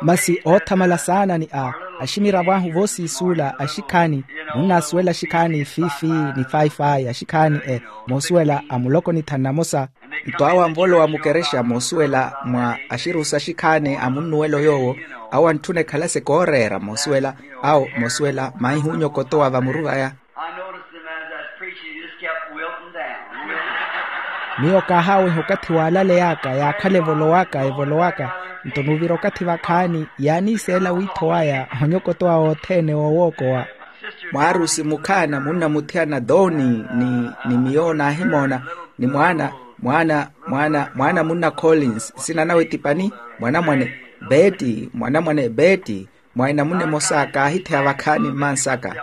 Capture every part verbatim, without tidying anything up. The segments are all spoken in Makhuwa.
Masi oothamala saana ni a aximiravo ahu voosiisuula axikhaani, munnasuwela axikhaani fifi ni fayi-fayi axikhaani e moosuwela a muloko ni thanu namosa. Nto awo anvolowa mukerexa moosuwela mwa axirusa axikhaani a munnuwelo yoowo, awo antthuna ekhalase kooreera moosuwela, awo moosuwela maihu onyokotowa vamuru vaya. I noticed them as I was preaching, they just kept wilting down. Miyo kaahaaweha okathi waalaleyaka yaakhala evolowaka evolowaka. Nto nuuvira okathi vakhaani yaaniiseela wiitho waya onyokotowa wothene woowookowa. Mwaarusi mukhaana munnamuthiyana doni ni ni miyo naahimoona, ni mwaana mwaana mwaana mwaana munna collins nsina nawe ti pani, mwanamwane beeti mwanamwane beeti. Mwa enamuna emosa kaahitheya vakhaani mmansaka.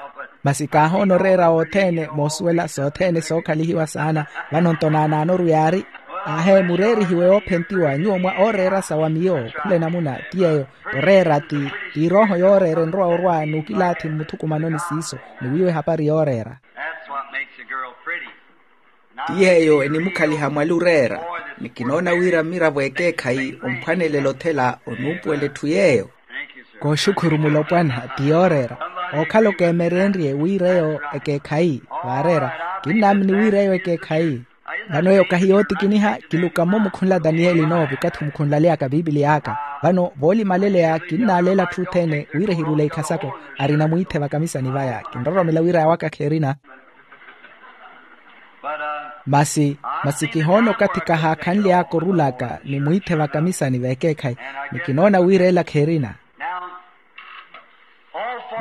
Masi kaahoona oreera othene moosuwela sothene sookhalihiwa saana. Vano nto naanaanoru yaari, aahe mureerihiwe oophentiwa nyuwo mwa ooreerasa wa miyo khula enamuna ti yeeyo. Oreera ti ti erooho yooreera enrowa orwa n'ukilaathi mmuthukumanoni siiso, ni wiiwa ehapari yooreera. That's what makes a girl pretty. Ti yeeyo enimukhaliha mwali oreera. Ni kinoona wira mmiravo ekeekhayi omphwanelela othela onuupuwela etthu yeeyo. Kooxukhuru mulopwana ti yooreera. Ookhala okeemereenrye wiira eyo ekeekhayi vaareera. Kinnaamini wiira eyo ekeekhayi. Vano eyo kahi yootikiniha. Kiluka mmo mukhunla daniyeli noovi okathi omukhunlaleyaka piipiliya aka. Vano voolimaleleya kinnaaleela atthu othene wira ehirule ikhasako. Arina mwiithe vakamisani vaya kinroromela wira yawaka kherina. Masi masi kihoona okathi kahaakhanly'aka orulaka ni mwiithe vakamisani veekeekhayi. Ni kinoona wira ela kherina.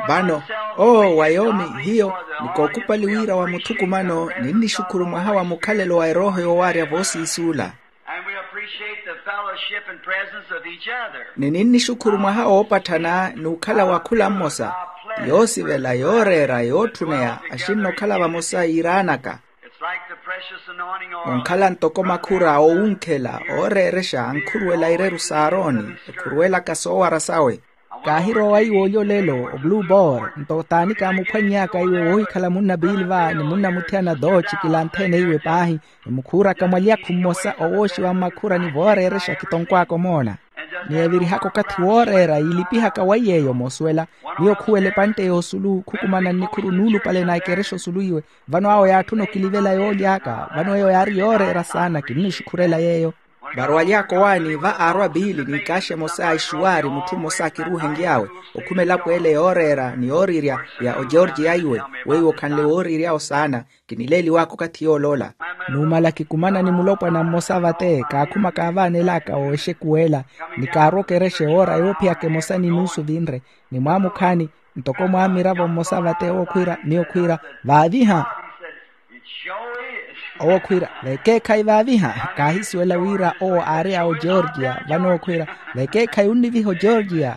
Vano owo wa yoomi hiyo ni kookupali wira wa muthukumano. Ninnixukhuru mwaha wa mukhalelo wa erooho yoowaarya voosiisuula. And we appreciate the fellowship and presence of each other. Ni ninnixukhuru mwaha woopatthana n'ukhala wa khula mmosa. Yoosivela yooreera yootthuneya axinna okhala vamosa yiiraanaka. It's like the precious anointing oil. Onkhala ntoko makhura oowunkhela ooreerexa ankhuruwela ireru s'aaroni ekhuruwelaka soowara sawe. Kaahirowa iwe olyo lelo o blue ball nto t'ani kaamuphwany'aka iwe woohikhala munna pilva ni munna muthiyana dooci kilantheene iwe paahi. Emukhuuraka mwalyakhu mmosa owooxiwa mmakhura ni vooreerexa kitonkwaaka omoona. Ni evirihaka okathi wooreera yiilipihaka waiy'eyo moosuwela. Miyo khuwela epantte y'osulu khukumana nnikhuru nuulupale na ekerexa osulu iwe. Vano awo yaatthuna okilivela yoolyaaka vano eyo yaari yooreera saana kinnixukhurela yeeyo. Varwaly'aka owaani va aarwa piili n'ikaaxa emosa a ixuwaari mutthu mmosa akiruuhenly'awe. Okhuma elapo ele yooreera ni yoorirya ya ogeorgiya iwe weiwo okhanle wooriryawo saana. Kinileeliw'aka okathi yooloola. Numala kikumana ni mulopwana mmosa vate kaakhuma kaavaanel'aka wooxekuwela ni kaarwa okerexe woora yoophiyaka emosa ni nuusu vinre. Ni mwaamukhaani ntoko mwaamiravo mmosa vate owo khwiira miyo khwiira, vaaviha. Owo khwiira vekeekhayi vaaviha kaahisuwela wira owo aari a ogeorgiya vano owo khwiira, vekeekhayi onniviha ogeorgiya.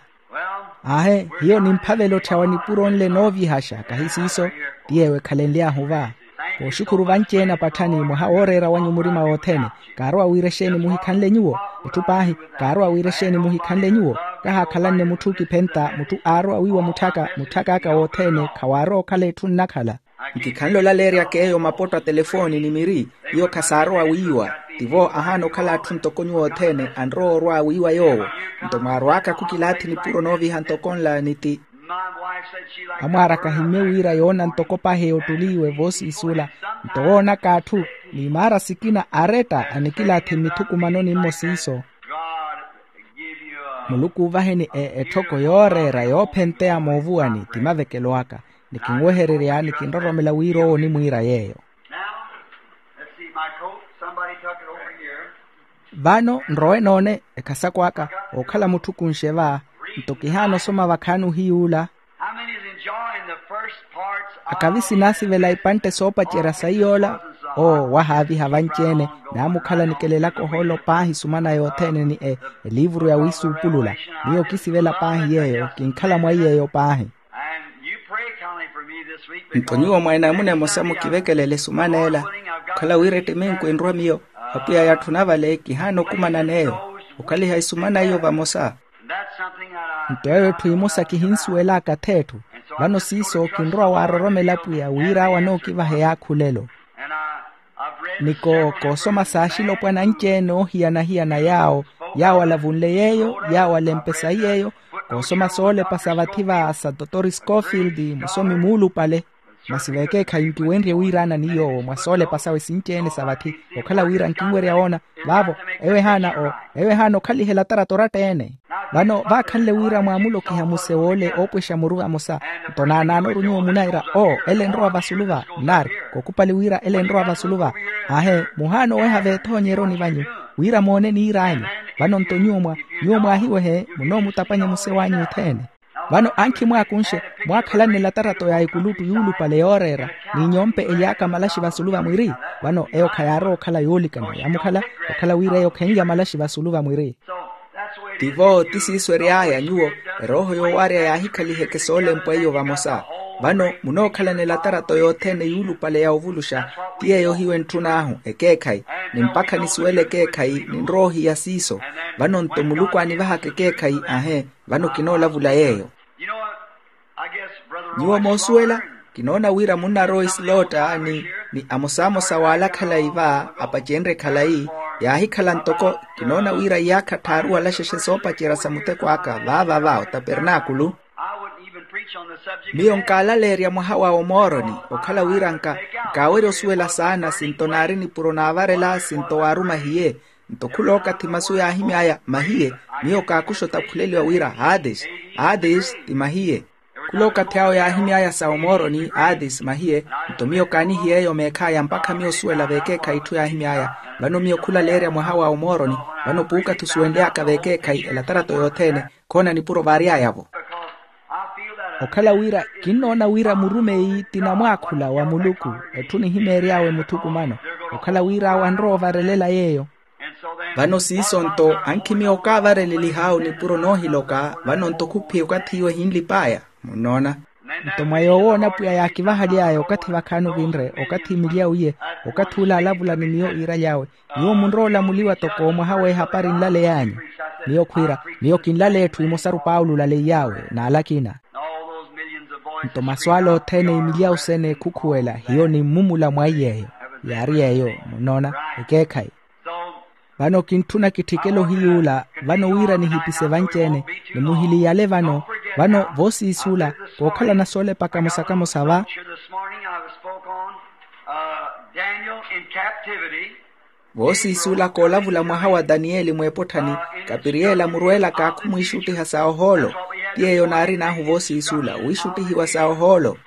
Aahe hiyo nimphavela otthawa nipuro nle noovihaxa kahi siiso. Ti yeewo ekhalenly'ahu va. Kooxukhuru vanci-ene apatthani mwaha wooreera wanyu murima wothene. Kaarowa wira exeeni muhikhanle nyuwo? Etthu paahi. Kaarowa wira exeeni muhikhanle nyuwo? Kahaakhalanne mutthu okiphenta mutthu aarowa wiiwa mutthaka mutthak'aka wothene khawaarowa okhala etthu nnakhala. Nkikhanle olaleeryaka eyo mapotto a telefooni ni miri. Iyo khasaarowa wiiwa. Tivo ahaana okhala atthu ntoko nyuwo othene anrowa orwa wiiwa yoowo. Nto mwaarwaaka khukilaathi nipuro nooviha ntoko nla ni ti. Amwaaraka ahimmye wira yoona ntoko paahi eyo ottuli iwe voosiisula. Nto woonaka atthu ni maara sikina aretta anikilaathi mmithukumanoni mmo siiso. Muluku oovaheni etthoko yooreera yoophenteya moovuwani ti mavekelo aka. Ni kinwehererya ni kinroromela wira owo onimwiira yeeyo. Vano nrowe noone ekhasako aka. Ookhala mutthu kunxe va. Nto kihaana osoma vakhaani ohiyuula. Akavi sinaasivela ipantte soopacerya saiy'ola. Owo wahaaviha vanci-ene. Naamukhala nikelelaka ohoolo paahi sumana yothene ni eliivuru ya wiisuupulula. Miyo kisivela paahi yeeyo kinkhala mwaiy'eyo paahi. Nto nyuwo mwa enamuna emosa mukivekelele sumana ela. Okhala wira ettiminku enrwa miyo. Apwiya yatthuna vale kihaana okumanan'eyo. Okhaliha esumana iyo vamosa. Nto eyo etthu emosa kihinsuwel'aka ath'etthu. Vano siiso kinrowa waaroromela apwiya wira awo anookivaha eyaakhulelo. Niko koosoma saaxilopwana anci-ene oohiyana-hiyana yaawo. Yaawo alavunle yeeyo, yaawo alempe sayi yeeyo. Koosoma soolepa sa vathi va sa totori scofield, musomi muulupale. Masi veekeekhayi nkiwenrye wiiraana ni yoowo mwa soolepa sawe sinci-ene sa vathi. Okhala wira nkinwerya woona vaavo. Eyo ehaana o eyo ehaana okhalihela tarato oratta-ene. Vano vaakhanle wira mwaamulokiha muse woole oopwexa muru vamosa. Nto naanaanoru nyuwo munaira o ele enrowa vasulu va nnaari. Kookupali wira ele enrowa vasulu va. Aahe, muhaana oweha veethoonyeroni vanyu wira moone niir'anyu. Vano nto nyuwo mwa nyuwo mwaahiwehe munoomutapanya muse w'anyu othene. Vano ankhi mwaakunxe mwaakhalanela tarato ya ekulutu yuulupale yooreera n'inyompe elyaaka malaxi vasulu vamwiri. Vano eyo khayaarowa okhala yoolikana yaamukhala okhala wira eyo khenlya malaxi vasulu vamwiri. Tivo ti siiso ery'aya nyuwo erooho yoowarya yaahikhaliheke soolempwa iyo vamosa. Vano munookhalanela tarato yothene yuulupale ya ovuluxa ti yeeyo hiyo entthun'ahu ekeekhayi ni mpakha nisuwele ekeekhayi ninrowa ohiya siiso. Vano nto muluku aanivahaka ekeekhayi ahe. Vano kinoolavula yeeyo. Nyuwo moosuwela kinoona wira munnarowa isilotta ni ni amosamosa w'ala khalayi va apacenrye khalayi yaahikhala ntoko kinoona wira iyaakha tthaaru wala xexe soopacerya sa muteko aka vaava va otapernaakulu. Miyo nkaalalerya mwaha wa omooroni okhala wira nka nkaawerya osuwela saana sinto naari nipuro naavarela sinto waarumahiye. Nto khulookathi masu yaahimy'aya mahiye miyo kaakuxa otaphuleliwa wira hades. Hades ti mahiye. Khulookathi awo yaahimy'aya sa omooroni hades mahiye. Nto miyo kaanihiye eyo meekh'aya mpakha miyo osuwela veekeekhayi itthu yaahimy'aya. Vano miyo khulaleerya mwaha wa omooroni vano puukathi osuwenly'aka veekeekhayi elatarato yothene. Khoona nipuro vaary'aya-vo. Okhala wira kinnoona wira murumeyi ti namwaakhula wa muluku. Etthu nihimeery'awe muthukumano okhala wira awo anrowa ovarelela yeeyo. Vano siiso nto ankhi miyo okaavarelelih'awe nipuro noohiloka. Vano nto khuphiya okathi iwe ehinlip'aya munnoona. Nto mwa yoowoona pwiya yaakivahaly'aya okathi vakhaani ovinre okathi imilya uye. Okathi ula alavula ni miyo iiraly'awe nyuwo munrowa olamuliwa toko mwaha w'ehapari nlaley'anyu. Miyo khwiira miyo kinlaleya etthu emosaru paulo olaleiy'awe n'ala akina. Nto masu ala othene imilya usene ekhukhuwela hiyo nimmumula mwa iy'eyo. Yaari yeeyo munnoona ekeekhayi. Vano kintthuna kitthikele ohiy'ula vano wira nihipise vanci-ene. Nimuhiliyale vano vano voosiis'ula kookhalana soolepa kamosa kamosa va. Voosiis'ula koolavula mwaha wa daniyeli mw'epotthani kapiriyeli amurweelaka khumwiixuttiha sa ohoolo. Ti yeeyo naarin'ahu voosiis'ula wiixuttihiwa sa ohoolo.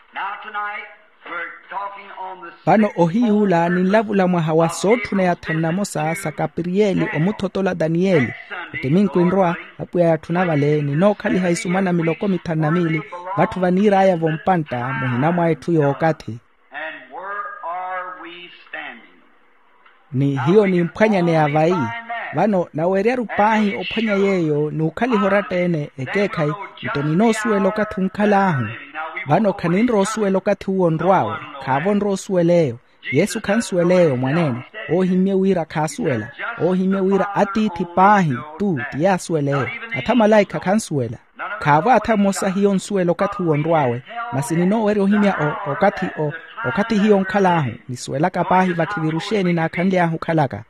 Vano ohiy'ula ninlavula mwaha wa sootthuneya thanu namosa sa kapiriyeli omuthotola daniyeli. Otiminku enrowa apwiya yatthuna vale ninookhaliha isumana miloko mithanu na miili. Vatthu vaniir'aya vompantta muhina mwa etthu y'okathi. Ni hiyo nimphwanyaneya vayi. Vano naweryaru paahi ophwanya yeeyo n'ukhaliha oratta-ene ekeekhayi. Nto ninoosuwela okathi onkhal'ahu. Vano khaninrowa osuwela okathi uwo onrw'awe. Khaavo onrowa osuwela eyo. Yesu khansuwela eyo mwaneene. Oohimmye wira khaasuwela. Oohimmye wira atiithi paahi tu ti yaasuwela eyo. Atha malaikha khansuwela. Khaavo atha mmosa hiyo onsuwela okathi uwo onrw'awe. Masi ninoowerya ohimya okathi hiyo onkhal'ahu. Nisuwelaka paahi vakhiviru xeeni naakhanly'ahu okhalaka.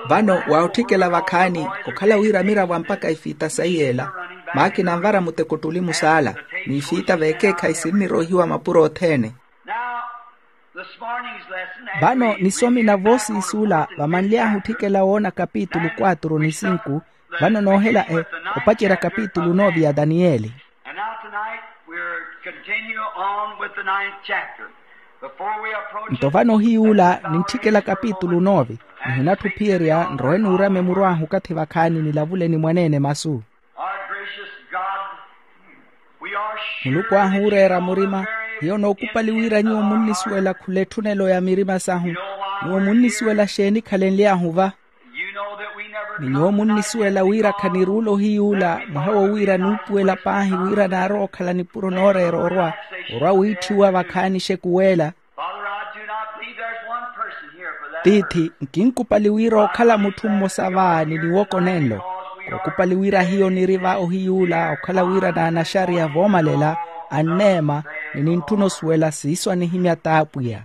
Vano wa otthikela vakhaani okhala wira miravo ampakha ifiita sayi yeela. Maakina anvara muteko ottuli musaala n'ifiita veekeekhayi sinniroihiwa mapuro othene. Vano nisomina voosiis'ula vamanly'ahu otthikela woona kapitulu quatro ni sinku. Vano noohela opacerya kapitulu nove ya daniyeli. Nto vano ohiy'ula nintthikela kapitulu nove. Nihinatthu ophiyerya nrowe nuurame muru ahu okathi vakhaani nilavule ni mwaneene masu. Muluku ahu ooreera murima. Hiyo nookupali wira nyuwo munnisuwela khula etthunelo ya mirima sahu. Nyuwo munnisuwela xeeni khalenly'ahu va? Ni nyuwo munnisuwela wira khaniruula ohiy'ula mwaha wo wira nuupuwela paahi wira naarowa okhala nipuro nooreera orwa orwa wiitthiwa vakhaani exekuweela. Tiithi nkinkupali wira okhala mutthu mmosa va ni niwoko nenlo. Kookupali wira hiyo niri va ohiy'ula okhala wira naanaxariya voomalela anneema ni nintthuna osuwela siiso anihimya t'apwiya.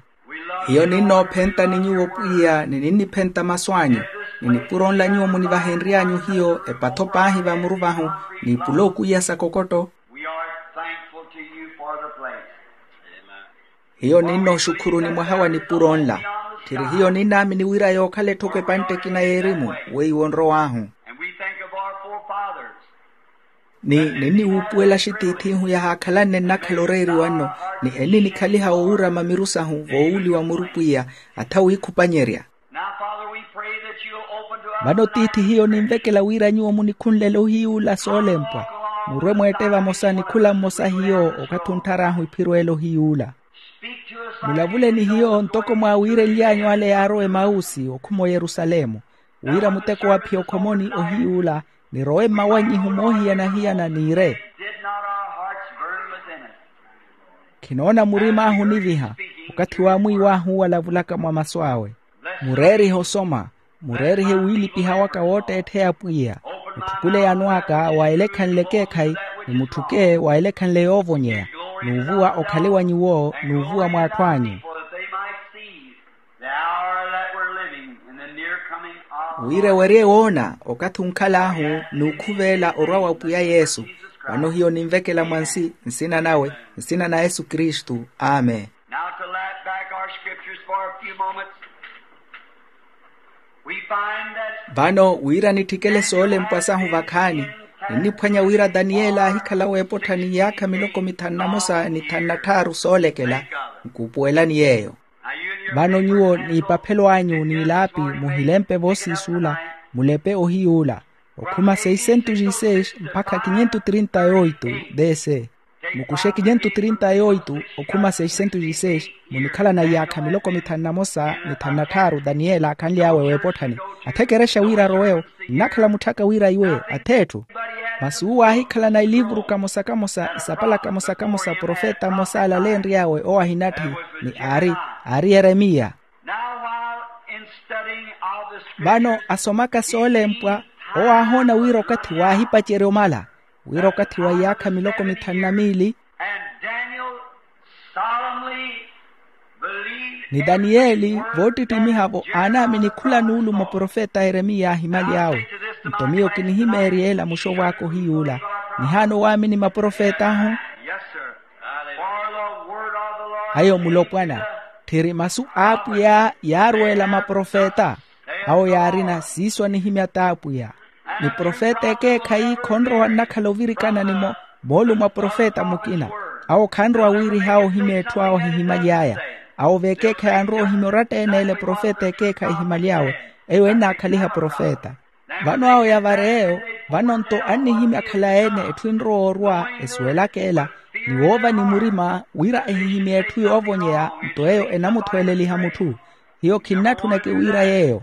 Hiyo ninnoophenta ni nyuwo pwiya ni ninniphenta masu anyu. Ni nipuro nla nyuwo munivahenry'anyu hiyo epatho paahi vamuru vahu, ni ipula okwiya sa kokotto. We are thankful to you for the place. Hiyo ninnooxukhuruni mwaha wa nipuro nla. Tthiri hiyo ninnaamini wira yookhala etthoko epantte ekina y'erimu weiwo onrow'ahu. And we think of our forefathers. Ni ninniwuupuwela axitiith'ihu yahaakhalanne nnakhala oreeriwa nno, ni enninikhaliha owuurama miru sahu voowuuliwa muru pwiya, atha wiikhupanyerya. Now, Father, we pray that you'll open to us. Vano tiithi hiyo ninvekela wira nyuwo munikhunlele ohiyuula soolempwa, murwe mweette vamosa ni khula mmosa hiyo okathi onttharahu iphiro ela ohiyuula. Speak to us like mulavule ni hiyo ntoko mwaawiirenly'anyu ale yaarowa emausi okhuma oyerusalemu, wira muteko wa phiya okhomoni ohiyuula, nirowe mmawannyihu moohiyana-hiyana niire. Did not our hearts burn within us? Khinoona murim'ahu oniviha okathi waamwiiw'ahu walavulaka mwa masu awe. Mureerihe osoma, mureerihe wiilipiha waka wootteettheya pwiya. Mutthukule yano aka wa elekhanle ekeekhayi, ni mutthuke wa elekhanle yoovonyeya, n'uvuwa okhale wa nyuwo n'uvuwa mw'atthu anyu. For that they might see the hour that we're living in, the near coming of wira ewerye woona okathi onkhal'ahu n'ukhuveela orwa wa pwiya yesu. Vano hiyo ninvekela mwansi nsina nawe, nsina na yesu kristu. Amen. Now to light back our scriptures for a few moments. We find that vano wira nitthikele soolempwa sahu vakhaani, ninniphwanya wira daniyeli aahikhala weepottha ni iyaakha miloko mithanu na mosa ni thanu na tthaaru soolekela. Nkuupuwelani yeeyo. Vano nyuwo n'ipaphelo anyu n'ilaapi muhilempe voosiisuula, mulepe ohiyuula okhuma seiscentos e seis mpakha quinhentos trinta e oito. D c. Mukuxe quinhentos trinta e oito okhuma seiscentos e seis, munikhalana iyaakha miloko mithanu na mosa ni thanu na tthaaru daniyeli aakhanly'awe weepotthani. Atha ekerexa wira arowe-wo, nnakhala mutthaka wira iwe ath'etthu. Masi uwo aahikhalana ilivuru kamosa-kamosa isapala kamosa-kamosa profeta mmosa alaleenry'awe owo ahinatthi, ni aari aari yeremiya. Now, while in studying of the scriptures, vano asomaka soolempwa, owo aahoona wira okathi waahipacerya omala, wira okathi wa iyaakha miloko mithanu na miili. And Daniel solemnly believed ni daniyeli voottittimiha-vo aanaamini khula nuulumo profeta yeremiya aahimaly'awe. Nto miyo kinihimeerya ela muxovw'aka ohiyuula, nihaana owaamini maprofet'ahu. Yes, sir. For the word of the Lord. Ayo mulopwana, tthiri masu a apwiya yaarweela maprofeta. Awo yaarina siiso anihimya t'apwiya. Ni profeta ekeekhayi khonrowa nnakhala ovirikana ni moolumo a profeta mukina. Awo khanrowa wiiriha ohimya etthu awo ahihimaly'aya. Awo v'ekeekhayi anrowa ohimya oratta-ene ele profeta ekeekhayi ehimaly'awe, eyo ennaakhaliha profeta. Vano awo yavara eyo, vano nto annihimya akhala-ene etthu enrowa orwa esuwelaka ela, ni woova ni murima wira ehihimye etthu yoovonyeya nto eyo enamuthweeleliha mutthu. Hiyo khinnatthuneke wira yeeyo.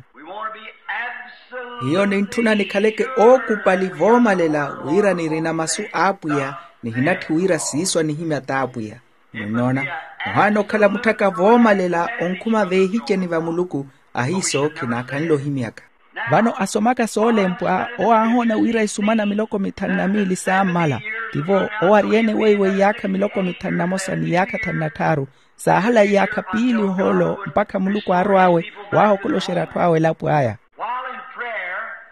Hiyo nintthuna nikhaleke ookupali voomalela wira nirina masu a apwiya, nihinatthi wira siiso anihimya t'apwiya. Munnoona, ohaana okhala mutthaka voomalela onkhuma veehiceni va muluku, ahiiso khinaakhanle ohimyaka. Vano asomaka soolempwa owo aahoona wira isumana miloko mithanu na miili saammala. Tivo owo ari-ene weiwo iyaakha miloko mithanu na mosa ni iyaakha thanu na tthaaru, saahala iyaakha piili ohoolo mpakha muluku aarw'awe waahokoloxerya atthu awe elapo aya.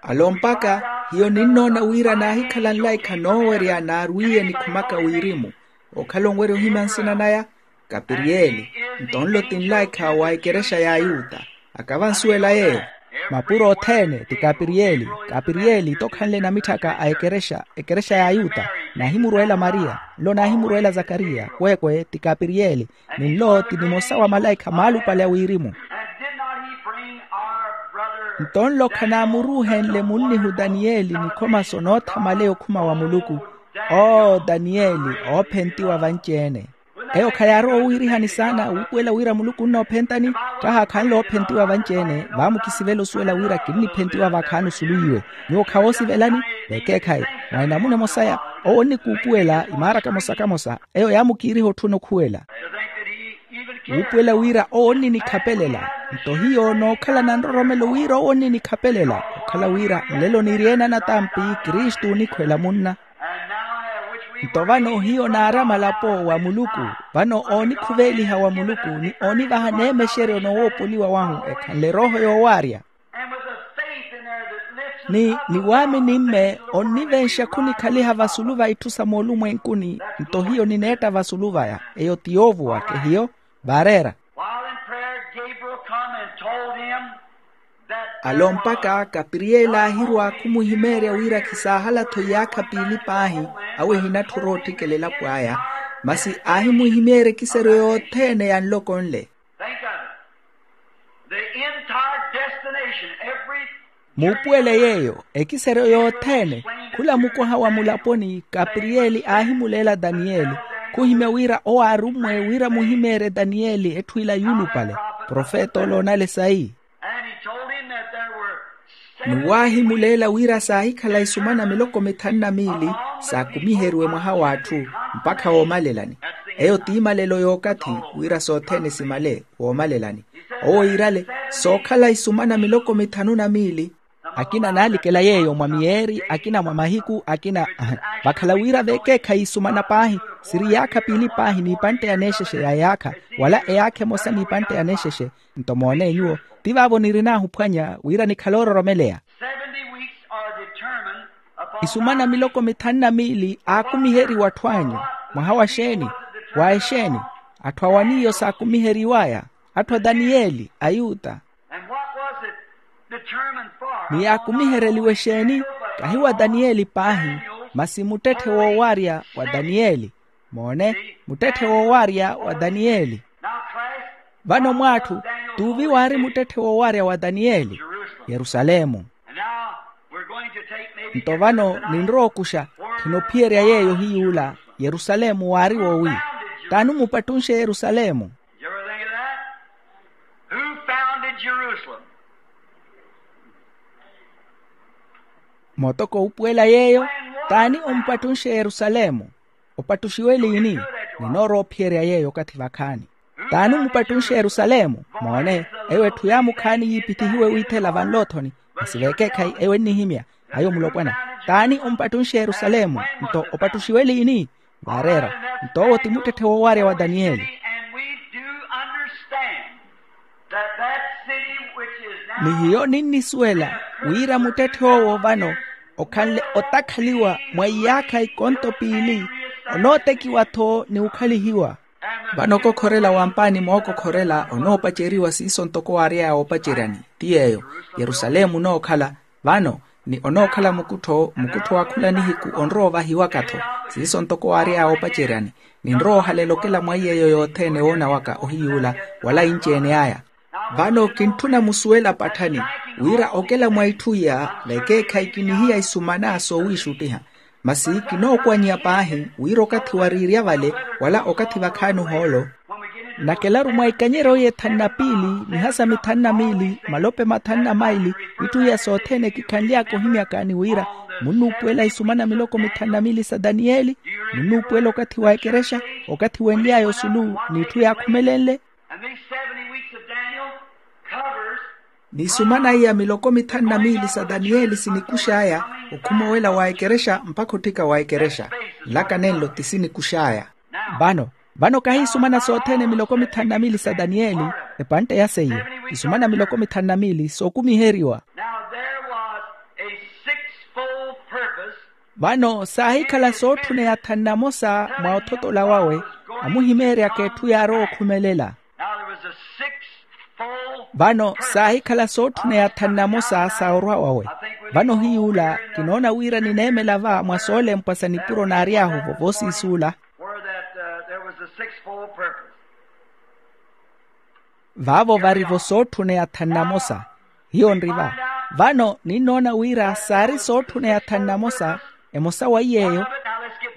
Alompaka, hiyo ninnoona wira naahikhala nlaikha noowerya naarwiiye nikhumaka wirimu, okhala onwerya ohimya nsina naya. Kapiriyeli. Nto nlo ti nlaikha wa ekerexa y'ayuta. Akavansuwela yeeyo. Mapuro othene ti kapiriyeli. Kapiriyeli tokhanle namitthaka a ekerexa ekerexa y'ayuta. Naahimurweela mariya, nlo naahimurweela zakariya kweekwe ti kapiriyeli. Ni nlo ti nimosa wa malaikha maalupale a wirimu. Nto nlo khanaamuruuhenle munnihu daniyeli nikhoma sonothamaleya okhuma wa muluku. Oo daniyeli, oophentiwa vanci-ene. Eyo khayaarowa owiirihani saana wuupuwela wira muluku onnoophentani. Kahaakhanle oophentiwa vanci-ene vaamukisivela osuwela wira kinniphentiwa vakhaani osulu iwe. Nyuwo khawoosivelani? Vekeekhayi. Mwa enamuna emosaya, owo onnikuupuwela imaara kamosa-kamosa. Eyo yaamukiiriha otthuna okhuwela. Wuupuwela wira owo onninikhapelela. Nto hiyo nookhalana nroromelo wira owo onninikhapelela okhala wira nlelo niiri-ene anatampi kristu onikhwela munna. Nto vano hiyo naari amalapo wa muluku. Vano oonikhuveeliha wa muluku ni oonivaha neemexeryo noowoopoliwa wahu ekhanle erooho yoowaarya. Ni niwaamini mme onnivenxa khunikhaliha vasulu va itthu sa moolumwenkuni. Nto hiyo nineetta vasulu vaya, eyo ti yoovuwa kehiyo. Vaareera. While in prayer, Gabriel come and told him that there alompaka was kapiriyeli aahirwa khumuhimeerya wira khisaahala-tho iyaakha piili paahi, awo ehinatthura ootthikela elapo aya. Masi aahimuhimeerya ekiseryo yothene ya nloko nle. Think of it. The entire destination, every muupuwele yeeyo, ekiseryo yothene. Khula mukoha wa mulaponi kapiriyeli aahimuleela daniyeli, khuhimya wira owo aarummwe wira muhimeerye daniyeli etthu ila yuulupale, profeta ole onale sayi. And he told him that there were seven ni waahimuleela wira saahikhala isumana miloko mithanu na miili saakumiheriwe mwaha w'atthu mpakha woomalelani. Eyo ti imalelo y'okathi wira sothene simale woomalelani. Owo iirale sookhala isumana miloko mithanu na miili. Akina naalikela yeeyo mwa miyeeri, akina mwa mahiku, akina vakhala wira veekeekhayi isumana paahi, siri iyaakha piili paahi n'ipantte ya neexexe ya iyaakha, wala eyaakha emosa n'ipantte ya neexexe. Nto moone nyuwo, ti vaavo nirin'ahu ophwanya wira nikhale oororomeleya. Seventy weeks are determined upon isumana miloko mithanu na miili aakumiheriwa atthu anyu. Mwaha wa xeeni? Wa exeeni? Atthu awan'iyo saakumiheriw'aya? Atthu a daniyeli, ayuta. And what was it determined for? Ni yaakumihereliwe exeeni? Kahi wa daniyeli paahi, masi muttetthe woowarya wa daniyeli. Moone, muttetthe woowarya wa daniyeli. Now, Christ, vano mw'atthu, tuuvi waari muttetthe woowarya wa daniyeli? Jerusalemu. And now we're going to take maybe nto vano ninrowa okuxa, khinophiyerya yeeyo hiy'ula yerusalemu waari woowi. T'ani omupattunxe yerusalemu? Did you ever think of that? Who founded Jerusalem? Mootoko upuwela yeeyo. T'ani omupattunxe yerusalemu? Opattuxiwe liini? Ninoorowa ophiyerya yeeyo okathi vakhaani. T'ani omupattunxe yerusalemu? Moone, eyo etthu yaamukhaani yiipittihiwe wiithela vanloothoni. Masi veekeekhayi eyo ennihimya. Ayo mulopwana. T'ani omupattunxe yerusalemu? Nto opattuxiwe liini? Vaareera. Nto owo ti muttetthe woowarya wa daniyeli. And we do understand that that city which is now ni hiyo ninnisuwela wira muttetthe owo vano okhanle otakhaliwa mwa iyaakha ikonto piili, onootekiwa-tho ni okhalihiwa. Vano okokhorela wampaani mookokhorela onoopaceriwa siiso ntoko waary'aya oopaceryani, ti yeeyo yerusalemu onookhala. Vano ni onookhala mukuttho mukuttho wa khula nihiku onrowa ovahiwaka-tho. Siiso ntoko waary'aya oopaceryani, ninrowa ohalela okela mwa iy'eyo yothene woona waka ohiy'ula wala inci-ene aya. Vano kintthuna musuwela patthani wira okela mwa itthu iya vekeekhayi kinihiya isumana soowiixuttiha. Masi kinookwanya paahi wira okathi wariirya vale wala okathi vakhaani ohoolo. Nakelaru mwa ikanyeryo y'ethanu na piili mihasa mithanu na miili malope mathanu na maili, itthu iya sothene kikhanly'aka ohimyaka ni wira munnuupuwela isumana miloko mithanu na miili sa daniyeli. Munnuupuwela okathi wa ekerexa, okathi wenly'aya osulu n'itthu yaakhumelenle. And these seventy weeks of Daniel covers ni isumana iya miloko mithanu na miili sa daniyeli sinikux'aya okhumowela wa ekerexa mpakha otthika wa ekerexa. Nlaka nenlo ti sinikux'aya. Vano, vano kahi isumana sothene miloko mithanu na miili sa daniyeli, epantte ya seiyo, isumana miloko mithanu na miili sookumiheriwa. Now there was a sixfold purpose. Vano saahikhala sootthuneya thanu na mosa mwa othotola wawe, amuhimeeryaka etthu yaarowa okhumelela. Now there was a sixfold. Vano saahikhala sootthuneya thanu na mosa sa orwa wawe. Vano hiy'ula kinoona wira nineemela va mwa soolempwa sa nipuro naary'ahu vovoosiisuula. Where that, uh, there was a sixfold purpose. Vaavo varivo sootthuneya thanu na mosa. Hiyo nri va. Vano ninnoona wira saari sootthuneya thanu na mosa, emosa wa iy'eyo.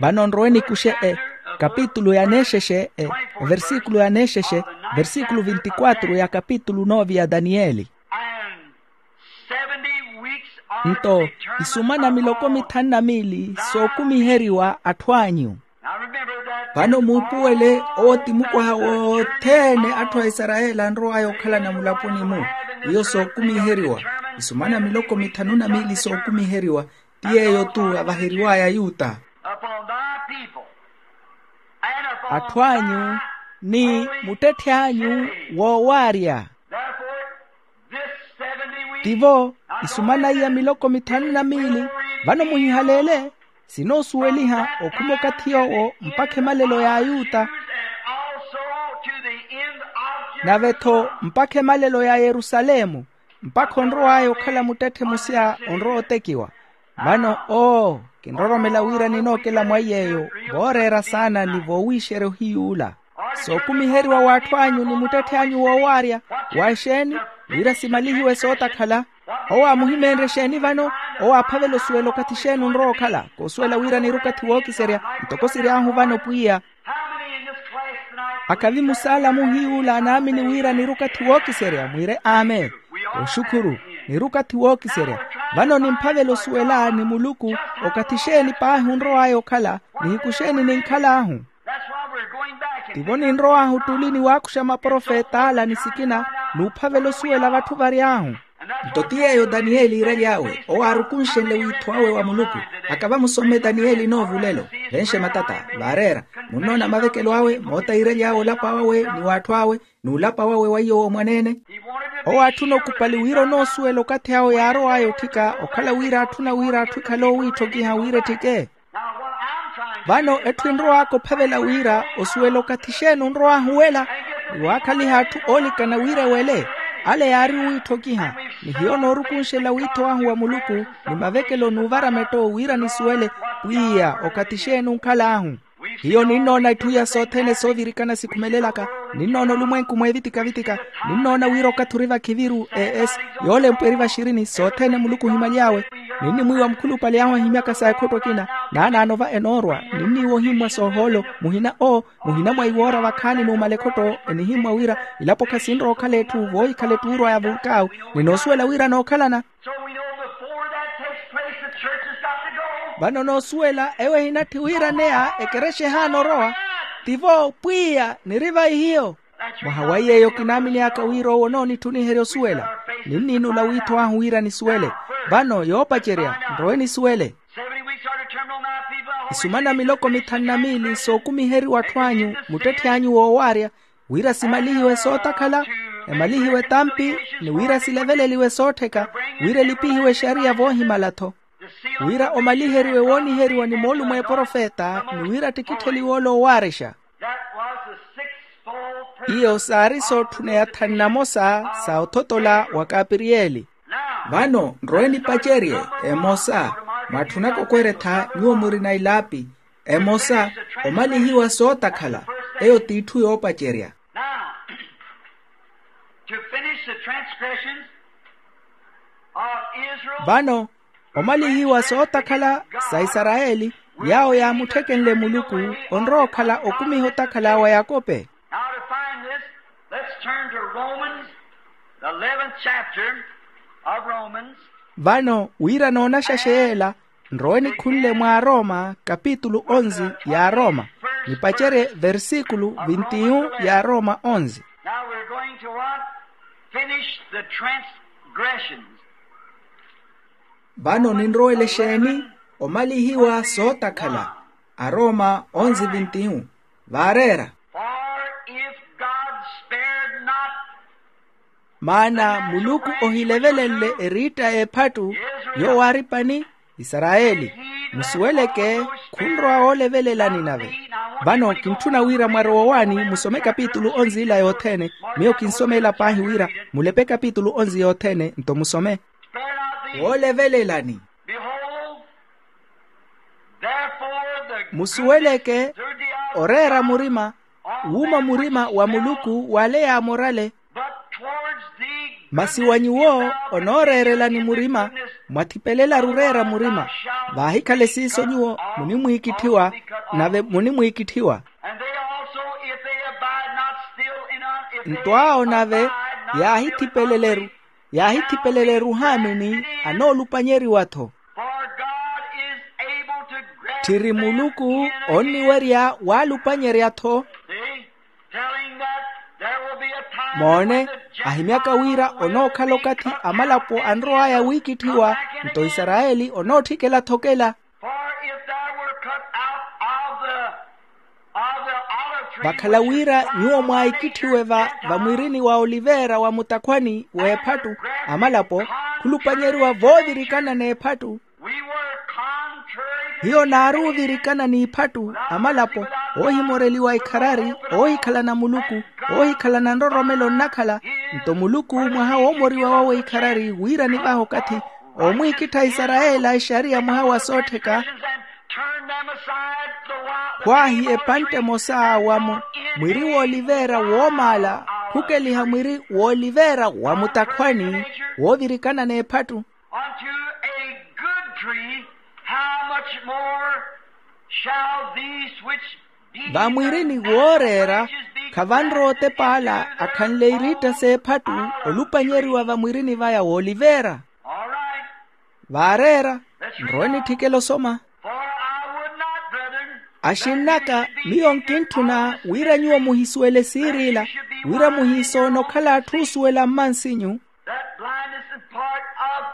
Vano nrowe nikuxe e kapitulu ya neexexe e, versíkulu ya neexexe, versíkulu vinti quatro ya kapitulu nove ya daniyeli. And seventy weeks are nto determined isumana miloko upon mithanu na miili sookumiheriwa atthu anyu. Vano muupuwele owo ti mukwaha wothene atthu a isarayeli anrow'aya okhalana mulaponi-mu. Iyo sookumiheriwa isumana miloko mithanu na miili sookumiheriwa. Ti yeeyo-tu avaheriw'aya ayuta. Atthu anyu ni muttetthe anyu woowaarya. Tivo Isu manaiya miloko mithanu na miili. Vano muhihaleele, sinoosuweliha okhuma okathi yoowo mpakha emalelo ya ayuta, nave-tho mpakha emalelo ya yerusalemu, mpakha onrow'aya okhala muttetthe musya onrowa otekiwa. Vano oo, kinroromela wira ninookela mwaiy'eyo, vooreera saana ni voowiixerya ohiyuula. Sookumiheriwa w'atthu anyu ni muttetthe anyu woowaarya. Wa exeeni? Wira simalihiwe sootakhala. Owo aamuhimeenrye exeeni vano? Owo aaphavela osuwela okathi exeeni onrowa okhala. Koosuwela wira niri okathi wookiserya, ntoko siry'ahu vano pwiya. Akhavi musaala muhiyuula anaamini wira niri okathi wookiserya mwiire amen. Oxukhuru, niri okathi wookiserya. Vano nimphavela osuwela ni muluku, okathi exeeni paahi onrow'aya okhala, nihiku exeeni ninkhal'ahu. Tivo ninrow'ahu ttuli niwaakuxa maprofet'ala ni sikina, n'uphavela osuwela vatthu vary'ahu. Nto ti yeeyo daniyeli iiraly'awe owo aarukunxenle wiitho awe wa muluku. Akava musome daniyeli noovulelo, venxe matata, vaareera. Munnoona mavekelo awe moota iiraly'awe olapa wawe ni w'atthu awe, n'ulapa wawe wa iyo womwaneene. Owo aatthuna okupali wira onoosuwela okathi awo yaarow'aya otthika okhala wira aatthuna wira atthu ekhale oowiitthokiha wira etthike. Vano etthu enrow'aka ophavela wira osuwela okathi exeeni onrow'ahu wela, ni waakhaliha atthu oolikana wira ewele. Ale yaari owiitthokiha, ni hiyo noorukunxela wiitho ahu wa muluku, ni mavekelo n'uvara metto wira nisuwele pwiya okathi exeeni onkhal'ahu. Hiyo ninnoona itthu iya sothene soovirikana sikhumelelaka. Ninnoona olumwenku mweevitika-vitika. Ninnoona wira okathi ori vakhiviru es, yoolempwa eri vaxirini sothene muluku ohimaly'awe. Ninnimwiiwa mukhulupale ahu ahimyaka sa ekhotto ekina, naanaano va enoorwa. Ninniiwa ohimmwa soohoolo, muhina oo, muhina mwa iwoora vakhaani numala ekhotto. Enihimmwa wira ilapo khasinrowa okhala etthu voohikhala ettuurwa ya vulkau. Ninoosuwela wira nookhalana. So we know before that takes place, the church has got to go. Vano noosuwela ewo ehinatthi wira neya ekerexa ehaana orowa. Tivo pwiya niri vai hiyo. Mwaha wa yeeyo kinaamini aka wira owo onoonitthuniherya osuwela. Ninniinula wiitho ahu wira nisuwele. Vano yoopacerya nrowe nisuwele. Seventy weeks are determined on my people. Isumana miloko mithanu na miili sookumiheriwa atthu anyu muttetthe anyu woowaarya, wira simalihiwe sootakhala, emalihiwe tampi, ni wira sileveleliwe soottheka, wira elipihiwe exariya voohimala-tho, wira omaliheriwe wooniheriwa ni moolumo eprofeta, ni wira attikittheliwe ole owaarexa. That was the sixfold purpose. Iyo saari sootthuna ya thanu na mosa sa othotola wa kapiriyeli. Vano nrowe nipacerye emosa, mwaatthunaka okweretha nyuwo murina ilaapi. Emosa, omalihiwa sootakhala, eyo t'itthu yoopacerya. Now, to finish the transgressions of Israel. Vano, omalihiwa sootakhala sa isarayeli, yaawo yaamutthikenle muluku, onrowa okhala okumiha otakhala wa yakope. Now to find this, let's turn to Romans, the eleventh chapter of Romans. Vano wira noonaxaxe yeela, nrowe nikhunle mwa aroma kapitulu onzi ya aroma, nipacerye versikulu vintiyu ya aroma onzi. Now we're going to what? Finish the transgressions. Vano ninrowele exeeni? Omalihiwa sootakhala. Aroma onzi vintiyu. Vaareera. For if God spared not. Maana muluku ohilevelenle eriitta y'ephattu, yoowo aari pani isarayeli, musuweleke khunrowa woolevelelani nave. Vano kintthuna wira mwarowa owaani musome kapitulu onzi ila yothene. Miyo kinsomela paahi wira mulepe kapitulu onzi yothene nto musome. Woolevelelani. Behold, therefore the musuweleke goodness oreera murima, wuuma murima wa muluku w'ale yaamorale. But towards thee masi wa nyuwo onooreerelani murima, mwathipelelaru oreera murima. Vaahikhale siiso nyuwo munimwiikitthiwa, nave munimwiikitthiwa. And they also, if they abide not still in us, if they nto awo nave abide not still in us, yaahithipeleleru, yaahithipeleleru haamini anoolupanyeriwa-tho. For God is able to grant them in again. Tthiri muluku onniwerya waalupanyerya-tho. See? Telling that there will be a time moone, when the ahimyaka wira Gentiles onookhala will be okathi cut amalapo out and anrow'aya Israel wiikitthiwa, come back in again. Nto isarayeli onootthikela-tho okela. For if there were cut out of the, of the olive tree, vakhala wira nyuwo mwaaikithiwe va, va mwirini wa oliveera wa mutakhwani w'ephattu, amalapo Khulupanyeriwa voovirikana n'ephattu. Hiyo naari ovirikana n'ipphattu, amalapo, oohimoreliwa ikharari, oohikhalana muluku, oohikhalana nroromelo nnakhala. Nto muluku mwaha woomoriwa wawe ikharari wira nivahe okathi, oomwiikittha isarayeli a ixariya mwaha wa soottheka. Khwaahi epantte emosa wa mu-, mwiri w'oliveera woomaala, khukeliha mwiri w'oliveera wa mutakhwani, woovirikana n'ephattu. Unto a good tree, how much more shall these which be va mwirini wooreera, khavanre otepa ala akhanle iriitta s'ephattu, olupanyeriwa va mwirini vaya w'oliveera. All right. Vaareera, nrowe nitthikele osoma. For I would not, brethren, axinn'aka, miyo nkintthuna wira nyuwo muhisuwele siir'ila, wira muhisoona okhala atthu oosuwela mmansinyu. That blindness is part of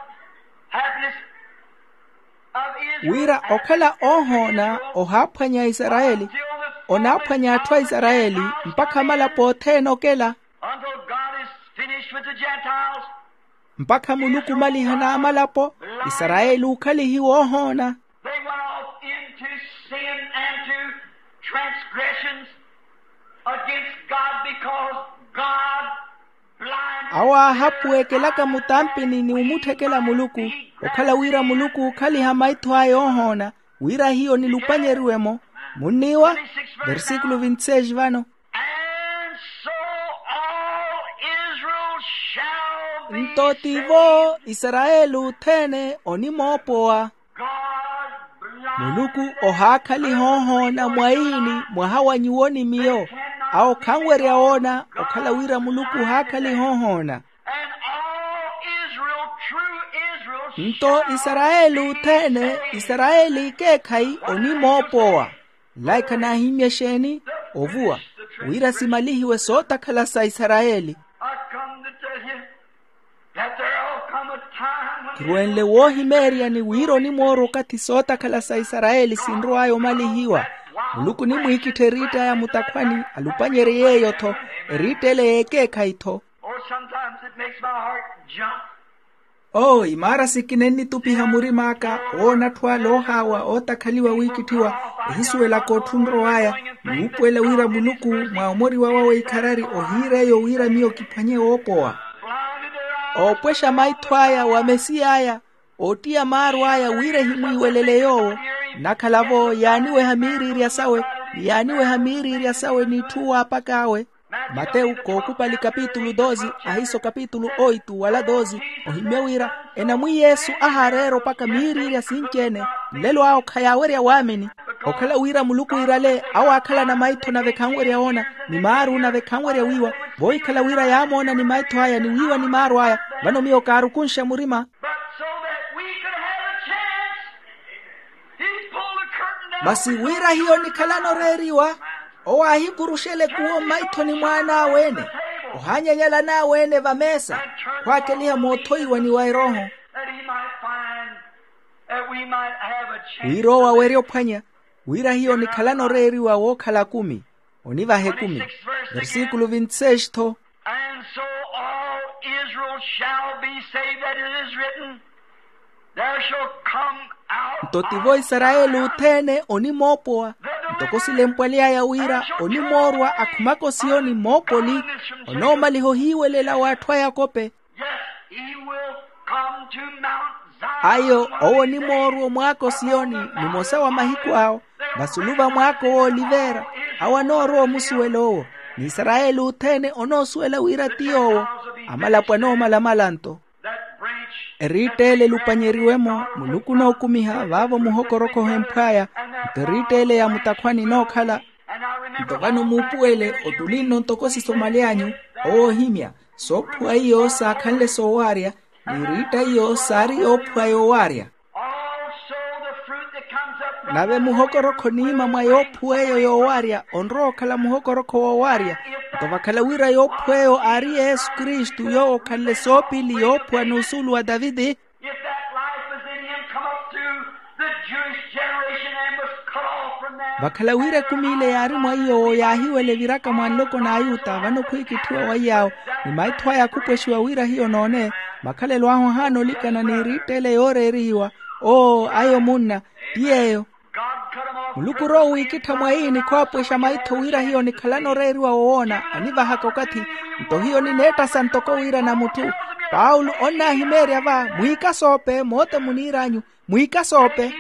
happiness of Israel. Wira okhala oohoona ohaaphwanya a isarayeli, onaaphwanya atthu a isarayeli mpakha amalapo othene okela. Until God is finished with the Gentiles. Mpakha muluku omaliha n'amalapo, isarayeli ookhalihiwa oohoona. They went off into sin and to transgressions against God because God blinded awo aahapuwekelaka mutampini ni omutthekela muluku, okhala wira muluku ookhaliha maitho aya oohoona, wira hiyo nilupanyeriwe-mo. Munniiwa? Versículo vinte e seis vano. And so all Israel shall be nto tivo saved. Isarayeli othene onimoopowa. God blinded muluku ohaakhaliha oohoona mwaini mwaha wa nyuwo ni miyo. Awo khanwerya woona okhala wira muluku ohaakhaliha oohoona. And all Israel, true Israel, nto shall isarayeli be othene saved. Isarayeli ekeekhayi onimoopowa. Nlaikha naahimmye exeeni? Ovuwa, wira simalihiwe sootakhala sa isarayeli. I come to tell you that there'll come a time when kirwenle woohimeeryani wira onimoorwa okathi sootakhala sa isarayeli sinrow'aya omalihiwa. Muluku onimwiikittha eriitta aya mutakhwani alupanyerye yeeyo-tho, eriitta ele y'ekeekhayi-tho. Oh, sometimes it makes my heart jump. Oo, imaara sikina ennitupiha murim'aka, owoona atthu ale oohaawa ootakhaliwa wiikitthiwa, ehisuwelaka otthu onrow'aya, ni wuupuwela wira muluku mwa omoriwa wawe ikharari ohiira eyo wira miyo kiphwanye woopowa. Oopwexa maitho aya wa mesiy'aya, oottiya maaru aya wira ehimwiiwelele yoowo. Nnakhala-vo yaaniweha miiriirya sawe, ni yaaniweha miiriirya sawe n'itthu waapak'awe. Matewu kookupali kapitulu doze, ahiiso kapitulu oitu wala doze, ohimmye wira enamwi yesu ahaareera opaka miiriirya sinci-ene. Nlelo awo khayaawerya waamini. Okhala wira muluku iirale awo aakhalana maitho nave khanwerya woona, ni maaru nave khanwerya wiiwa. Voohikhala wira yaamoona ni maitho aya ni wiiwa ni maaru aya, vano miyo kaarukunxa murima. But so that we could have a chance, he pulled the curtain down. Masi wira hiyo nikhalana oreeriwa, owo aahipuruxela ekuwo mmaithoni mw'an'awe-ene, ohaanyanyala an'awe-ene vameesa, khwaakeliha moothoiwa ni wa erooho. That he might find, that we might have a chance. Wira owo awerye ophwanya, wira hiyo nikhalana oreeriwa wookhala akumi. Onivaha ekumi. Versículo vinte e seis tho. And so all Israel shall be saved, that it is written, there shall come out. Nto tivo isarayeli othene onimoopowa, ntoko silempwaly'aya wira onimoorwa akhumaka osiyoni moopoli, onoomaliha ohiiwelela w'atthu a yakope. Yes, he will come to Mount Zion. Ayo, owo onimoorwa omwaaka osiyoni, nimosa wa mahiku awo, vasulu va mwaaka w'oliveera, awo anoorowa omusuwela owo. Ni isarayeli othene onoosuwela wira ti yoowo. Amalapo anoomalamala nto. That branch. Eriitta ele elupanyeriwe-mo, muluku onookumiha vaavo muhokorokho ohemphw'aya. Nto eriitta ele ya mutakhwani enookhala. Nto vano muupuwele otulinno ntoko sisomaly'anyu, owoohimya, soophuwa iyo saakhanle soowaarya, n'eriitta iyo saari yoophuwa yoowaarya. Also the fruit that comes up from nave muhokorokho niima mwa yoophuwa eyo yoowaarya onrowa okhala muhokorokho woowaarya. Nto vakhala wira yoophuwa eyo aari yesu kristu yoowo okhanle soopili yoophuwa n'usuulu wa taviti. If that life was in him, come up through the Jewish generation and was cut off from them. Vakhala wira ekumi ile yaari mwa iyo yaahiwela eviraka mwa nloko n'ayuta vano khwiikitthiwa wa iyaawo, ni maitho aya akhupwexiwa wira hiyo noone makhalelo ahu ahaana olikana n'iriitta ele yooreerihiwa. Oo ayo munna, ti yeeyo. Muluku rowo wiikittha mwayi ni khoopwexa maitho wira hiyo nikhalana oreeriwa wowoona anivahaka okathi. Nto hiyo nineettasa ntoko wira na mutthu paulo onnaahimeerya va mwiikasoope moote muniir'anyu. Mwiikasoope.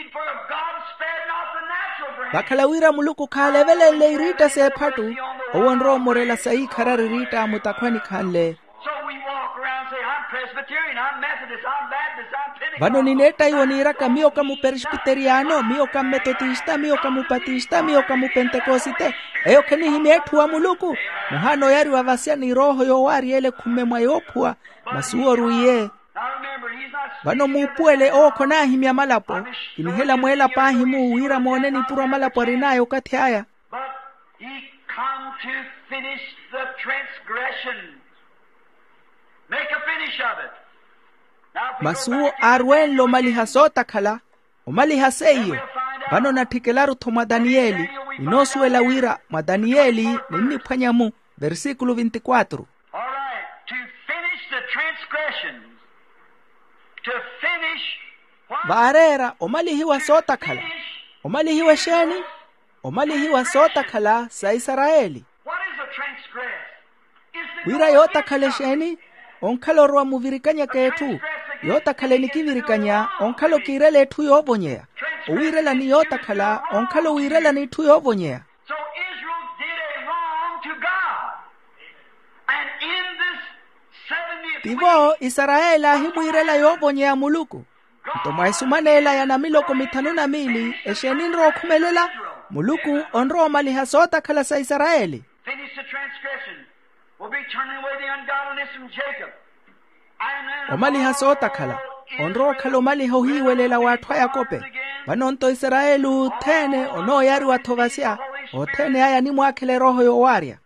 Vakhala wira muluku khaalevelenle iriitta s'ephattu, owo onrowa omorela sayiikharari iriitta a mutakhwani khanle. So we walk around and say, "I'm Presbyterian, I'm Methodist, I'm Baptist, I'm Pentecostal." Vano nineetta iwo niiraka miyo ka muperesbiteriyano miyo ka mmetotista miyo ka mupatista miyo ka mupentekosite. Eyo khenihimya etthu wa muluku. Muhaana oyariwa vasya ni rooho yoowaarya ele khumme mwa yoophuwa. Masi uwo orwiye. Vano muupuwele owo khonaahimya malapo. Kinihela mweela paahi-mu wira moone nipuro a malapo arin'aya okathi aya. But he come to finish the transgression. Make a finish of it. Masi uwo aarwenle omaliha sootakhala. Omaliha seiyo. Vano natthikelaru-tho mwa daniyeli. Ninoosuwela wira mwa daniyeli ninniphwanya-mu. Versikulu vintikwatru. All right, to finish the transgressions, to finish what? Vaareera omalihiwa sootakhala. Omalihiwa exeeni? Omalihiwa sootakhala sa isarayeli. What is a transgress? Is the wira yootakhala exeeni? Onkhala orowa muvirikanyaka etthu. Yootakhala enikivirikanya onkhala okiirela etthu yoovonyeya. Owiirela ni yootakhala onkhala owiirela n'itthu yoovonyeya. So Israel did a wrong to God. And in this seventieth tivo week, isarayeli aahimwiirela yoovonyeya muluku. Nto mwa esumaneela ya namiloko mithanu na miili exeeni enrowa okhumelela? Muluku onrowa omaliha sootakhala sa isarayeli. Finish the transgression. Will be turning away the ungodliness from Jacob. Omaliha sootakhala onrowa okhala omaliha ohiiwelela w'atthu a yakope. Vano-nto isarayeli othene onooyariwa-tho vasya. Othene aya animwaakhela erooho yoowaarya.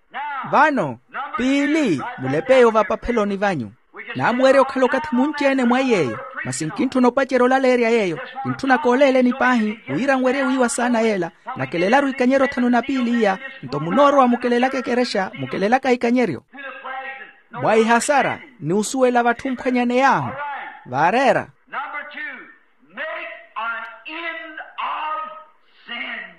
Vano piili mulepe eyo vapapheloni vanyu. Naamuwerya okhala okathi munci-ene mwa iy'eyo. Masi nkintthuna opacerya olaleerya yeeyo. Kintthuna kooleeleni paahi wira nwerye wiiwa saana yeela. Nakelelaru ikanyeryo thanu na piili iya. Nto munoorowa mukelelaka ekerexa mukelelaka ikanyeryo mwa ihasara ni osuwela vatthu mphwanyaney'ahu. Vaareera. Number two, make an end of sins.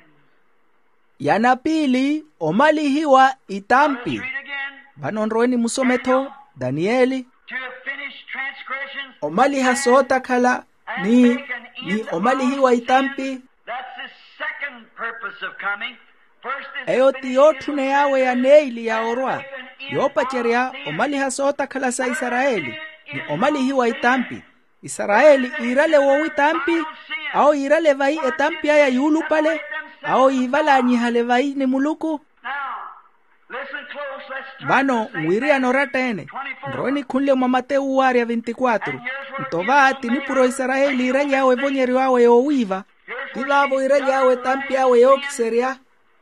Ya napiili omalihiwa itampi. Read again. Vano nrowe nimusome-tho daniyeli. To finish transgressions. Omaliha sootakhala ni ni omalihiwa itampi. That's the second purpose of coming. First is eyo ti yootthuney'awe ya neili ya orwa. Yoopacerya omaliha sootakhala sa isarayeli ni omalihiwa itampi. Isarayeli iirale woowa itampi. Awo yiirale vayi etampi aya yuulupale. Awo yiivalaanyihale vayi ni muluku. Vano nwiriyana oratta-ene. Nrowe nikhunle mwa matewu waarya vintikwatru. Nto va ti nipuro isarayeli iiraly'awe evonyeryo awe yoowiiva. Ti vaavo iiraly'awe etampi awe yookiserya.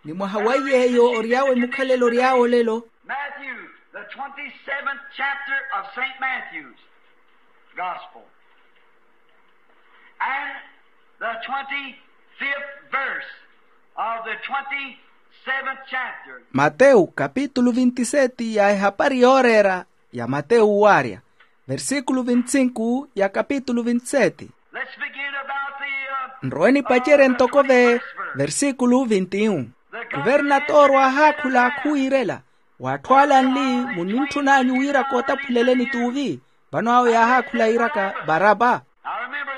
Ni mwaha wa iy'eyo ory'awe mukhalelo ory'awe olelo. Matthew, the twenty-seventh chapter of Saint Matthew's Gospel, and the twenty-fifth verse of the twenty-seventh chapter. Matewu kapitulu vintiseti ya ehapari yooreera ya matewu waarya. Versikulu vintsinku ya kapitulu vintseti. Let's begin about the, uh, nrowe nipacerye ntoko ve versikulu vintiyu. Kuvernatoro aahaakhula akhuwiirela w'atthu ala anli, munintthunaanyu wira kootaphuleleni t'uvi? Vano awo yaahaakhula yiiraka baraba.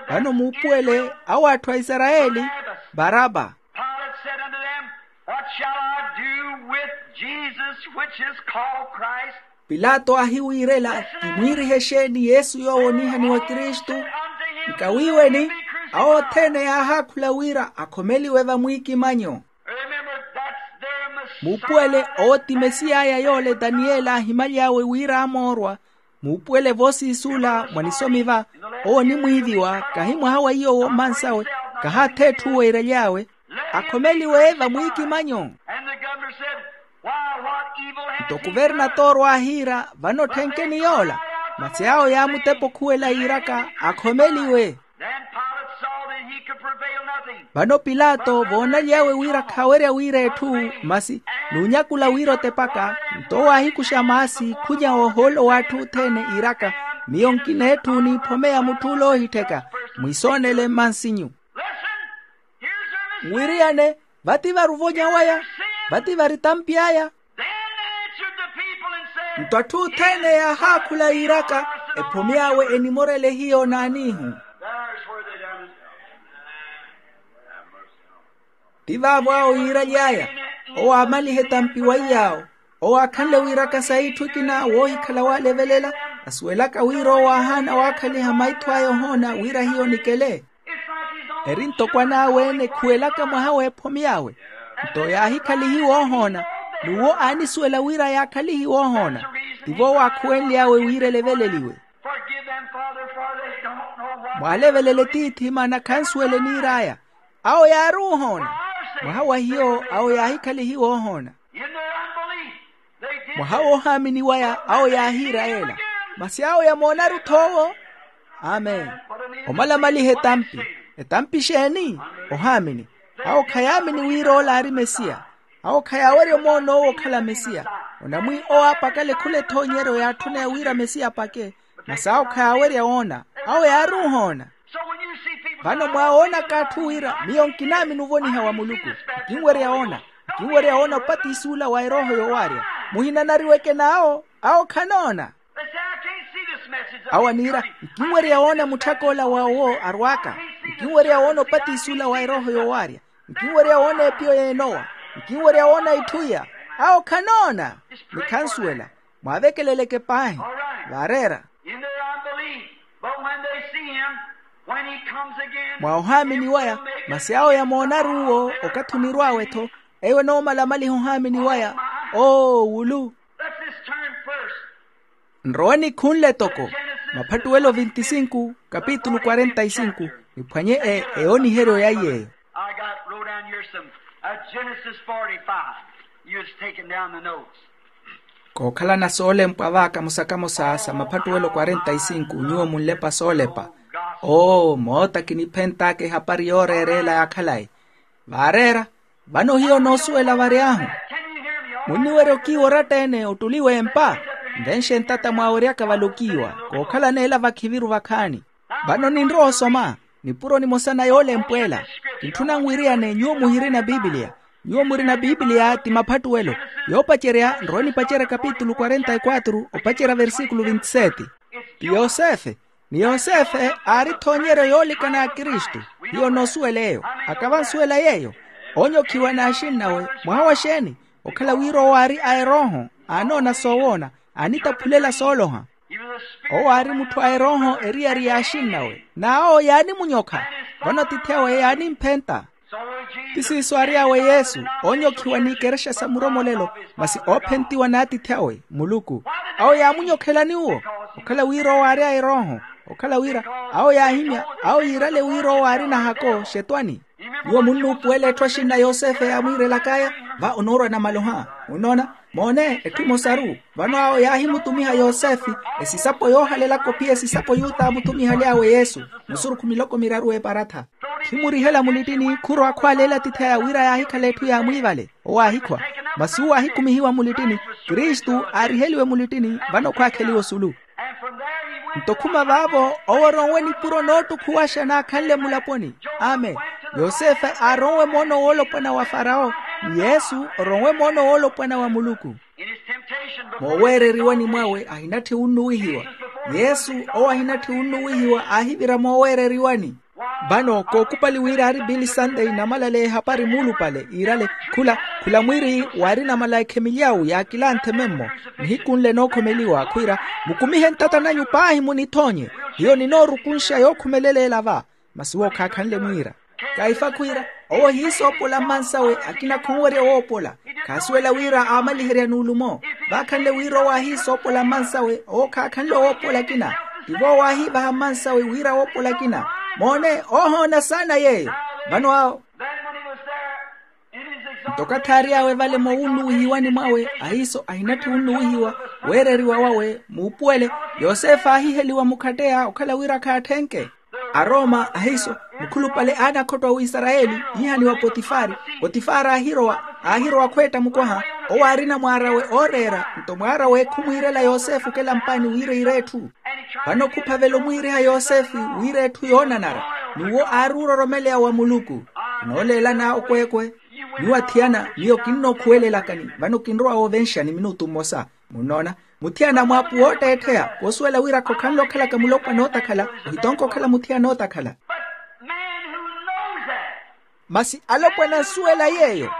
Vano muupuwele awo atthu a isarayeli baraba. Pilate said unto them, "What shall I do with Jesus, which is called Christ?" Pilato aahiwiirela, kimwiirihe exeeni yesu yoowo onihaniwa kristu? Nkawiiweni awo othene yaahaakhula wira akhomeliwe vamwiikimanyo. Remember, that's their Messiah. Muupuwele owo ti mesiyaya yoole daniyeli aahimaly'awe wira amoorwa. Muupuwele voosiisula mwa nisomi va, owo onimwiiviwa kahi mwaha wa iyo woomansawe. Kahaatha etthu weeraly'awe akhomeliwe vamwiikimanyo. And the governor said, "Why, what evil has he done?" Nto kuvernatoro aahiira, vano tthenkeni yoola? Masi awo yaamutepa okhuwela yiiraka akhomeliwe. Then Pilate saw the Vano pilato voonaly'awe wira khaawerya wira etthu, masi nuunyakula wira otepaka. Nto owo aahikuxa maasi khunya ohoolo w'atthu othene iiraka, miyo nkina etthu niiphomeya mutth'ule oohittheka. Mwisoonele mmansinyu. Nwiriyane, vati vari ovonya waya, vati vari tampi aya. Nto atthu othene yaahaakhula yiiraka, ephomy'awe enimorele hiyo naaniihu. Ti vaavo awo yiiraly'aya. Owo aamalihe tampi wa iy'awo. Owo aakhanle wiiraka sa itthu ekina woohikhala waalevelela, asuwelaka wira owo aahaana waakhaliha maitho aya ohoona wira hiyo nikele. Eri ntoko anaawe-ene khuwelaka mwaha w'ephomy'awe. Nto yaahikhalihiwa ohoona, n'uwo aanisuwela wira yaakhalihiwa ohoona. Tivo owo aakhuwenly'awe wira eleveleliwe. Mwaalevelele tiithi maana khansuwele niir'aya. Awo yaari ohoona. Mwaha wa hiyo awo yaahikhalihiwa ohoona. Mwaha woohaamini waya awo yaahiira yeela. Masi awo yamoonaru-tho owo. Amen. Omalamaliha etampi. Etampi exeeni? Ohaamini. Awo khayaamini wira ola aari mesiya. Awo khayaawerya omoon'owo okhala mesiya. Onamwi owo aapakale khula ethoonyeryo yaatthuneya wira mesiya apake. Masi awo khayaawerya woona. Awo yaari ohoona. Vano mwaawoonaka atthu wira miyo nkinaamini ovoniha wa muluku. Nkinwerya woona. Nkinwerya woona opatisi ula wa erooho yoowaarya. Muhinanariweke n'awo. Awo khanoona. Awo aniira, nkinwerya woona mutthak'ola wa owo arwaaka. Nkinwerya woona opatisi ula wa erooho yoowaarya. Nkinwerya woona epiyo y'enowa. Nkinwerya woona itthu iya. Awo khanoona. Ni khansuwela. Mwaavekeleleke paahi. Vaareera. Mwa ohaamini waya. Masi awo yamoonaru uwo. Okathi onirw'awe-tho. Eyo enoomalamaliha ohaamini waya. Oo wulu. Nrowe nikhunle toko. Maphattuwelo vinti sinku kapitulu kwarenta sinku. Niphwanye eyooniheryo ya iy'eyo. I got wrote down here some, uh, Genesis forty-five. You was taking down the notes. Kookhalana soolempwa vaaka musakamosa sa maphattuwelo kwarenta sinku nyuwo munlepa soolepa. Oo moota kiniphent'aka ehapari yooreereela ya khalayi. Vaareera. Vano hiyo noosuwela vary'ahu. Munniwerya okiiwa oratta-ene ottuliwe empa. Nvenxe ntata mwaaweryaka vale okiiwa. Kookhalana ela vakhiviru vakhaani. Vano ninrowa osoma nipuro nimosa na yoolempwa ela. Kintthuna nwiriyane nyuwo muhirina pipiliya. Nyuwo murina pipiliya ti maphattuwelo. Yoopacerya nrowe nipacerya kapitulu kwarenta e kwatru opacerya versikulu vinti seti. Ti yosefe. Ni yosefe aari ethoonyeryo yoolikana ya kristu. Hiyo noosuwela eyo. Akavansuwela yeeyo. Oonyokhiwa n'axinnawe. Mwaha wa xeeni? Okhala wira owo aari a erooho. Aanoona soowoona. Aanitaphulela sooloha. Owo aari mutthu a erooho eriyari y'axinnawe n'awo yaanimunyokha. Vano atiithi awe yaanimphenta. Ti siiso ary'awe yesu. Oonyokhiwa n'ikerexa sa muromolelo. Masi oophentiwa n'atiithi awe muluku. Awo yaamunyokhelani uwo? Okhala wira owo aari a erooho. Okhala wira awo yaahimya awo yiirale wira owo aari nahako xetwani. Nyuwo munnuupuwela etthu axinna yosefe yaamwiirelak'aya. Va onoorwa namaloha. Munoona? Moone etthu emosaru. Vano awo yaahimutumiha yosefe esisapo yoohalelaka ophiya esisapo yuta aamutumihaly'awe yesu. Musurukhu miloko miraru eparatha. Khimurihela mulittini khurwa akhwaleela atiithi aya wira yaahikhala etthu yaamwiivale. Owo aahikhwa. Masi uwo aahikumihiwa mulittini. Kristu aariheliwe mulittini vano khwaakheliwa osulu. Nto khuma vaavo owo oronwe nipuro noottukhuwaxa naakhanle mulaponi. Amen. Yosefe aaronwe moono woolopwana wa farawo. Ni yesu oronwe moono woolopwana wa muluku. Mooweereriwani mwawe ahinatthi wunnuwihiwa. Yesu owo ahinatthi wunnuwihiwa aahivira mooweereriwani. Vano kookupali wira aari pili santei namalale ehapari muulupale iirale. Khula khula mwiiri waari namala ekhemilyawu yaakilanthe memmo. Nihiku nle nookhomeliwa khwiira, mukumihe ntata nanyu paahi munithoonye. Hiyo ninoorukunxa yookhumeleleela va. Masi uwo khaakhanle mwiira. Kaifa khwiira owo hiisoopola mmansawe akina khonwerya woopola. Khaasuwela wira aamaliherya nuulumo. Vaakhanle wira owo ahiisoopola mmansawe owo khaakhanle woopola akina. Tivo owo aahiivaha mmansawe wira woopola akina. Moone oohoona saana yeeyo. Vano awo nto okathi aary'awe vale moowunnuwihiwani mwawe ahiiso ahinatthi wunnuwihiwa. Weereriwa wawe muupuwele. Yosefe aahiheliwa mukhatteya okhala wira khaatthenke. Arooma ahiiso, mukhulupale a anakhotto a wisarayeli, iihaniwa potifari. Potifari aahirowa aahirowa khweetta mukwaha, owo aarina mwaar'awe ooreera. Nto mwaar'awe khumwiirela yosefe okelampani wira iire etthu. Vano khuphavela omwiiriha yosefe wira etthu yoonanara. N'uwo aari ororomeleya wa muluku. Kinooleelana okweekwe. Nyuwo athiyana, miyo kinnookhuwelelakani vano kinrowa woovenxani minutu mmosa. Munnoona, muthiyana mwaapu wootteettheya koosuwela wira khokhanle okhalaka mulopwana ootakhala. Ohitonka okhala muthiyana ootakhala. Masi alopwana ansuwela yeeyo.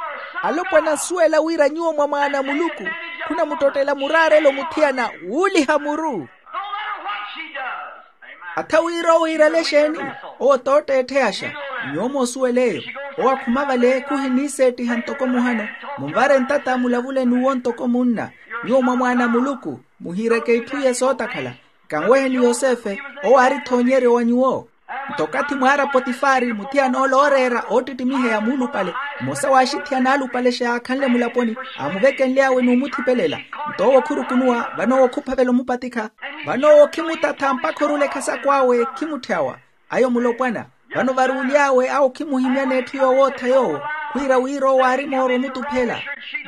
Alopwana ansuwela wira nyuwo mwa mwaana a muluku, khunamuttottela muraarelo muthiyana wuuliha muru. Atha wira owo iirale exeeni, owo t'otteettheyaxa. Nyuwo moosuwela eyo. Owo akhuma vale khuhiniiseettiha ntoko muhano. Munvare ntata mulavule n'uwo ntoko munna. Nyuwo mwa mwaana a muluku, muhiireke itthu iye sootakhala. Kanweheni yosefe, owo aari thoonyeryo wa nyuwo. Nto okathi mwaara potifari muthiyana ole ooreera oottittimiheya muulupale, mmosa w'axithiyana alupale xaakhanle mulaponi, aamuvekenly'awe n'umuthipelela. Nto owo khurukunuwa vano owo khuphavela omupatikha. Vano owo khimutatha mpakha orula ekhasako awe khimutthyawa. Ayo mulopwana. Vano varuuly'awe awo khimuhimyana etthu yoowootha yoowo, khwiira wira owo aari mooro omutuphela.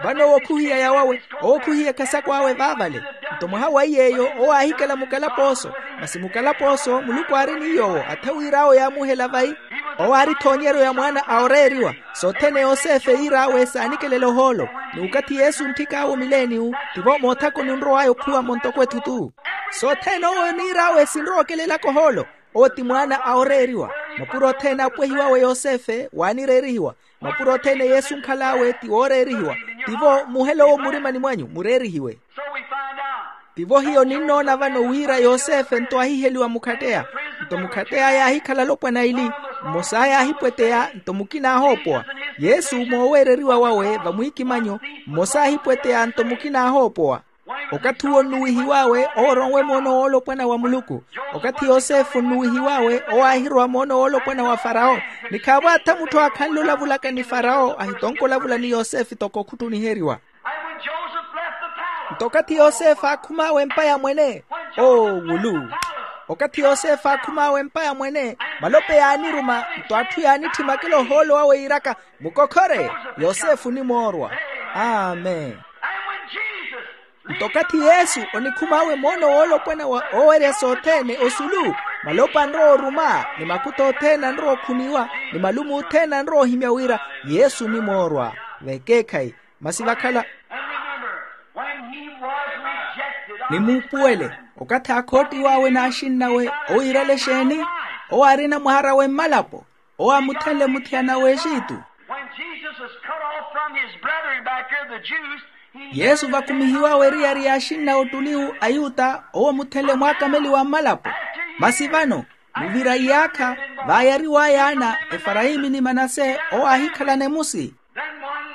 Vano owo khuhiya yawawe, owo khuhiya ekhasako awe vaavale. Nto mwaha wa iy'eyo owo aahikela mukalapooso. Masi mukalapooso muluku aari ni yoowo atha wira awo yaamuhela vayi. Owo aari thoonyeryo ya mwaana a oreeriwa. Sothene yosefe yiir'awe saanikelela ohoolo. N'ukathi yesu ontthik'awe omileeni-wu, tivo moothakoni onrow'aya okhuwamo ntoko ethutu. Sothene owo oniir'awe sinrowa okelelaka ohoolo. Owo ti mwaana a oreeriwa. Mapuro othene aapwehiwawe yosefe waanireerihiwa. Mapuro othene yesu onkhal'awe ti wooreerihiwa. Tivo muhela owo murimani mwanyu mureerihiwe. Tivo hiyo ninnoona vano wira yosefe nto aahiheliwa mukhatteya. Nto mukhattey'aya aahikhala alopwana aili. Mmos'aya aahipweteya nto mukina aahoopowa. Yesu mooweereriwa wawe vamwiikimanyo. Mmos'aya aahipweteya nto mukina aahoopowa. Okathi uwo onnuwihiw'awe owo oronwe moono woolopwana wa muluku. Okathi yosefe onnuwihiw'awe owo aahirowa moono woolopwana wa farawo. Ni khaavo atha mutthu aakhanle olavulaka ni farawo ahitonka olavula ni yosefe toko khuttuniheriwa. Nto okathi yosefe aakhum'awe empa ya mwene, oowulu. Okathi yosefe aakhum'awe empa ya mwene, malope yaaniruma. Nto atthu yaanitthi makela ohoolo wawe yiiraka, mukokhore, yosefe onimoorwa. Amen. Nto okathi yesu onikhum'awe moono woolopwana wa oowerya sothene osulu, malopa anrowa oruma ni makuta othene anrowa okhuniwa, ni malume othene anrowa ohimya wira yesu onimoorwa. Vekeekhayi. Masi vakhala. Ni muupuwele, okathi aakhootiw'awe n'axinnawe owiirale exeeni? Owo aarina mwaar'awe mmalapo. Owo aamuthenle muthiyana w'exitu. When Jesus was cut off from his brethren back here, the Jews, he yesu vakumihiwawe eriyari yaaxinna ottulihu ayuta owo muthenle mwaakameliwa mmalapo. Masi vano, muvira iyaakha, vaayariw'aya ana, efarayimi ni manase owo aahikhalana emusi.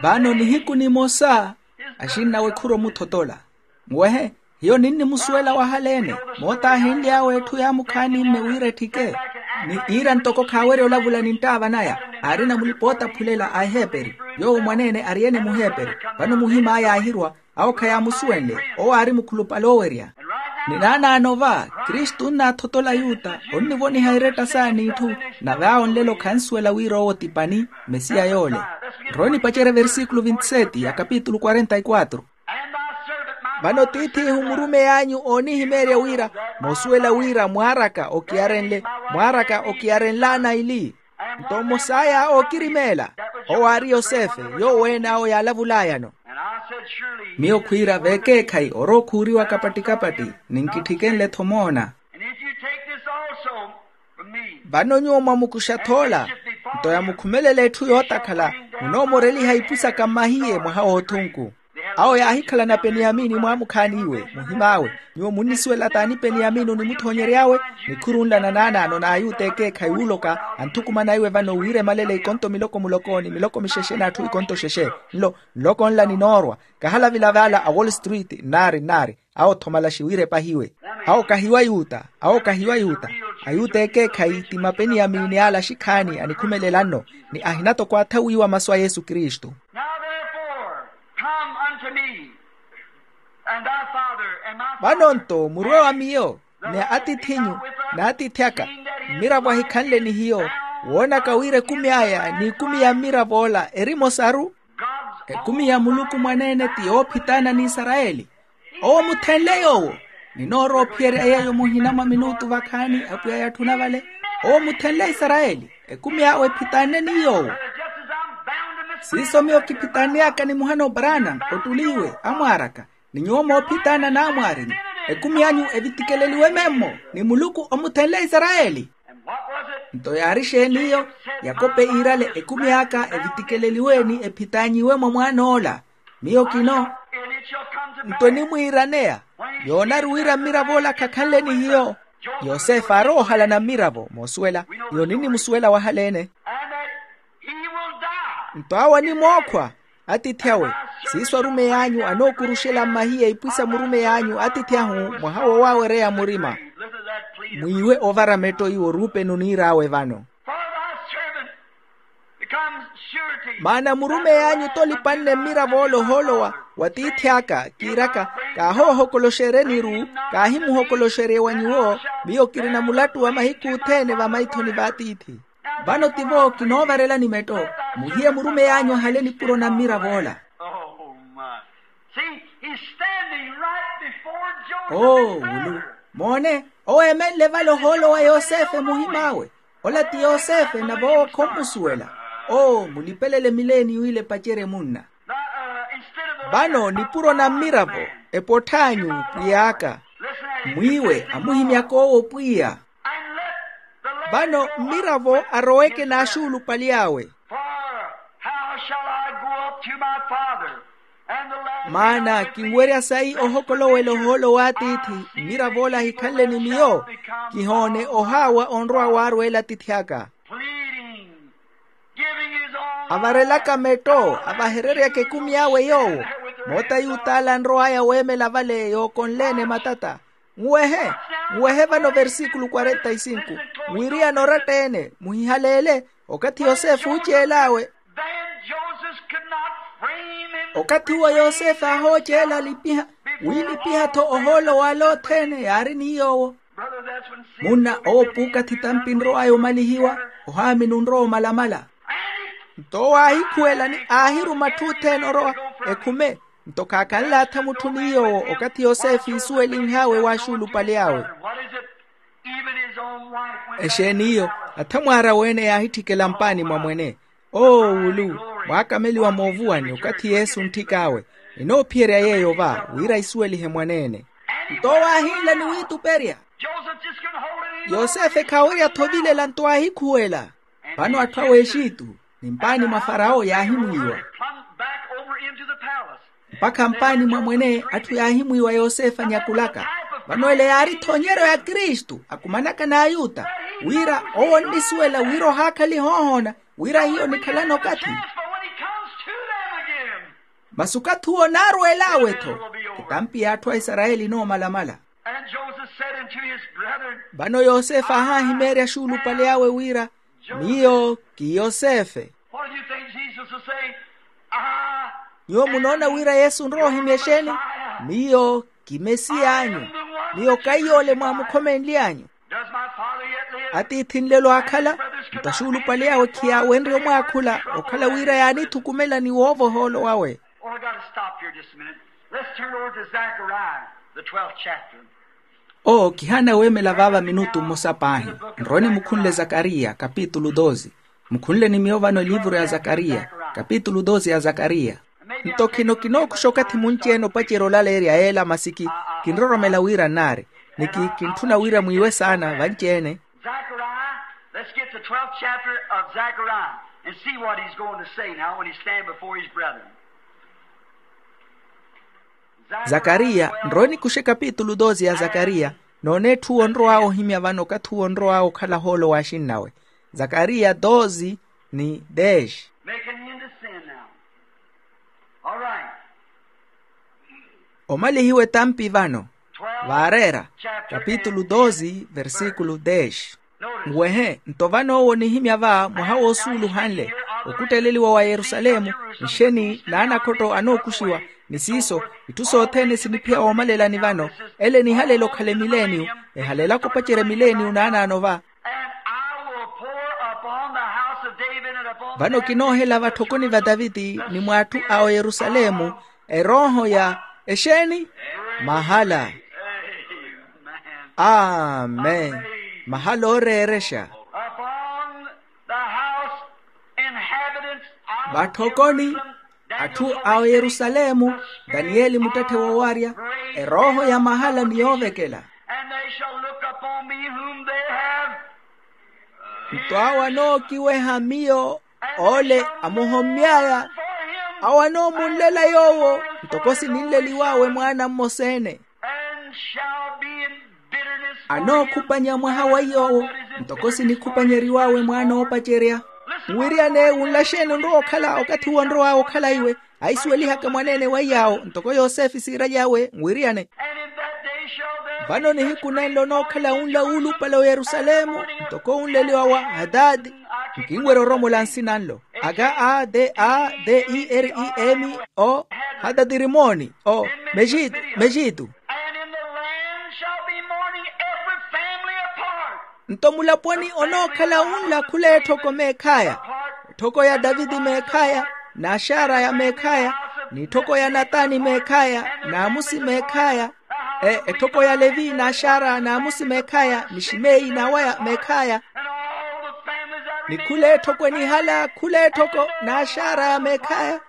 Vano nihiku nimosa, axinnawe khurwa omuthotola. Muwehe, hiyo ninnimusuwela wahaleene. Moota aahinly'awe etthu yaamukhaani-mme wira etthike, ni iira ntoko khaawerya olavula ni nttaava naya. Aarina mulipa-ootaphulela a eheeperi, yoowo mwaneene ari-ene muheeperi. Vano muhim'aya aahirwa, awo khayaamusuwenle. Owo aari mukhulupale owerya. Ni naanaano va, kristu onnaathotola ayuta onnivoniha eretta saana itthu. Nave awo nlelo khansuwela wira owo ti pani, mesiya yoole. Nrowe nipacerye versikulu vintiseti ya kapitulu quarenta y quatro. Vano tiith'ihu murumeyi anyu oonihimeerya wira, moosuwela wira mwaar'aka okiyarenle, mwaar'aka okiyarenlaana ili. Nto mmos'aya ookirimeela, owo aari yosefe, yoowo ene awo yaalavulaayano. Miyo khwiira vekeekhayi orookhuuriwa kapatti-kapatti, ninkitthike nle-tho moona. Vano nyuwo mwamukuxa-tho ola, nto yamukhumelela etthu yootakhala, munoomoreliha ipu saka mmahiye mwaha w'othunku. Awo yaahikhalana peniyamini mwaamukhaani iwe muhim'awe. Nyuwo munnisuwela t'ani peniyamini onimuthoonyery'awe? Nikhuru nla na naanaano n'ayuta ekeekhayi wuuloka, anthukumana iwe vano wira emalele ikonto miloko muloko ni miloko mixexe n'atthu ikonto xexe. Nlo nloko nla ninoorwa. Kahalavila vaala a wall street nnaari nnaari. Awo-tho malaxi wira epahiwe. Awo kahiwa yuta. Awo kahiwa yuta. Ayuta ekeekhayi ti mapeniyamini ala axikhaani anikhumelela nno, ni ahina toko atha wiiwa masu a yesu kristu. Now therefore come unto me, and thy father and my father. Vano-nto murwe wa miyo, ni atith'inyu, n'atithi aka. Mmiravo ahikhanle ni hiyo, woonaka wira ekumi aya n'ikumi ya mmiravo ola eri emosaru. Ekumi ya muluku mwaneene ti yoophitaana n'isarayeli. Owo muthenle yoowo. Ninoorowa ophiyerya yeeyo muhina mwa minutu vakhaani apwiya yatthuna vale. Owo muthenle isarayeli, ekumi awe ephitaanne ni yoowo. Siiso miyo kiphitaanneyaka ni muhana oparana, ottuli iwe amwaaraka, ni nyuwo moophitaana n'amwaarinyu. Ekumi anyu evitikeleliwe memmo, ni muluku omuthenle isarayeli. Nto yaari exeeni iyo? Yakope iirale, ekumi aka evitikeleliwe ni ephitaanyiwe mwa mwaan'ola. Miyo kino. Nto enimwiiraneya, yoonaru wira mmirav'ola khakhanle ni hiyo. Yosefe aarowa ohalana mmiravo moosuwela. Iyo ninnimusuwela wahaleene. Nto awo animookhwa. Atiithi awe, siiso arumey'anyu anookuruxela mmahiya ipwisa murumey'anyu atiithi ahu, mwaha wowaawereya murima. Mwiiwe ovara metto iwo ruupeni oniir'awe vano. Maana murumey'anyu t'olipanne mmirav'ola ohoolo wa tiithi aka, kiiraka, kaahoohokoloxerye niru, kaahimuhokoloxerye wa nyuwo. Miyo kirina mulattu wa mahiku othene vamaithoni v'atiithi. Vano tivo kinoovarelani metto, muhiye murumey'anyu ahale nipuro na mmirav'ola. Oo wulu. Moone, owo eemenle vale ohoolo wa yosefe muhim'awe. Ola ti yosefe nave owo khommusuwela. Oo mulipelele mileeni w'ile epacerye munna. Vano nipuro na mmiravo, epott'anyu pwiy'aka. Mwiiwe amuhimyaka owo pwiya. Vano mmiravo aroweke n'axuulupali awe. Maana kinwerya sayi ohokolowela ohoolo w'atiithi. Mmirav'ola ahikhanle ni miyo, kihoone ohaawa onrowa waarweela atiithi aka. Avarelaka metto, avahereryaka ekumi awe yoowo. Moota yuut'ala anrow'aya weemela vale yookonleene matata. Nwehe, nwehe vano versikulu kwarenta e sinku. Nwiriyana oratta-ene muhihaleele. Okathi yosefe ooceel'awe. Okathi uwo yosefe aahooceela alipiha, wiilipiha-tho ohoolo w'ale othene yaari ni yoowo. Munna owo puukathi tampi nrow'aya omalihiwa. Ohaamini onrowa omalamala. Nto owo aahikhuwela ni aahiruma atthu othene orowa, ekhume. Nto khaakhanle atha mutthu ni yoowo okathi yosefe iisuwelinh'awe w'axuulupali awe. Exeeni iyo? Athamwaara weene yaahitthikela mpaani mwa mwene. Oo wulu, mwaakameliwa moovuwani okathi yesu ontthik'awe. Enoophiyerya yeeyo va wira isuwelihe mwaneene. Nto owo aahinla ni wiituperya. Yosefe khaawerya-tho ovilela nto aahikhuwela. Vano atthu a w'exitu, ni mpaani mwa farawo yaahimwiiwa. Mpakha mpaani mwa mwene atthu yaahimwiiwa yosefe anyakulaka. Vano ele yaari-tho onyeryo ya kristu akumanaka n'ayuta, wira owo onnisuwela wira ohaakhaliha ohoona, wira hiyo onikhalana okathi. Masi okathi uwo onaarweel'awe-tho, etampi y'atthu a isarayeli enoomalamala. Vano yosefe aahahimeerya axuulupale awe wira, miyo ki yosefe. Nyuwo munoona wira yesu onrowa ohimya exeeni? Miyo ki mesiy'anyu. Miyo kaiy'ole mwaamukhomenly'anyu. Atiithi nlelo aakhala? Nto axuulupale awe khiyaawenrye omwaakhula okhala wira yaanithukumela ni woova ohoolo wawe. Oh, I got to stop here just a minute. Let's turn over to Zechariah, the twelfth chapter. Oo kihaana weemela vaava minutu mmosa paahi. Nrowe nimukhunle zakariya kapitulu doze. Mukhunle ni miyo vano eliivuru ya zakariya, kapitulu doze ya zakariya. Nto khino kinookuxa okathi munci-ene opacerya olaleerya yeela masi ki kinroromela wira nnaari, ni ki kintthuna wira mwiiwe saana vanci-ene. Zechariah, let's get the twelfth chapter of Zechariah and see what he's going to say now when he stand before his brethren. Zakariya, nrowe nikuxe kapitulu doze ya zakariya. Noone etthu uwo onrow'awe ohimya vano okathi uwo onrow'awe okhala hoolo w'axinnawe. Zakariya doze ni dex. Making him to sin now. All right. Omalihiwe tampi vano. Vaareera kapitulu doze versikulu dex. Nwehe nto vano owo onihimya va mwaha woosuuluhanle okutteleliwa wa yerusalemu, nxeni n'anakhotto anookuxiwa. Ni siiso itthu sothene siniphiya woomalelani vano. Ele enihalela okhala emileeniyu, ehalelaka opacerya emileeniyu naanaano va. Vano kinoohela vatthokoni va taviti ni mw'atthu a oyerusalemu erooho ya exeeni? Mahala. Amen. Mahala ooreerexa. Upon the house inhabitants of vatthokoni Jerusalem, atthu a oyerusalemu, daniyeli muttetthe woowarya, erooho ya mahala ni yoovekela. And they shall look upon me whom they have nto awo anookiweha miyo, ole amuhomy'aya, awo anoomunlela yoowo ntoko sininleliw'awe mwaana mmosa-ene. And shall be in bitterness for him. Anookhupanya mwaha wa yoowo ntoko sinikhupanyeriw'awe mwaana oopacerya. Nwiriyane wunlaxeni onrowa okhala okathi wonrow'awe okhala iwe, aisuwelihaka mwaneene wa iy'awo ntoko yosefe siiraly'awe nwiriyane. And in that day shall there vano nihiku nenlo onookhala wunla wuulupale oyerusalemu ntoko wunleliwa wa hatati. Nkinwerya oromola nsina nlo, aka a te a te i eri i emi o hatati rimoni o mexitu mexitu. And in the land shall be mourning, every family apart. Nto mulaponi onookhala wunla khula etthoko meekhaya, etthoko ya taviti meekhaya, n'axaraya meekhaya, n'itthoko ya natani meekhaya, n'amusi meekhaya, e etthoko ya levi n'axaraya n'amusi meekhaya ni ximeyi n'awaya meekhaya. Ni khula etthoko enihala khula etthoko n'axaraya meekhaya.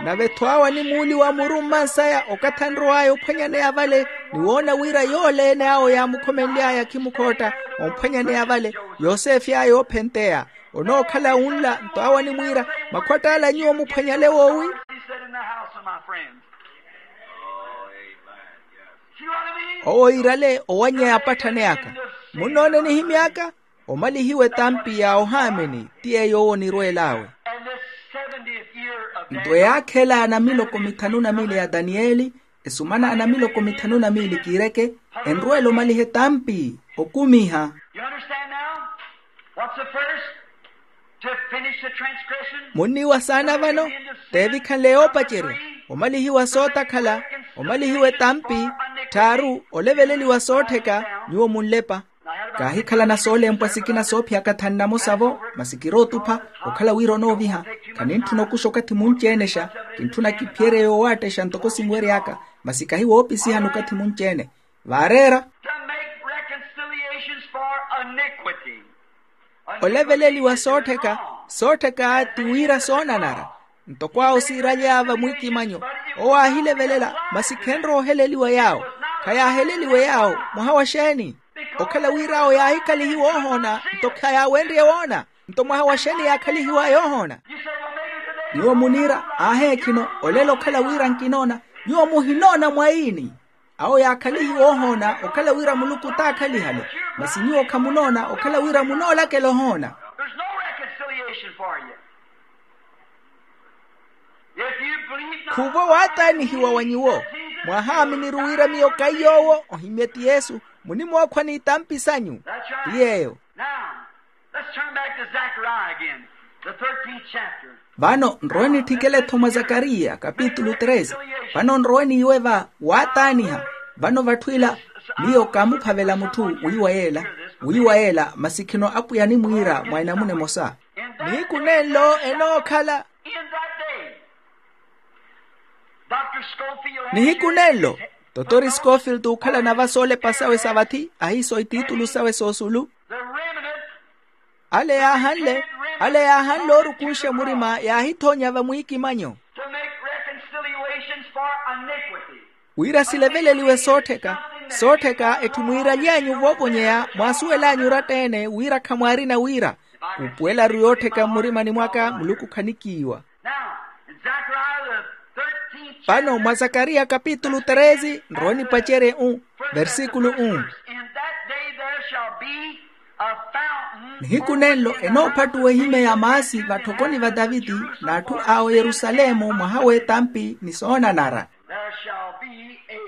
Nave-tho awo animuuliwa muru mmansaya okathi anrow'aya ophwanyaneya vale, ni woona wira yoole-ene awo yaamukhomenly'aya akhimukhootta omphwanyaneya vale, yosefe aya oophenteya. Onookhala wunla nto awo animwiira, makhwatt'ala nyuwo muphwanyale woowi? He said, in the house of my friends. See what I mean? Owo iirale owanyeya apatthaneyaka. Munnoone nihimy'aka? Omalihiwe tampi ya ohaamini ti yeeyo owo onirweel'awe. And this seventieth year of nto Daniel, eyaakhela anamiloko mithanu na miili ya daniyeli, esumana anamiloko mithanu na miili kiireke, enrweela omalihe tampi okumiha. You understand now? What's the first? To finish the transgression. Munniiwa saana vano? Teevikhanle yoopacerya, omalihiwa sootakhala, omalihiwe tampi, tthaaru oleveleliwa soottheka. Nyuwo munlepa. Kaahikhalana soolempwa sikina soophiyaka thanu na mosa-vo, masi kirootupha okhala wira onooviha. Khanintthuna okuxa okathi munci-enexa, kintthuna kiphiyerye yoowaattexxa ntoko sinwery'aka, masi kahi woopisihani okathi munci-ene. Vaareera. To make reconciliations for iniquity. Oleveleliwa soottheka, soottheka ti wira soonanara. Ntoko awo siiraly'aya vamwiikimanyo, owo aahilevelela, masi khenrooheleliwa yaawo. Khayaaheleliwe yaawo. Mwaha wa xeeni? Okhala wira awo yaahikhalihiwa ohoona nto khayaawenrye woona. Nto mwaha wa xeeni yaakhalihiw'aya ohoona? Nyuwo muniira, aaheekhino, olelo okhala wira nkinoona. Nyuwo muhinoona mwaini? Awo yaakhalihiwa ohoona okhala wira muluku t'akhalihale. Masi nyuwo khamunoona okhala wira munoolakela ohoona. There's no reconciliation for you. If you believe not, khuuvo waataanihiwa wa nyuwo. Mwahaaminiri wira miyo kaiy'owo ohimye ti yesu. Munimookhwa n'itampi sanyu. That's right. Ti yeeyo. Now, let's turn back to Zechariah again, the thirteenth chapter. Vano nrowe nitthikele-tho mwa zakariya kapitulu treze. Vano nrowe n'iwe va waataaniha. Vano vatthu ila miyo kaamuphavela mutthu wiiwa yeela, wiiwa yeela masi khino apwiya animwiira mwa enamuna emosa. Nihiku nenlo enookhala. Nihiku nenlo totori scofield ookhalana va soolepa sawe sa vathi ahiiso itiitulu sawe soosulu. Ale yaahanle, ale yaahanle oorukunxa murima yaahithoonya vamwiikimanyo. To make reconciliations for iniquity. Wira sileveleliwe soottheka, soottheka etthu mwiiraly'anyu voovonyeya mwaasuwel'anyu oratta-ene wira khamwaarina wira. Khuupuwela-ru yoottheka mmurimani mwaka muluku khanikiiwa. Now, in Zechariah the thirteenth chapter, vano mwa zakariya kapitulu treze nrowe nipacerye u versikulu u. In that day there shall be a fountain. Nihiku nenlo enoophattuwa ehimya ya maasi vatthokoni va taviti n'atthu a oyerusalemu mwaha w'etampi ni soonanara. There shall be a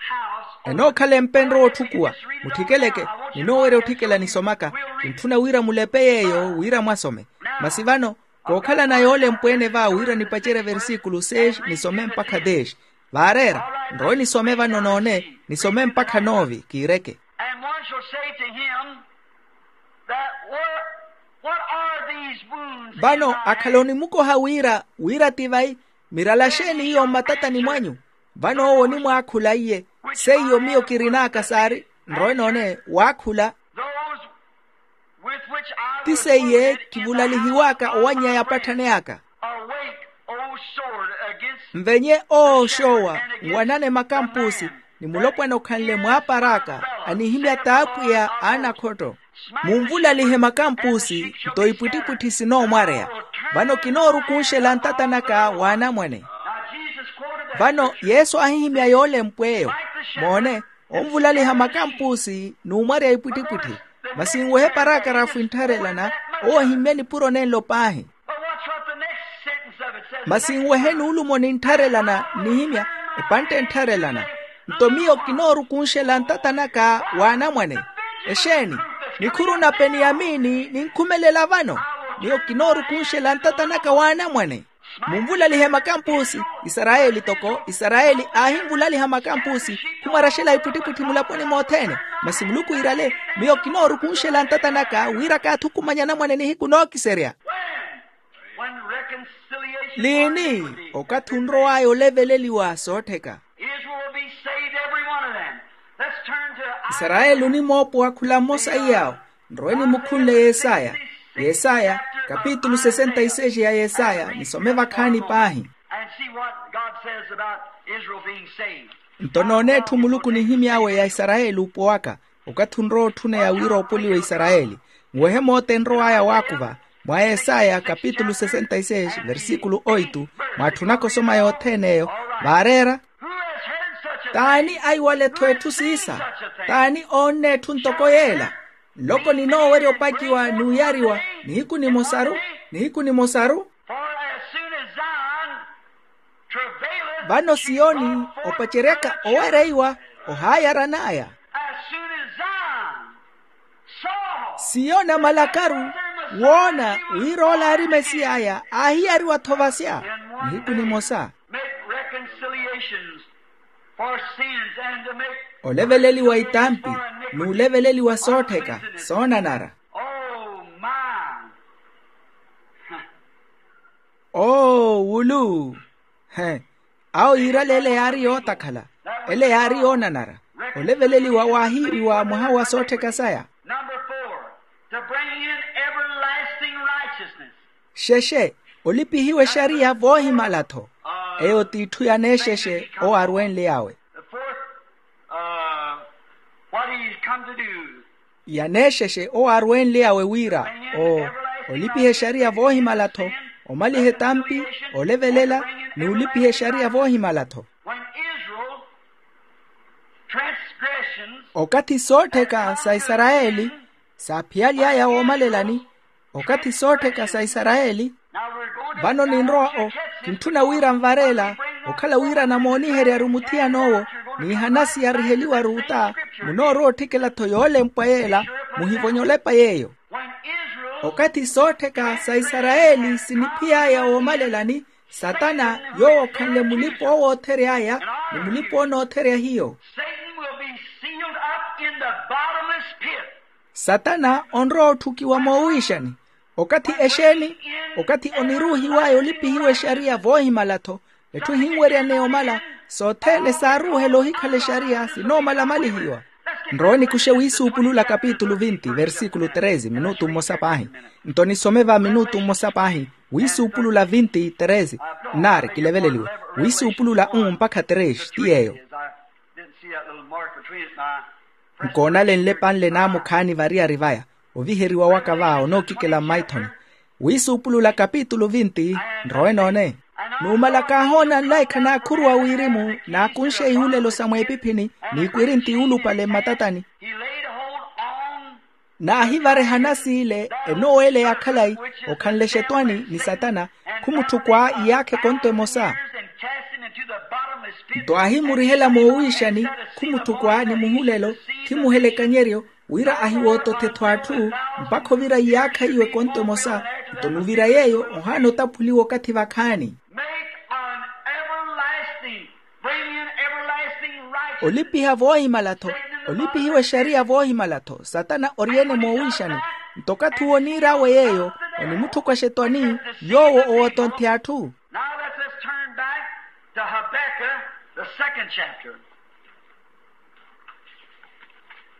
house. Enookhala empenro wootthukuwa. Mutthikeleke, ninoowerya otthikela nisomaka. Kintthuna wira mulepe yeeyo wira mwasome. Masi vano kookhalana yoolempwa-ene va wira nipacerye versikulu seis nisome mpakha deis. Vaareera nrowe nisome vano noone nisome mpakha noovi kiireke. And one shall say to him that were Vano akhala onimukoha wira wira ti vai? Mirala xeeni iyo mmatatani mwanyu? Vano owo onimwaakhula iye, seiyo miyo kirin'aka saari. Nrowe noone waakhula. Ti seiye kivulalihiw'aka owanny'aya apatthani aka. Nvenye owo oxoowa nwanane makampusi, ni mulopwana okhanle mwaapar'aka anihimya t'apwiya a anakhotto. Munvulalihe makampusi, nto ipwittipwitthi sinoomwareya. Vano kinoorukunxela ntata naka w'anamwane. Vano yesu aahihimya yoolempw'eyo. Moone, onvulaliha makampusi n'umwareya ipwittipwitthi. Masi nwehe paraakarafu enttharelana, owo ahimmye nipuro nenlo paahi. Masi nwehe nuulumo ninttharelana nnihimya, epantte enttharelana. Nto miyo kinoorukunxela ntata naka w'anamwane. Exeeni? Nikhuru na peniyamini ninkhumelela vano. Miyo kinoorukunxela ntata naka w'anamwane. Munvulalihe makampusi. Isarayeli toko isarayeli aahinvulaliha makampusi, khumwaraxela ipwittipwitthi mulaponi mothene. Masi muluku iirale, miyo kinoorukunxela ntata naka wira kaathukumanya anamwane nihiku nookiserya. Liini? Okathi onrow'aya oleveleliwa soottheka. Israel will be saved, every one of them. Let's turn to isarayeli onimoopowa khula mmosa iy'awo. Nrowe nimukhunle yesaya. Yesaya, kapitulu sesenta y seis ya yesaya nisome vakhaani paahi. And see what God says about Israel being saved. Nto noone etthu muluku nihimy'awe ya isarayeli opowaka. Okathi onrowa otthuneya wira oopoliwe isarayeli, nwehe moota enrow'aya waakuva. Mwa yesaya kapitulu sesenta y seis versikulu oitu, mwaatthunaka osoma yothene eyo. Vaareera. T'ani aiwale-tho etthu siisa? T'ani oonne etthu ntoko yeela? Nloko ninoowerya opakiwa n'uyariwa nihiku nimosaru. Nihiku nimosaru. Vano siyoni opaceryaka owereiwa, ohaayaran'aya. Siyoni amalakaru woona wira ola aari mesiy'aya, aahiyariwa-tho vasya nihiku nimosa. Make reconciliations for sins and to make oleveleliwa itampi, n'uleveleliwa soottheka soonanara. Oh my. Oo wulu. He. Awo yiirale ele yaari yootakhala, ele yaari yoonanara. Oleveleliwa waahiiwiwa mwaha wa soottheka saya. Number four, to bring in everlasting righteousness. Xexe, olipihiwa exariya voohimala-tho. Eyo t'itthu yaneexexe owo arwenly'awe. The fourth, uh, what he's come to do. Yaneexexe owo arwenly'awe wira o olipiha exariya voohimala-tho, omaliha etampi, olevelela, n'ulipiha exariya voohimala-tho. When Israel transgressions. Okathi soottheka sa isarayeli saaphiyaly'aya woomalelani. Okathi soottheka sa isarayeli. Vano ninrowa o kintthuna wira nvareela okhala wira namooniheryaru muthiyan'owo, n'ihanasi yariheliwaru ota munoorowa otthikela-tho yoolempwa yeela. Muhivonye olepa yeeyo. Okathi soottheka sa isarayeli siniphiy'aya woomalelani, satana yoowo okhanle mulipa owo oothery'aya ni mulipa onootherya hiyo. Satan will be sealed up in the bottomless pit. Satana onrowa otthukiwa moowiixani. Okathi exeeni? Okathi oniruuhiw'aya olipihiwa exariya voohimala-tho. Etthu ehinweryaneya omala, sothene saaruuhela ohikhala exariya sinoomala amalihiwa. Nrowe nikuxe wiisuupulula kapitulu vinti versikulu treze minutu mmosa paahi. Nto nisome va minutu mmosa paahi. Wiisuupulula vinti treze. Nnaari kileveleliwe. Wiisuupulula um mpakha treze ti yeeyo. Nkoonalenle panle naamukhaani variyari vaya. Oviheriwa waka va onookikela mmaithoni. Wiisuupulula kapitulu vinti. Nrowe noone. Numala kaahoona nlaikha naakhuruwa wirimu naakunxe ihulelo sa mweepiphini, n'ikwirinti yuulupale mmatatani. Naahivareha anasi ile enooweeleya khalayi, okhanle exetwani ni satana, khumutthukwa iyaakha ekonto emosa. Nto aahimurihela moowiixani, khumutthukwa ni muhulelo, khimuhela ekanyeryo, wira ahiwootothe-tho atthu, mpakha ovira iyaakha iyo ekonto emosa. Nto nuvira yeeyo ohaana otaphuliwa okathi vakhaani. Olipiha voohimala-tho. Olipihiwa exariya voohimala-tho satana ori-ene moowiixani. Nto okathi uwo oniir'awe yeeyo, onimutthukwasha etwani, yoowo owotonthi atthu. Now let's just turn back to Habakkuk, the second chapter.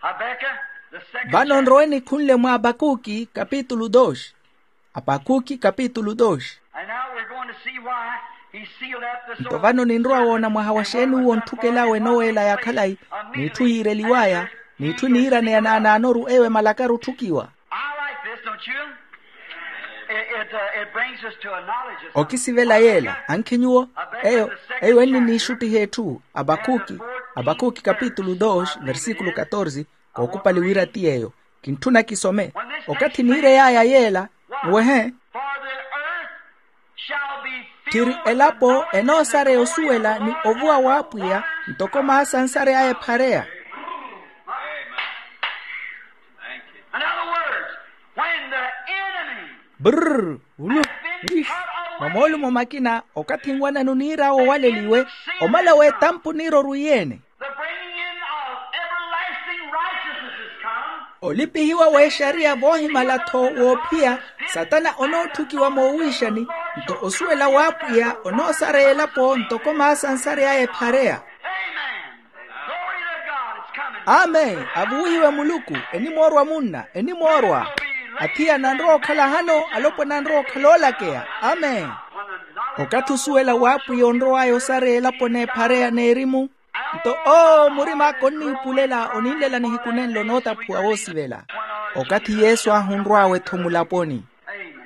Habakkuk, the second chapter. Vano nrowe nikhunle mwa apakuki kapitulu dos. Apakuki kapitulu dos. And now we're going to see why he sealed up this. Nto vano ninrowa woona mwaha wa xeeni uwo ontthukel'awe enoweela ya khalayi, n'itthu yiireliw'aya, n'itthu eniiraneya naanaanoru eyo emalakaru otthukiwa. I like this, don't you? It, it, uh, it brings us to a knowledge of something. Okisivela yeela ankhi nyuwo? Eyo, eyo enniniixuttiha etthu. Apakuki, apakuki kapitulu dos versikulu katorze. Kookupali wira ti yeeyo. Kintthuna kisome. Okathi niirey'aya yeela, nwehe. For the earth shall be filled with the knowledge and the glory of the Lord as the waters cover the sea. Tthiri elapo enoosareya osuwela ni ovuwa w'apwiya, ntoko maasa ansary'aya ephareya. In other words, when the enemy brrr ulu. Mwa moolumo makina, okathi nwanani oniir'awe owaleliwe, omala w'etampa oniira orwiyeene. The bringing in of everlasting righteousness is come. Olipihiwa w'exariya voohimala-tho woophiya, satana onootthukiwa moowiixani. Nto osuwela w'apwiya onoosareya elapo ntoko maasa ansary'aya ephareya. Amen. Glory to God, it's coming. Amen. Avuwihiwe muluku. Enimoorwa munna, enimoorwa. Athiya nanrowa okhala hano, alopwana anrowa okhala oolakeya. Amen. Okathi osuwela w'apwiya onrow'aya osareya elapo n'ephareya n'erimu. Nto oo murim'aka onniipulela oninlela nihiku nenlo nootaphuwa woosivela. Okathi yesu aahunrw'awe-tho mulaponi. Amen.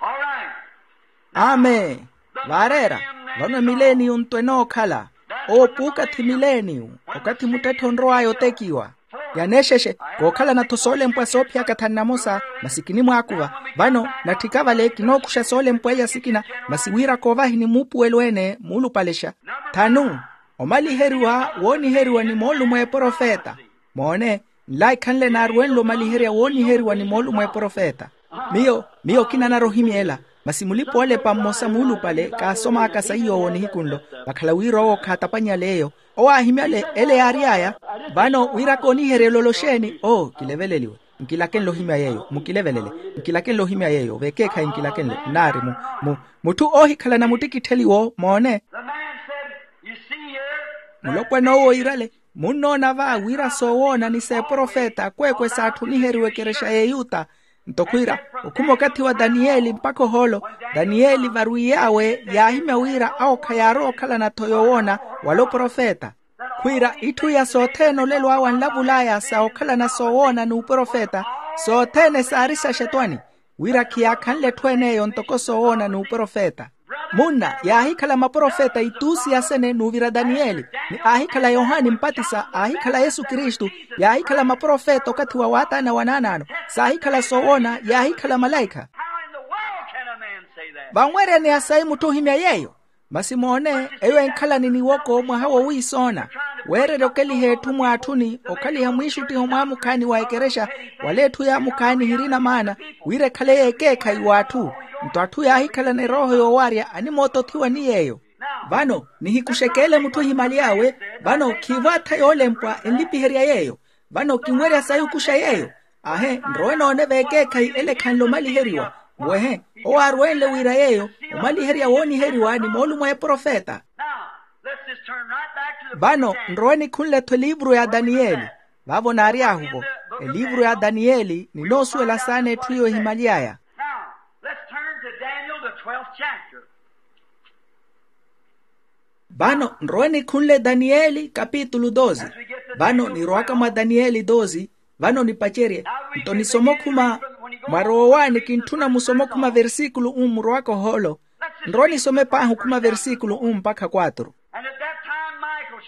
All right. Amen. Vaareera, vano emileniyu nto enookhala. Owo puukathi mileniyu, okathi muttetthe onrow'aya otekiwa. Yaneexexe, kookhalana-tho soolempwa soophiyaka thanu namosa, masi kinimwaakuva. Vano natthika vale kinookuxa soolempwa iya sikina, masi wira koovahi ni muupuwelo-ene muulupalexa. Thanu, omaliheriwa wooniheriwa ni moolumo a eprofeta. Moone, nlaikhanle naaruwenle omaliherya wooniheriwa ni moolumo a eprofeta. Miyo, miyo kinanara ohimya ela, masi mulipa-oolepa mmosa muulupale kaasom'aka saiy'owo nihiku nlo, vakhala wira owo khaatapanyale eyo. Owo aahimyale ele yaary'aya. Vano wira kooniherya ololo xeeni? Oo, kileveleliwe. Nkilakenle ohimya yeeyo, mukilevelele. Nkilakenle ohimya yeeyo, vekeekhayi nkilakenle nnaari mu, mu, mutthu oohikhalana muttikittheliwo. Moone. The man said, you see here, mulopwan'owo iirale, munnoona va wira soowoona ni s'eprofeta akweekwe saatthu oniheriwa ekerexa y'eyuta. Nto khwiira, okhuma okathi wa daniyeli mpakha ohoolo, daniyeli varwiy'awe yaahimya wira awo khayaarowa okhalana-tho yoowoona, wala oprofeta. Khwiira itthu iya sothene olelo awe anlavul'aya sa okhalana soowoona n'uprofeta, sothene saari saxetwani. Wira khiyaakhanle etthu en'eyo ntoko soowoona n'uprofeta. Munna, yaahikhala maprofeta ituusi yasene n'uvira daniyeli, ni aahikhala yohani mpatisa, aahikhala yesu kristu, yaahikhala maprofeta okathi wa waataana wa naanaano, saahikhala soowoona, yaahikhala malaikha. How in the world can a man say that? Vanweryaneya sayi mutthu ohimya yeeyo? Masi moone, eyo enkhalani niwoko mwaha wowiisoona, weererya okeliha etthu mwaatthuni, okhaliha mwiixuttiho mwaamukhaani wa ekerexa, wala etthu yaamukhaani hirina maana, wira ekhale y'ekeekhayi w'atthu. Nto atthu yaahikhalana erooho yoowarya animootothiwa ni yeeyo. Vano, nihiku xekeele mutthu ohimaly'awe, vano khiivo atha yoolempwa enlipiherya yeeyo. Vano kinwerya sayi okuxa yeeyo. Ahe, nrowe noone vekeekhayi ele ekhanle omaliheriwa. Mwehe, owo aaruwenle wira yeeyo, omaliherya wooniheriwa ni moolumo a eprofeta. Now, let's just turn right back to the book of Daniel. Vano nrowe nikhunle-tho eliivuru ya daniyeli. Vaavo naary'ahuvo, eliivuru ya daniyeli ninoosuwela saana etthu iyo ehimaly'aya. Now, let's turn to Daniel, the twelfth chapter. Vano nrowe nikhunle daniyeli kapitulu doze. Vano nirowaka mwa daniyeli doze. Vano nipacerye, nto nisoma okhuma, mwarowa owaani kintthuna musoma okhuma versikulu umu murowaka ohoolo. Nrowa nisome paahi okhuma versikulu umu mpakha kwatru.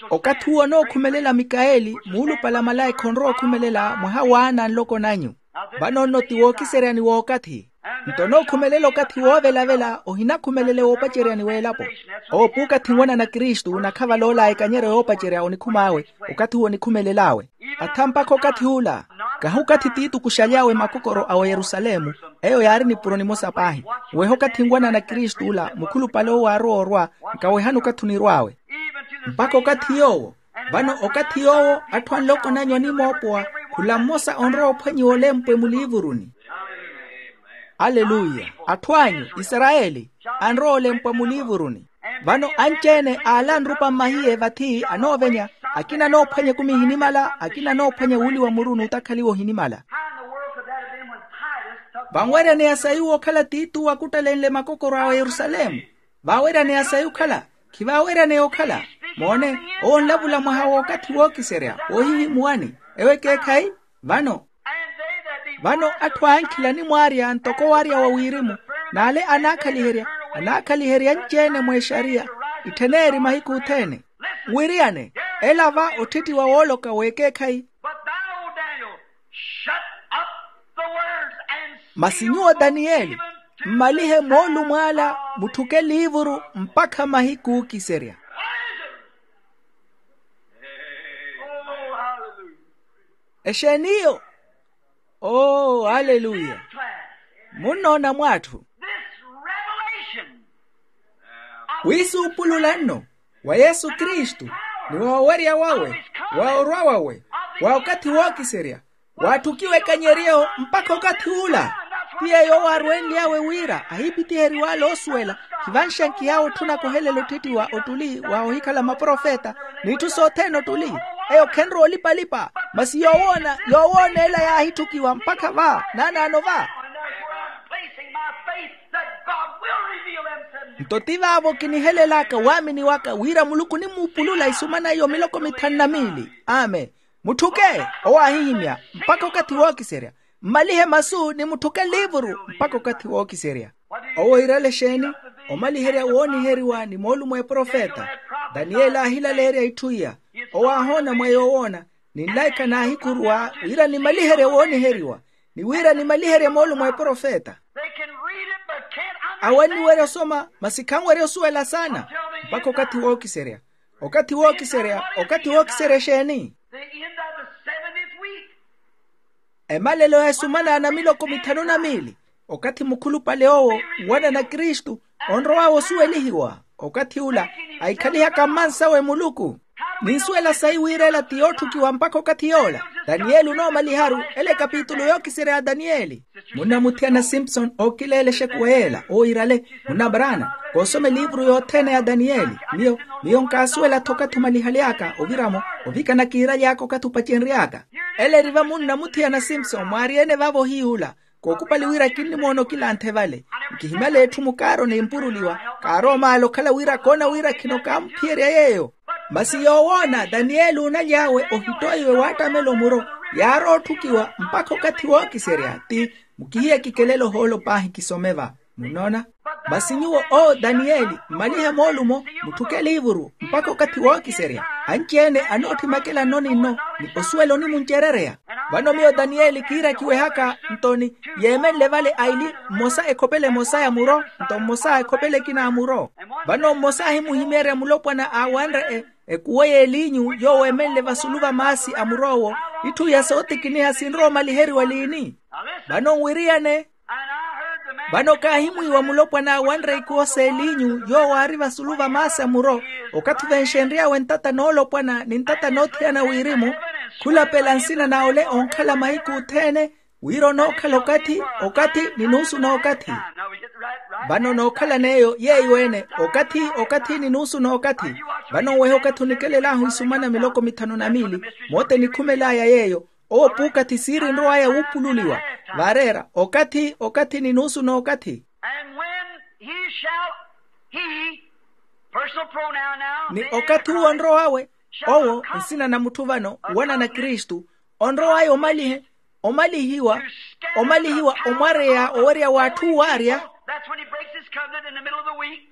Okathi uwo onookhumelela mikaeli muulupale a malaikha onrowa okhumelela mwaha waana a nloko nanyu. Vano nno ti wookiseryani w'okathi. Nto onookhumelela okathi woovelavela ohinakhumelele woopaceryani w'elapo. Owo puukathi nwanana kristu nakhavala ola a ekanyeryo yoopacerya onikhum'awe. Okathi uwo onikhumelel'awe. Atha mpakha okathi ula, kahi okathi tiitukuxaly'awe makokoro a oyerusalemu, eyo yaari nipuro nimosa paahi. Weeha okathi nwanana kristu ula mukhulupale owo aarowa orwa, nkawehani okathi onirw'awe. Mpakha okathi yoowo, vano okathi yoowo atthu a nloko nanyu animoopowa Khula mmosa onrowa ophwanyiwa olempwe muliivuruni. Aleluya. Atthu anyu isarayeli anrowa olempwa muliivuruni. Vano anci-ene aala anrupa mmahiye vathi anoovenya, akina anoophwanya ekumi ehinimala akina anoophwanya wuuli wa muru n'utakhaliwa ohinimala. Vanweryaneya sayi wokhala titu wakuttalenle makokoro a yerusalemu. Vaaweryaneya sayi okhala, khivaaweryaneya okhala. Moone, owo onlavula mwaha w'okathi wookiserya woohihimuwani. Ewo ekeekhayi. Vano vano atthu ankhila animwaarya ntoko owaarya wa wirimu, n'ale anaakhaliherya anaakhaliherya anci-ene mw'exariya, itthen'eri mahiku othene. Nwiriyane, ela va otthittiwa wooloka w'ekeekhayi. But thou, Daniel, shut up the words and seal. Masi nyuwo daniyeli, mmalihe moolumo ala, mutthuke eliivuru mpakha mahiku ookiserya. Oh, hallelujah. Exeeni iyo? Oo aleluya. Munnoona mwatthu this revelation of wisuupulula nno wa yesu kristu, ni wa owerya wawe, wa orwa wawe, wa okathi wookiserya, waatthukiwa ekanyeryo mpakha okathi ula. Ti yeeyo owaarwenly'awe wira ahiipitiheriw'ale oosuwela, khivanxankihawe otthuna kohelela otthitthiwa ottuli wa ohikhala maprofeta, n'itthu sothene ottuli. Eyo khenrowa olipa-lipa, masi yoowoona yoowoona ela yaahitthukiwa mpakha va naanaano va. Nto ti vaavo kinihelelaka waamini waka wira muluku onimuupulula isumana iyo miloko mithanu na miili. Amen. Mutthuke owo aahihimya mpakha okathi wookiserya. Mmalihe masu ni mutthuke eliivuru mpakha okathi wookiserya. Owo iirale exeeni? Omaliherya wooniheriwa ni moolumo a eprofeta. Daniyeli aahilaleerya itthu iya. Owo aahoona mwa yoowoona, ni nlaikha naahikhuruwa wira nimaliherye wooniheriwa, ni wira nimaliherye moolumo a eprofeta. Awo anniwerya osoma masi khanwerya osuwela saana mpakha okathi wookiserya. Okathi wookiserya. Okathi wookiserya exeeni? Emalelo ya esumana na miloko mithanu na miili. Okathi mukhulupale owo nwanana kristu onrow'awe osuwelihiwa, okathi ula ahiikhalihaka mmansawe muluku. Ninsuwela sayi wira ela ti yootthukiwa mpakha okathi yoola. Daniyeli onoomaliharu ela ekapitulu yookiserya ya daniyeli. Munnamuthiyana simpson ookileela exekuwa yeela owo iirale, munnabraana, koosoma eliivuru yothene ya daniyeli. Miyo miyo nkaasuwela-tho okathi omalihaly'aka ovira-mo, ovikana kiiraly'aka okathi opacenry'aka. Ela eri va munnamuthiyana simpson mwaari-ene vaavo ohiy'ula. Kookupali wira kinnimoona okilanthe vale. Nkihimala etthu mukaaro nimpuruliwa. Kaarowa omaala okhala wira koona wira khino kaamuphiyerya yeeyo. Masi yoowoona daniyeli oonaly'awe ohittoiwe waattamela omuro, yaarowa otthukiwa mpakha okathi wookiserya ti. Mukihiye kikelele ohoolo paahi kisome va. Munnoona? Masi nyuwo oo daniyeli mmalihe moolumo, mutthuke eliivuru mpakha okathi wookiserya. Anci-ene anoottimakela nno ni nno, ni osuwela onimuncerereya. Vano miyo daniyeli kiirakiwehaka nto ni yeemenle vale aili, mmosa ekhopela emosa ya muro, nto mmosa ekhopela ekina ya muro. Vano mmosa ahimuhimeerya mulopwana aawanre ekuwo y'eliinyu yoowo eemenle vasulu va maasi a mur'owo, itthu iya sootikiniha sinrowa omaliheriwa liini? Vano nwiriyane. Vano kaahimwiiwa mulopwana aawanre ikuwo s'eliinyu yoowo aari vasulu va maasi a muro, okathi venxenry'awe ntata noolopwana ni ntata noothiyana wirimu, khulapela nsina na ole onkhala mahiku othene, wira onookhala okathi, okathi ni nuusu n'okathi. Vano nookhalan'eyo yeeyo ene, okathi, okathi ni nuusu n'okathi. Vano nwehe okathi onikelel'ahu isumana miloko mithanu na miili, moota enikhumel'aya yeeyo. Owo puukathi siiri nrow'aya wuupululiwa, vaareera okathi, okathi ni nuusu n'okathi. And when he shall, he, personal pronoun now, ni okathi uwo onrow'awe, owo nsina na mutthu vano, wanana kristu, onrow'aya omalihe, omalihiwa, omalihiwa omwareya owerya w'atthu waarya. That's when he breaks his covenant in the middle of the week.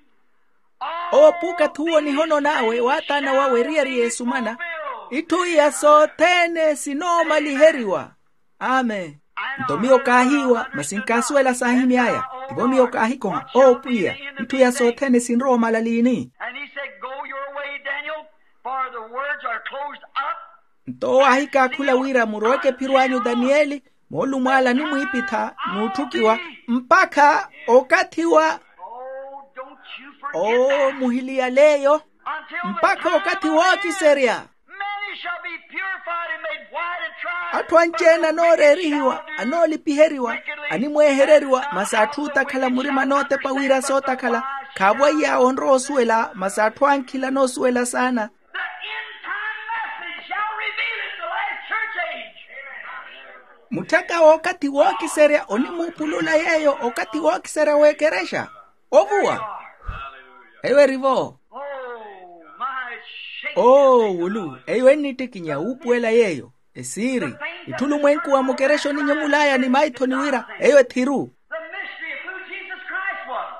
Owo puukathi uwo nihonon'awe waataana wawe eriyari y'esumana, itthu iya sothene sinoomaliheryiwa. Amen. Nto miyo kaahiiwa masi nkaasuwela saahimy'aya. Tivo miyo kaahikoha owo pwiya, itthu iya sothene sinrowa omala liini? And he said, go your way, Daniel, for the words are closed up. Nto owo aahikaakhula wira muroweke ephiro anyu daniyeli, moolumo ala animwiipitha n'utthukiwa mpakha okathi wa. Oh, don't you forget that. Muhiliyaleeyo. Mpakha okathi wookiserya. Many shall be purified and made white and Atthu anci-ene anooreerihiwa, anoolipiheriwa, animweehereriwa masi atthu ootakhala murima anootepa wira sootakhala. Khaavo aiy'awe onrowa osuwela masi atthu ankhila anoosuwela saana. The end time message shall reveal it, the last church age. Mutthaka w'okathi wookiserya onimuupulula yeeyo okathi wookiserya w'ekerexa. Ovuwa. Eyo erivo. Oh, my shame. Oo wulu eyo ennittikinya wuupuwela yeeyo. Esiiri, itthulumwenku wa mukerexa oninyemul'aya ni maithoni wira eyo ethiru. The mystery of who Jesus Christ was.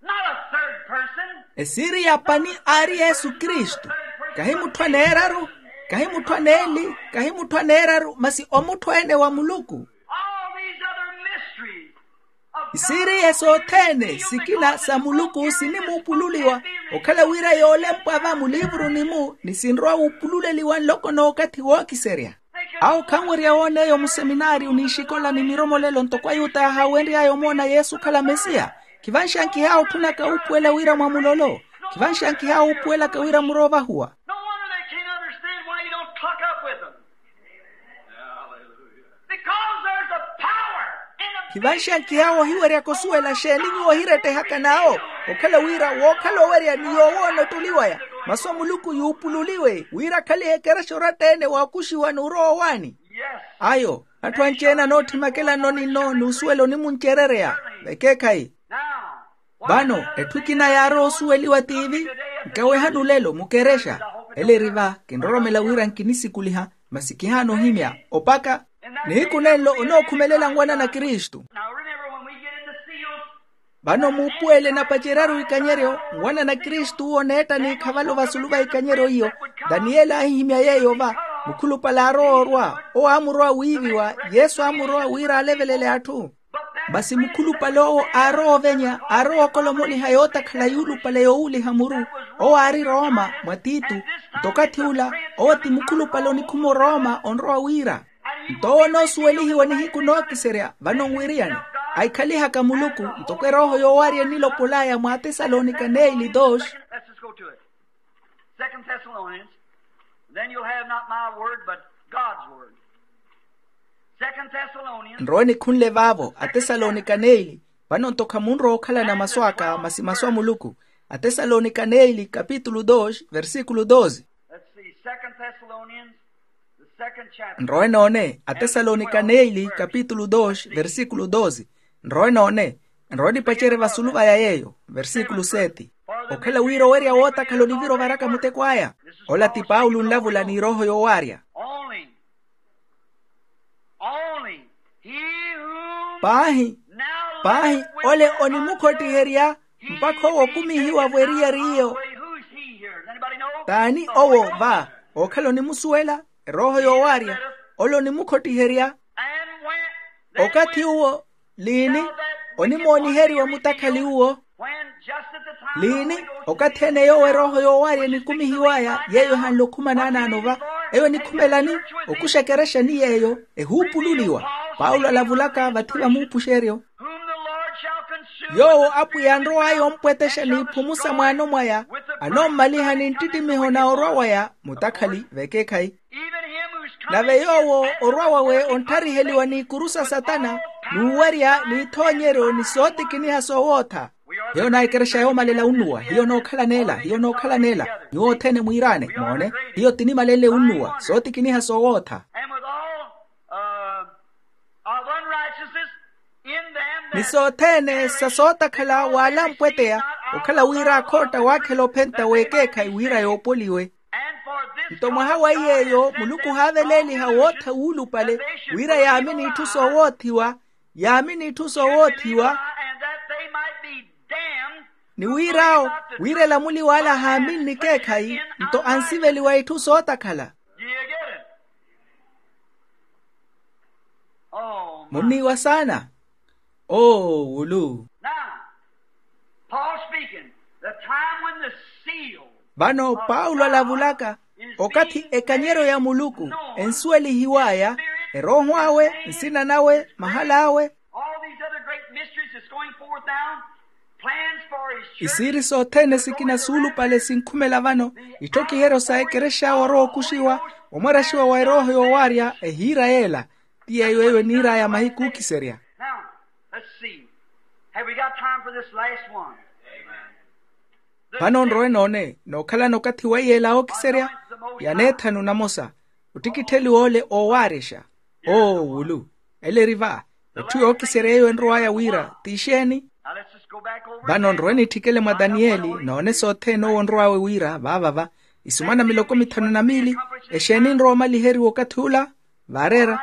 Not a third person. Esiiri ya pani aari yesu kristu. Kahi mutthu aneeraru, kahi mutthu aneeli, kahi mutthu aneeraru masi omutthu-ene wa muluku. All these other mysteries of God. Isiiriye sothene sikina sa muluku sinimuupululiwa, okhala wira yoolempwa va muliivuruni-mu ni sinrowa wuupululeliwa nloko n'okathi wookiserya. Awo khanwerya woona eyo museminaariyo n'ixikola ni miromolelo ntoko ayuta yaahawenry'aya omoona yesu okhala mesiya. Khivanxankiha awo otthunaka wuupuwela wira mwa mulolo. Khivanxankiha awo wuupuwelaka wira muroovahuwa. No wonder they can't understand why you don't tuck up with them. Because there's a power in a khivanxankiha awo ohiweryaka osuwela xeeni nyuwo ohirettehaka n'awo. Okhala wira wookhala owerya ni yoowoona ottuli waya, masu a muluku yuupululiwe wira akhalihe ekerexa oratta-ene waakuxiwa n'urowa owaani. Ayo, atthu anci-ene anootthimakalanoni nno n'usuwela onimuncerereya. Vekeekhayi. Vano etthu ekina yaarowa osuweliwa tiivi. Nkawehani olelo mukerexa. Ele eri va kinroromela wira nkinisikuliha, masi kihaana ohimya opaka nihiku nenlo onookhumelela nwanana kristu. Vano muupuwele enapaceryaru ikanyeryo, nwanana kristu owo oneetta n'ikhavalo vasulu va ikanyeryo iyo. Daniyeli aahihimya yeeyo va. Mukhulupale aarowa orwa, owo aamurowa wiiviwa. Yesu aamurowa wira alevelele atthu. Masi mukhulupale owo aarowa ovenya aarowa okolomoliha yootakhala yuulupale yoowuliha muru. Owo aari rooma mwa titu. Nto okathi ula, owo ti mukhulupale onikhuma orooma onrowa wira. Nto owo onoosuwelihiwa nihiku nookiserya vano nwiriyani. Aikhalihaka muluku ntoko erooho yoowarya enilopol'aya mwa atesalonika neili dos. Second Thessalonians, then you'll have not my word, but God's word. Second Thessalonians. Nrowe nikhunle vaavo atesalonika neili. Vano nto khamunrowa okhalana masu aka masi masu a muluku. Atesalonika neili kapitulu dos versikulu doze. Let's see, Second Thessalonians, the second chapter. Nrowe noone atesalonika neili kapitulu dos versikulu doze. Nrowe noone. Nrowe nipacerye vasulu vaya yeeyo versikulu seti. Okhala wira owerya wootakhala onivira ovaraka muteko aya. Ola ti paulo nlavula n'irooho yoowarya. Only, only he who paahi, now paahi liveth ole onimukhottiherya mpakha owo okumihiwa-vo eriyari iyo. Who's he here? Does anybody know? T'ani owo va? Okhala onimusuwela erooho yoowarya. Ole onimukhottiherya. And when, then okathi when uwo liini onimooniheriwa mutakhali uwo. Liini okathi ene yoowo erooho yoowarya enikumihiw'aya yeeyo ehanle okhuma naanaano va. Eyo enikhumelani? Okuxa ekerexa ni yeeyo ehuupululiwa. Paulo alavulaka vathi va muupuxeryo. Yoowo apwiya anrow'aya ompwetexa n'iphumu sa mwaano mwaya, anoommaliha ni nttittimiho na orwa waya mutakhali vekeekhayi. Nave yoowo orwa wawe onttariheliwa n'ikuru sa satana, n'uwerya n'ithoonyeryo ni sootikiniha soowootha. Hiyo naikerexa yoomalela unnuwa hiyo nookhalanela hiyo nookhalanela. Nyuwo othene mwiiraane moone, hiyo tinimalenle unnuwa sootikiniha soowootha. Ni sothene sa sootakhala waalampweteya, okhala wira akhootta waakhela ophenta w'ekeekhayi wira yoopoliwe. Nto mwaha wa iy'eyo muluku ohaaveleeliha wootha wuulupale, wira yaamini itthu soowoothiwa, yaamini itthu soowoothiwa. Ni wir'awo, wira elamuliw'ale ahaaminni ekeekhayi nto ansiveliwa itthu sootakhala. Munniiwa saana. Oo wulu. Now, Paul speaking, the time when the seal. Vano paulo alavulaka, okathi ekanyeryo ya muluku ensuwelihiw'aya, erooho awe, nsina nawe, mahal'awe. All these other great mysteries that's going forth now, plans for his church. Isiiri sothene sikina suulupale sinkhumela vano, itthokiheryo sa ekerexa awe orowa okuxiwa. Omwaraxiwa wa erooho yoowaarya ehiira yeela. Ti yeeyo eyo eniir'aya mahiku ookiserya. Now, let's see. Have we got time for this last one? Vano nrowe noone nookhalana okathi wa iyeela ookiserya. Yaneethanu namosa. Ottikittheliwa ole oowaarexa. Oo wulu. Ele eri va. Etthu yookiserya eyo enrow'aya wira ti exeeni? Vano nrowe nitthikele mwa taniyeli noone sothene owo onrow'awe wira vaavava. Isumana miloko mithanu na miili. Exeeni enrowa omaliheriwa okathi ula? Vaareera.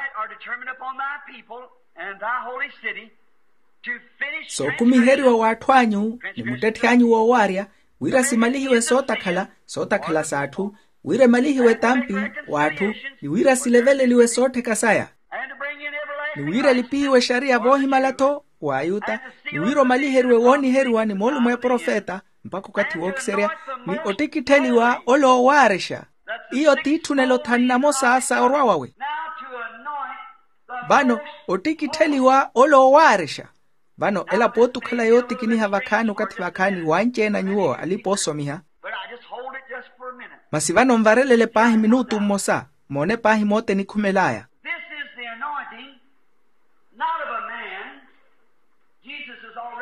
Sookumiheriwa w'atthu anyu ni muttetthi anyu woowaarya, wira simalihiwe sootakhala sootakhala s'atthu, wira emalihiwe etampi w'atthu, ni wira sileveleliwe soottheka saya, ni wira elipihiwe exariya voohimala-tho w'ayuta, ni wira omaliheriwe wooniheriwa ni moolumo eprofeta mpakha okathi wookiserya, ni ottikittheliwa ole oowaarexa. Iyo tiitthunelo thanu namosa sa orwa wawe. Vano ottikittheliwa ole oowaarexa. Vano elapo otukhala yootikiniha vakhaani okathi vakhaani wanci-ene a nyuwo alipa oosomiha. Masi vano nvarelele paahi minutu mmosa. Moone paahi moota enikhumel'aya.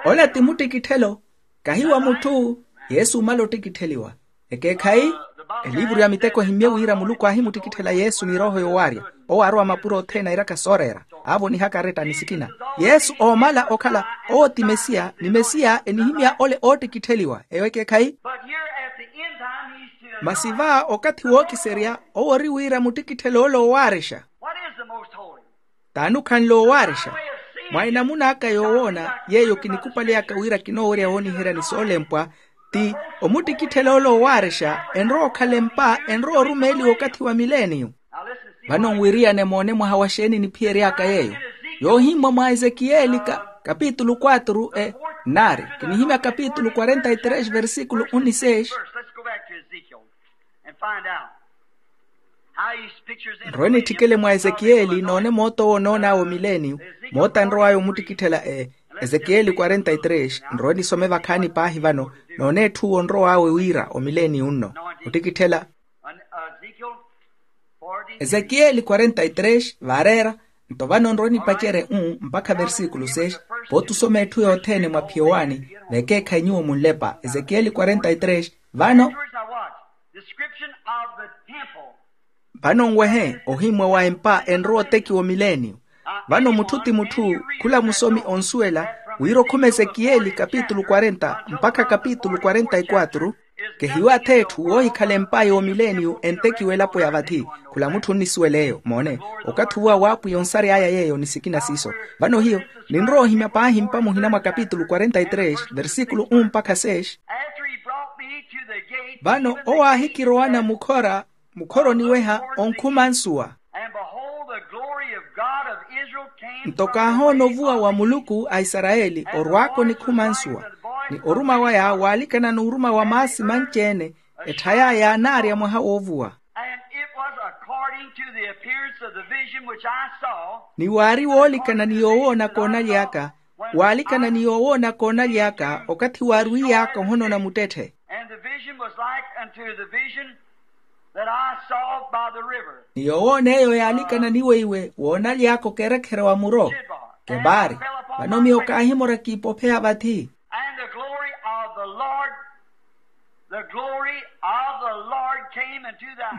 Ola ti muttikitthelo. Kahi wa mutthu. Yesu omala ottikittheliwa. Ekeekhayi. Eliivuru ya miteko ehimmye wira muluku aahimuttikitthela yesu ni erooho yoowaarya. Owo aarowa mapuro othene airaka sooreera. Aavonihaka aretta ni sikina. Yesu oomala okhala owo ti mesiya ni mesiya enihimya ole oottikittheliwa eyo ekeekhayi. Masi va okathi wookiserya owo ori wira muttikitthele ole oowaarexa. T'ani okhanle oowaarexa? Mwa enamuna aka yoowoona yeeyo kinikupaly'aka wira kinoowerya wooniherya ni soolempwa, ti omuttikitthela ole oowaarexa enrowa okhala empa enrowa orumeeliwa okathi wa mileniyo. Vano nwiriyane moone mwaha wa xeeni niphiyery'aka yeeyo. Yoohimmwa mwa ezekiyeli kapitulu quatro e nari kinihimya kapitulu quarenta y tres versículo un ni seis. Nrowe nitthikele mwa ezekiyeli noone moota owo onoon'awe omileniyo. Moota enrow'aya omuttikitthela e ezekiyeli quarenta y tres nrowe nisome vakhaani paahi vano. Noone etthu owo onrow'awe wira omileniyo nno ottikitthela. Ezekiyeli quarenta y tres vaareera. Nto vano nrowe nipacerye u mpakha versículo seis. Pooti osoma etthu yothene mwa phiyowaani vekeekhayi nyuwo munlepa ezekiyeli quarenta y tres. Vano vano nwehe ohimmwa wa empa enrowa otekiwa omileniyo. Vano mutthu ti mutthu khula musomi onsuwela wira okhuma ezekiyeli kapitulu quarenta mpakha kapitulu quarenta y quatro. Kehiwatha etthu woohikhala empa yoomileniyo entekiwa elapo ya vathi. Khula mutthu onnisuwela eyo moone okathi ovuwa w'apwiya onsary'aya yeeyo ni sikina siiso. Vano hiyo ninrowa ohimya paahi mpa muhina mwa kapitulu quarenta y tres versículo un mpakha seis. Vano owo aahikirowana mukhora mukhora oniweha onkhuma nsuwa. Nto kaahoona ovuwa wa muluku a isarayeli orwaaka onikhuma nsuwa ni oruma waya waalikana n'uruma wa maasi manci-ene. Etthay'aya yaanaarya mwaha woovuwa. Ni waari woolikana ni yoowoona koonaly'aka waalikana ni yoowoona koonaly'aka okathi waarwiy'aka ohonona muttetthe. Ni yoowoona eyo yaalikana ni weiwe woonaly'aka okerekhere wa muro kebari. Vano miyo kaahimora kiipopheya vathi.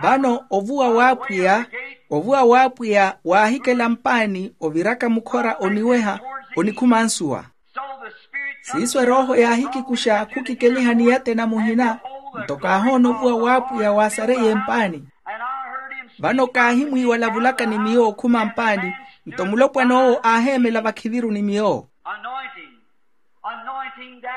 Vano ovuwa w'apwiya ovuwa w'apwiya waahikela mpaani oviraka mukhora oniweha onikhuma nsuwa. Siiso erooho yaahikikuxa khukikeliha niyatena muhina. Nto kaahoona ovuwa w'apwiya waasareiye mpaani. Vano kaahimwiiwa alavulaka ni miyo okhuma mpaani. Nto mulopwan'owo aaheemela vakhiviru ni miyo.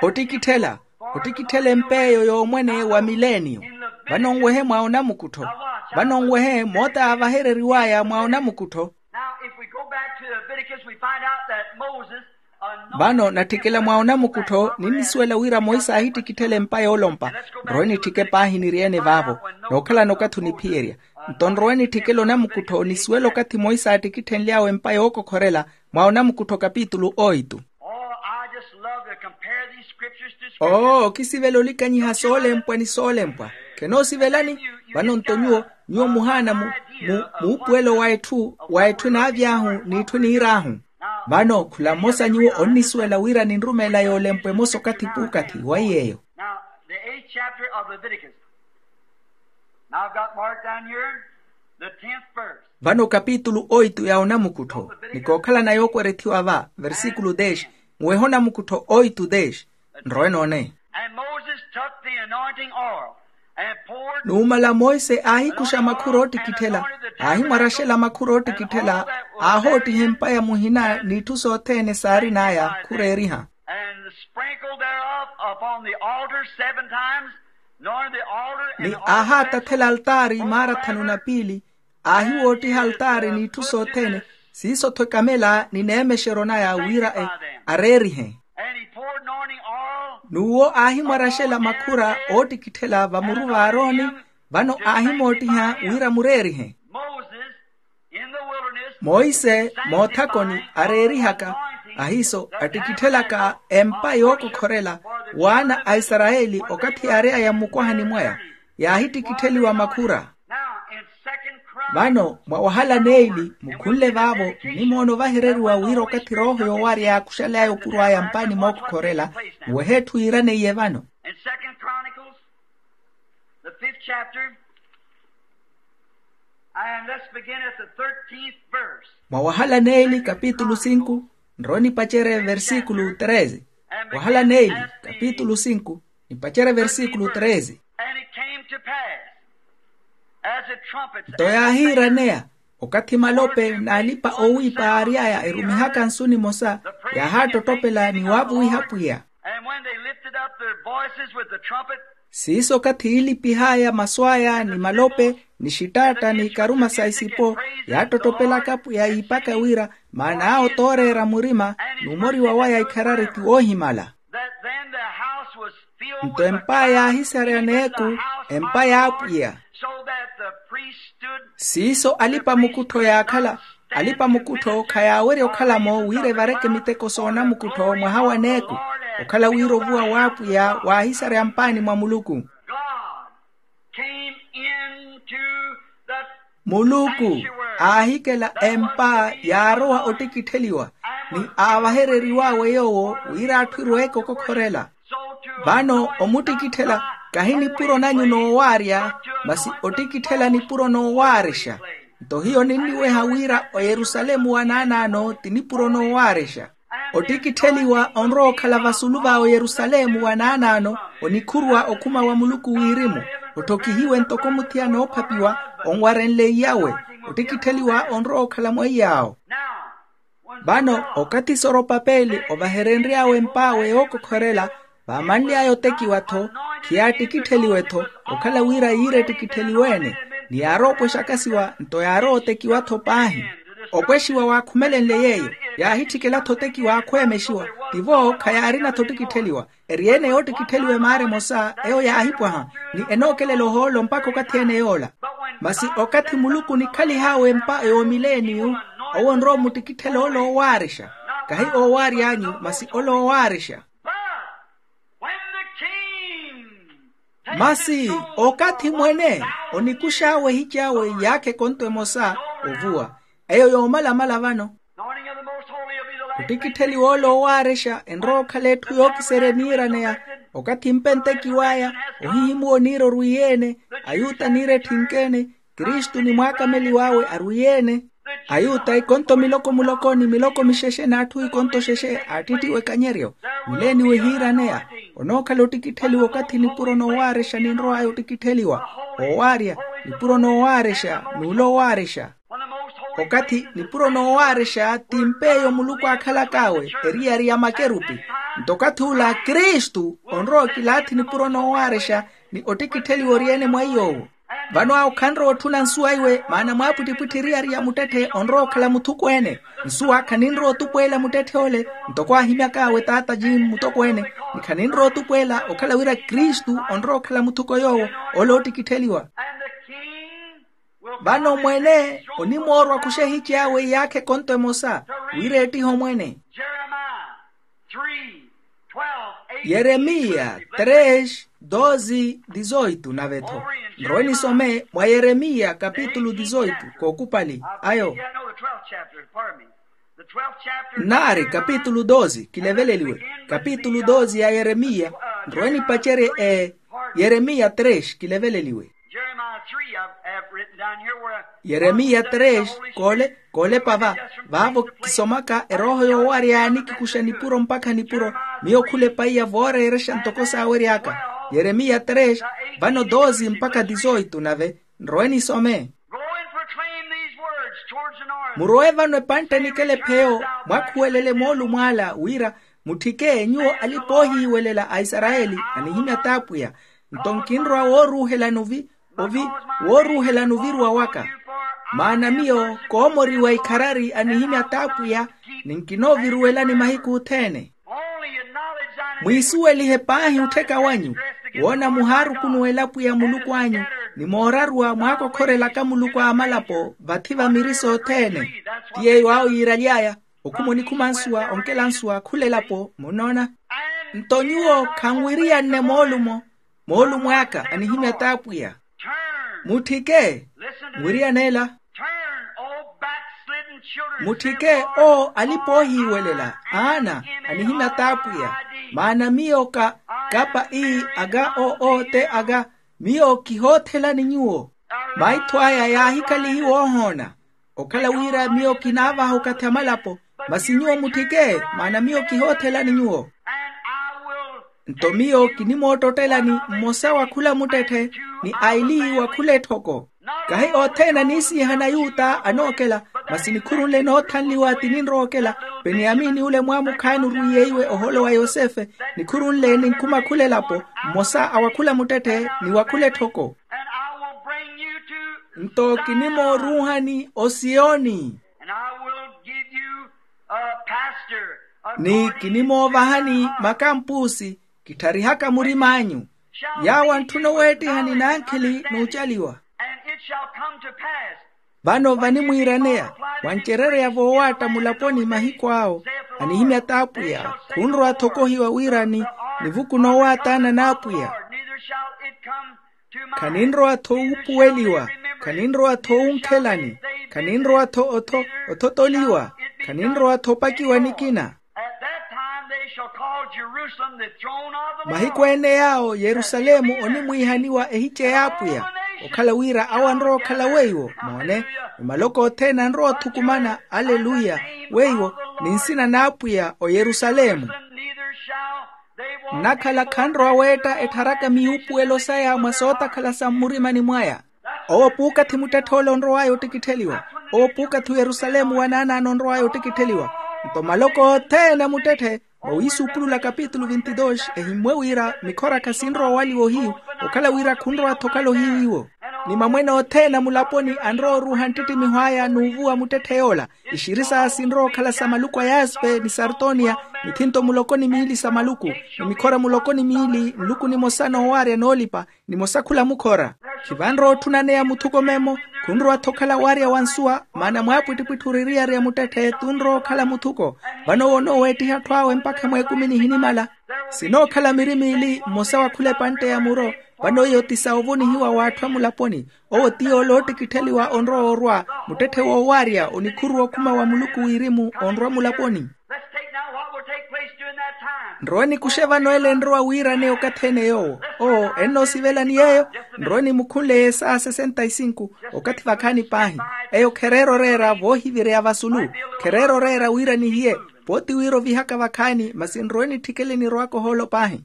Ottikitthela ottikitthela empa eyo yoomwene wa mileniyo. Vano nwehe mwa onamukuttho vano nwehe moota yaavahereriw'aya mwa onamukuttho. Vano natthikela mwa onamukuttho ninnisuwela wira monse aahittikitthela empa yoolompa. Nrowe nitthike paahi niri-ene vaavo nookhalana okathi oniphiyerya. Nto nrowe nitthikela onamukuttho nisuwela okathi monse aattikitthenly'awe empa yookokhorela mwa onamukuttho kapitulu oitu. Oo okisivela olikanyiha soolempwa ni soolempwa. Khenoosivelani? Vano nto nyuwo Nyuwo muhaana mu muupuwelo wa etthu wa etthu enaavy'ahu n'itthu eniir'ahu. Vano khula mmosa nyuwo onnisuwela wira ninrumeela yoolempo emosa okathi p'ukathi wa iy'eyo. Now the eighth chapter of Leviticus. Now i've got marked down here the tenth verse. Vano kapitulu oitu ya onamukuttho, ni kookhalana yookwerethiwa va versikulu deshi. Muwehe onamukuttho oitu deshi. Nrowe noone. And moses took the anointing oil and poured. Numala monse aahikuxa makhura oottikitthela, aahimwarexela makhura oottikitthela, aahoottiha empa ya muhina n'itthu sothene saarin'aya khureeriha. And sprinkled thereof upon the altar seven times. Nor the altar and ni the oil. Aahaatathela altaari maara thanu na piili, aahiwoottiha altaari n'itthu sothene, siiso-tho ekamela ni neemexeryo naya wira areerihe. And he poured anointing oil. N'uwo aahimwarexela makhura oottikitthela vamuru v'aaroni. Vano aahimoottiha wira mureerihe. Moses in the wilderness. Monse moothakoni areerihaka ahiiso attikitthelaka empa yookokhorela w'ana a isarayeli okathi yaary'aya mmukwahani mwaya, yaahittikittheliwa makhura. Now in second chronicles. Vano mwa wahala neeli mukhunle vaavo nnimoona ovahereriwa wira okathi rooho yoowarya yaakuxaly'aya opuro aya mpaani mookokhorela. Muwehe etthu yiiraneiye vano. In second chronicles, the fifth chapter. And let's begin at the thirteenth verse. Mwa wahala neeli kapitulu sinku, nrowe nipacerye versikulu treze. Wahala neeli kapitulu sinku, nipacerye versikulu treze. And it came to pass, as the trumpets. Nto yaahiiraneya, okathi malope n'alipa-oowiipa aary'aya erumihaka nsu nimosa, yaahaattotopela ni waavuwiha pwiya. And when they lifted up their voices with the trumpet. Siiso okathi yiilipih'aya masu aya ni malope ni xitaatta ni ikaruma sa isipo, yaattottopelaka pwiya yiipaka wira maana awo tooreera murima, n'umoriwa waya ikharari ti woohimala. That then the house was filled with the cloud. Nto empa yaahisareya n'eku, empa y'apwiya. So that the priest stood. Siiso alipa-mukuttho yaakhala, alipa-mukuttho khayaawerya okhala-mo wira evareke miteko soonamukuttho mwaha wa n'eku, okhala wira ovuwa w'apwiya waahisareya mpaani mwa muluku. God came into the. Muluku aahikela empa yaarowa ottikittheliwa, ni aavahereriw'awe yoowo wira atthu erweeke okokhorela. Vano omuttikitthela kahi nipuro nanyu noowaarya, masi ottikitthela nipuro noowaarexa. Nto hiyo ninniweha wira oyerusalemu wa naanaano ti nipuro noowaarexa. Ottikittheliwa onrowa okhala vasulu va oyerusalemu wa naanaano, onikhuruwa okhuma wa muluku wirimu, otthokihiwe ntoko muthiyana oophapiwa onwarenle iy'awe. Ottikittheliwa onrowa okhala mwa iy'awo. Vano okathi soropapeli ovaherenry'awe emp'awe yookokhorela, vaamanly'aya otekiwa-tho, khiyaattikittheliwe-tho, okhala wira yiire ettikittheliwe-ene, ni yaarowa opwexa akasiwa nto yaarowa otekiwa-tho paahi. Opwexiwa waakhumelenle yeeyo, yaahitthikela-tho otekiwa aakhweemexiwa. Tivo khayaarina-tho ottikittheliwa, eri ene yoottikittheliwa emaara emosa eyo yaahipwaha, ni enookelela ohoolo mpakha okathi-ene yoola. Masi okathi muluku onikhalih'awe empa yoomileniyu, owo onrowa omuttikitthela ole oowaarexa, kahi oowaary'anyu masi ole oowaarexa. But when the king takes his own form, masi okathi mwene onikux'awe ehici awe iyaakha ekonto emosa ovuwa, eyo yoomalamala vano. Ottikittheliwa ole oowaarexa enrowa okhala etthu yookiserya eniiraneya. Okathi mpe ntekiw'aya, ohihimuwa oniira orwiiye-ene, ayuta aniira etthinke-ene, kristu ni mwaakameliw'awe arwiiye-ene. Ayuta ikonto miloko muloko ni miloko mixexe n'atthu ikonto xexe aattittiwa ekanyeryo. Mileeni wehiiraneya, onookhala ottikittheliwa okathi nipuro noowaarexa ninrow'aya ottikittheliwa. Oowaarya, nipuro noowaarexa n'ule oowaarexa. Okathi nipuro noowaarexa ti mpeeyo muluku aakhalak'awe, eriyari ya makerupi. Nto okathi ula kristu onrowa okilaathi nipuro noowaarexa, ni ottikittheliwa ori-ene mwa iy'owo. Vano awo khanrowa otthuna nsuwa iwe maana mwaapwittipwitthi eriyari ya muttetthe onrowa okhala muthukweene. Nsuwa khaninrowa otupweela muttetthe ole, ntoko aahimyak'awe taata jim mutokweene, ni khaninrowa otupweela okhala wira kristu onrowa okhala muthuko yoowo, ole oottikittheliwa. Vano mwene onimoorwa akhuxe ehici awe iyaakha ekonto emosa, wira eettihe omwene. Jeremiya três, doze, dezoito nave-tho. Nrowe nisome mwa yeremiya kapitulu dizoitu kookupali ayo. Nnaari kapitulu doze kileveleliwe. Kapitulu doze ya yeremiya. Nrowe nipacerye e yeremiya tres kileveleliwe. Yeremiya tres koole koolepa va. Vaavo kisomaka erooho yoowarya yaani kikuxa nipuro mpakha nipuro. Miyo khule paiya vooreerexa ntoko saawery'aka. Yeremiya tres vano doze mpakha dizoitu nave. Nrowe nisome. Murowe vano epantte nikele pheyo mwakhuwelele moolumo ala wira mutthike nyuwo alipa oohiiwelela a isarayeli anihimya t'apwiya. Nto nkinrowa wooruuhelani ovi ovi wooruuhelani oviruwa waka. Maana miyo koomoriwa ikharari anihimya t'apwiya ni nkinooviruwelani mahiku othene. Mwiisuwelihe paahi ottheka wanyu woona muhaarukunuwela pwiya muluku anyu ni mooraruwa mwaakokhorelaka muluku a amalapo vathi va miri sothene. Ti yeeyo awo yiiraly'aya okhuma onikhuma nsuwa onkela nsuwa khula elapo munnoona. Nto nyuwo khanwiriyanne moolumo moolumo aka anihimya t'apwiya. Mutthike nwiriyanela. Mutthike oo alipa oohiiwelela aana anihimya t'apwiya. Maana miyo ka kapa ii aka oo te aka miyo kihoothelani nyuwo. Maitho aya yaahikalihiwa oohoona okhala wira miyo kinaavaha okathi amalapo. Masi nyuwo mutthike maana miyo kihoothelani nyuwo. Nto miyo kinimootottelani mmosa wa khula muttetthe ni aili wa khula etthoko. Kahi othene aniisihana yuta anookela masi nikhuru nle noothanliwa ti ninrowa okela. Peniyamini ule mwaamukhaani orwiiyeiwe oholo wa yosefe nikhuru nle ninkhuma khula elapo mmosa a wa khula muttetthe ni wa khula etthoko. Nto kinimooruuhani osiyoni ni kinimoovahani makampuusi. Kittharihaka murim'anyu yaawo antthuna oweettihani n'ankhili n'ucaliwa. Vano vanimwiiraneya wancerereya voowaatta mulaponi mahiku awo anihimya t'apwiya. Khunrowa-tho okohiwa wira ni nivuku noowaataana n'apwiya. Khaninrowa-tho wuupuweliwa khaninrowa-tho wunkhelani khaninrowa-tho otho othotoliwa khaninrowa-tho opakiwa nikina. Mahiku ene yaawo yerusalemu onimwiihaniwa ehice y'apwiya okhala wira awo anrowa okhala weiwo moone. Ni maloko othene anrowa othukumana aleluya weiwo ni nsina n'apwiya o yerusalemu. Nnakhala khanrowa weetta ettharaka miyuupuwelo saya mwa sootakhala sa mmurimani mwaya. Owo puukathi muttetthe ole onrow'aya ottikittheliwa. Owo puukathi oyerusalemu wa naanaana onrow'aya ottikittheliwa. Nto maloko othene a muttetthe mwa wiisuupulula kapitulu vinti dos ehimmwe wira mikhora khasinrowa owaliwa ohiyu okhala wira khunrowa-tho okhala ohiyu iwo. Ni mamwene othene a mulaponi anrowa oruuha nttittimiho aya n'uvuwa muttetthe yoola. Ixiri saya sinrowa okhala sa maluku a yaspe ni sartoniya mithinto muloko ni miili sa maluku ni mikhora muloko ni miili nluku nimosa noowaarya noolipa nimosa khula mukhora. Khivanrowa otthuna neya muthuko memo khunrowa-tho okhala waarya wa nsuwa maana mwaapwittipwitthi oririyari a muttetthe tunrowa okhala muthuko. Vano owo onooweettiha atthu awe mpakha mweekumi nihinimala. Sinookhala miri miili mmosa wa khula epantte ya muro. Vano iyo ti sa ovonihiwa w'atthu a mulaponi. Owo ti yoole oottikittheliwa onrowa orwa muttetthe woowaarya onikhuruwa okhuma wa muluku wirimu onrwa mulaponi. Nrowe nikuxe vano ele enrowa wiiraneya okathi ene yoowo oo ennoosivelani yeeyo. Nrowe nimukhunle yesaya sesenta y sinku okathi vakhaani paahi. Eyo khereera oreera voohivireya vasulu khereera oreera wira nihiye pooti wira ovihaka vakhaani masi nrowe nitthikele nirowaka ohoolo paahi.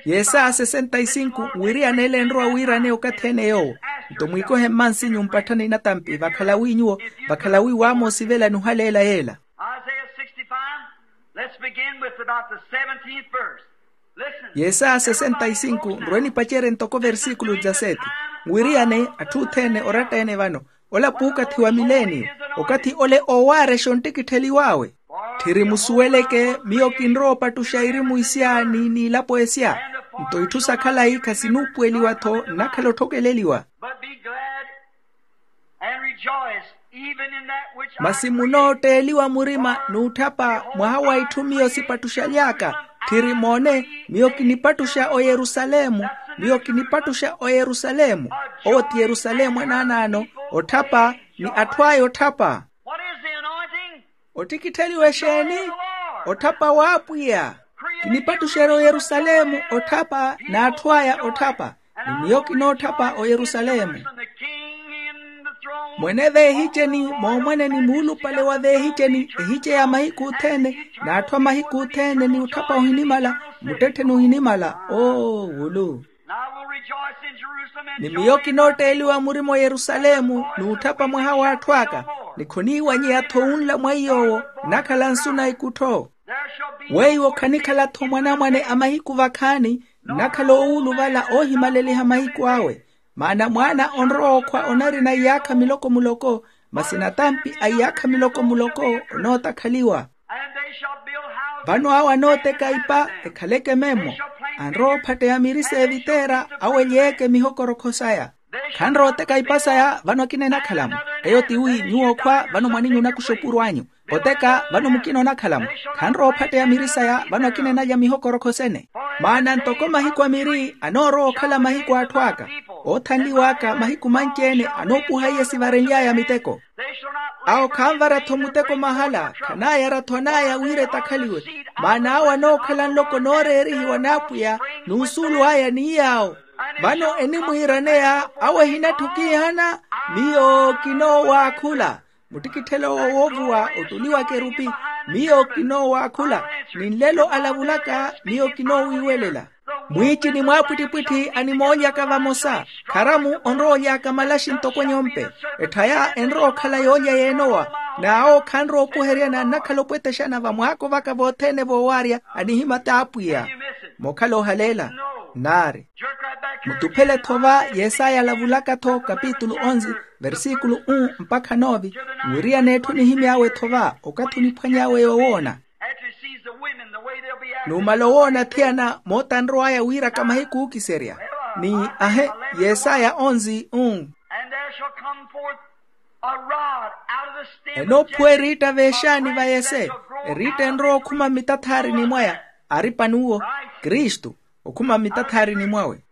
Yesaya sesenta y sinku nwiriyana ele enrowa wiiraneya okathi ene yoowo. Nto mwiikohe mmansinyu mpatthani natampi vakhala wi nyuwo vakhala wi waamoosivela nuhaleela yeela. Isaiah sixty-five, let's begin with about the seventeenth verse. Listen. Yesaya sesenta y sinku nrowe nipacerye ntoko versikulu dzaseeti. Nwiriyane atthu othene oratta-ene vano ola puukathi wa mileniyo. Okathi ole oowaarexa onttikittheliw'awe. Tthiri musuweleke miyo kinrowa opattuxa irimu isya ni n'ilapo esya. Nto itthu sa khalayi khasinuupuweliwa-tho nnakhala otthokeleliwa. But be glad and rejoice even in that which I masi create. Munootteeliwa murima n'utthapa mwaha wa itthu miyo sipattuxaly'aka. Tthiri moone miyo kinipattuxa oyerusalemu. Miyo kinipattuxa oyerusalemu. Owo ti yerusalemu anaanaano, otthapa, ni atthu aya otthapa. Ottikittheliwa exeeni? Otthapa w'apwiya. Kinipattuxerya oyerusalemu otthapa n'atthu aya otthapa. Ni miyo kinootthapa oyerusalemu. Mwene veehiceni moomwene ni muulupale wa veehiceni ehice ya mahiku othene, n'atthu a mahiku othene ni otthapa ohinimala, muttettheni ohinimala. Oo wulu. Ni miyo kinootteeliwa murima oyerusalemu n'utthapa mwaha w'atthu aka. Ni khoniiwanyeya-tho wunla mwa iy'owo nnakhala nsu na ikuttho. Weiwo khanikhala-tho mwanamwane a mahiku vakhaani, nnakhala owuuluvala oohimaleliha mahiku awe. Maana mwaana onrowa okhwa onarina iyaakha miloko-muloko, masi natampi a iyaakha miloko-muloko onootakhaliwa. Vano awo anooteka ipa ekhaleke memmo. Anrowa ophatteya miri s'evitera awelyeeke mihokorokho saya. Khanrowa oteka ipa saya vano akina enakhalamu. Eyo tiwi nyuwo okhwa vano mwaninyu onakuxa opuro anyu. Oteka vano mukina onakhalamu. Khanrowa ophatteya miri saya vano akina enalya mihokorokho sene. Maana ntoko mahiku a miri anoorowa okhala mahiku a atthu aka, oothanliw'aka mahiku manci-ene anoopuha iye sivarenly'aya miteko. Awo khanvara-tho muteko mahala, khanaayara-tho an'aya wira etakhaliwe. Maana awo anookhala nloko nooreerihiwa n'apwiya, n'usuulu aya ni yaawo. Vano enimwiiraneya awo ehinatthu kiihana. Miyo kinoowaakhula. Muttikitthelo owo woovuwa otuliwa akerupi. Miyo kinoowaakhula. Ni nlelo alavulaka miyo kinoowiiwelela. Mwiici ni mwaapwittipwitthi animoolyaka vamosa. Kharamu onrowa olyaka malaxi ntoko nyompe. Etthaya enrowa okhala yoolya y'enowa. N'awo khanrowa okuheryana nnakhala opwetexana vamwaako vaka vothene voowaarya anihimata apwiya. Mookhala ohaleela. Naari. Mutuphele-tho va yesaya alavulaka-tho kapitulu onze, versikulu um mpakha nove. Nwiriyane etthu nihimy'awe-tho va okathi oniphwany'awe yoowoona. Numala owoona athiyana mootanrow'aya wiiraka mahiku ookiserya. Ni ahe, yesaya onze um. Enoophuwa eriitta veexaani va yese. Eriitta enrowa okhuma mmitathaarini mwaya. Aari pan'uwo kristu. Okhuma mmitathaarini mwawe.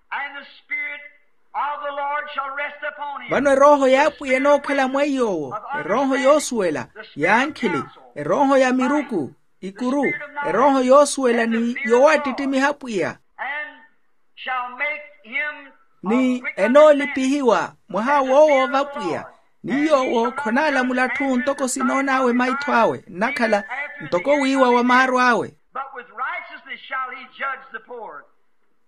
Vano erooho y'apwiya enookhala mwa iy'owo. Erooho yoosuwela, y'ankhili, erooho ya miruku, ikuru, erooho yoosuwela ni yoowattittimiha apwiya. Ni enoolipihiwa mwaha woowoova apwiya. Ni yoowo khonaalamula atthu ntoko sinoon'awe maitho awe nnakhala, ntoko wiiwa wa maaro awe.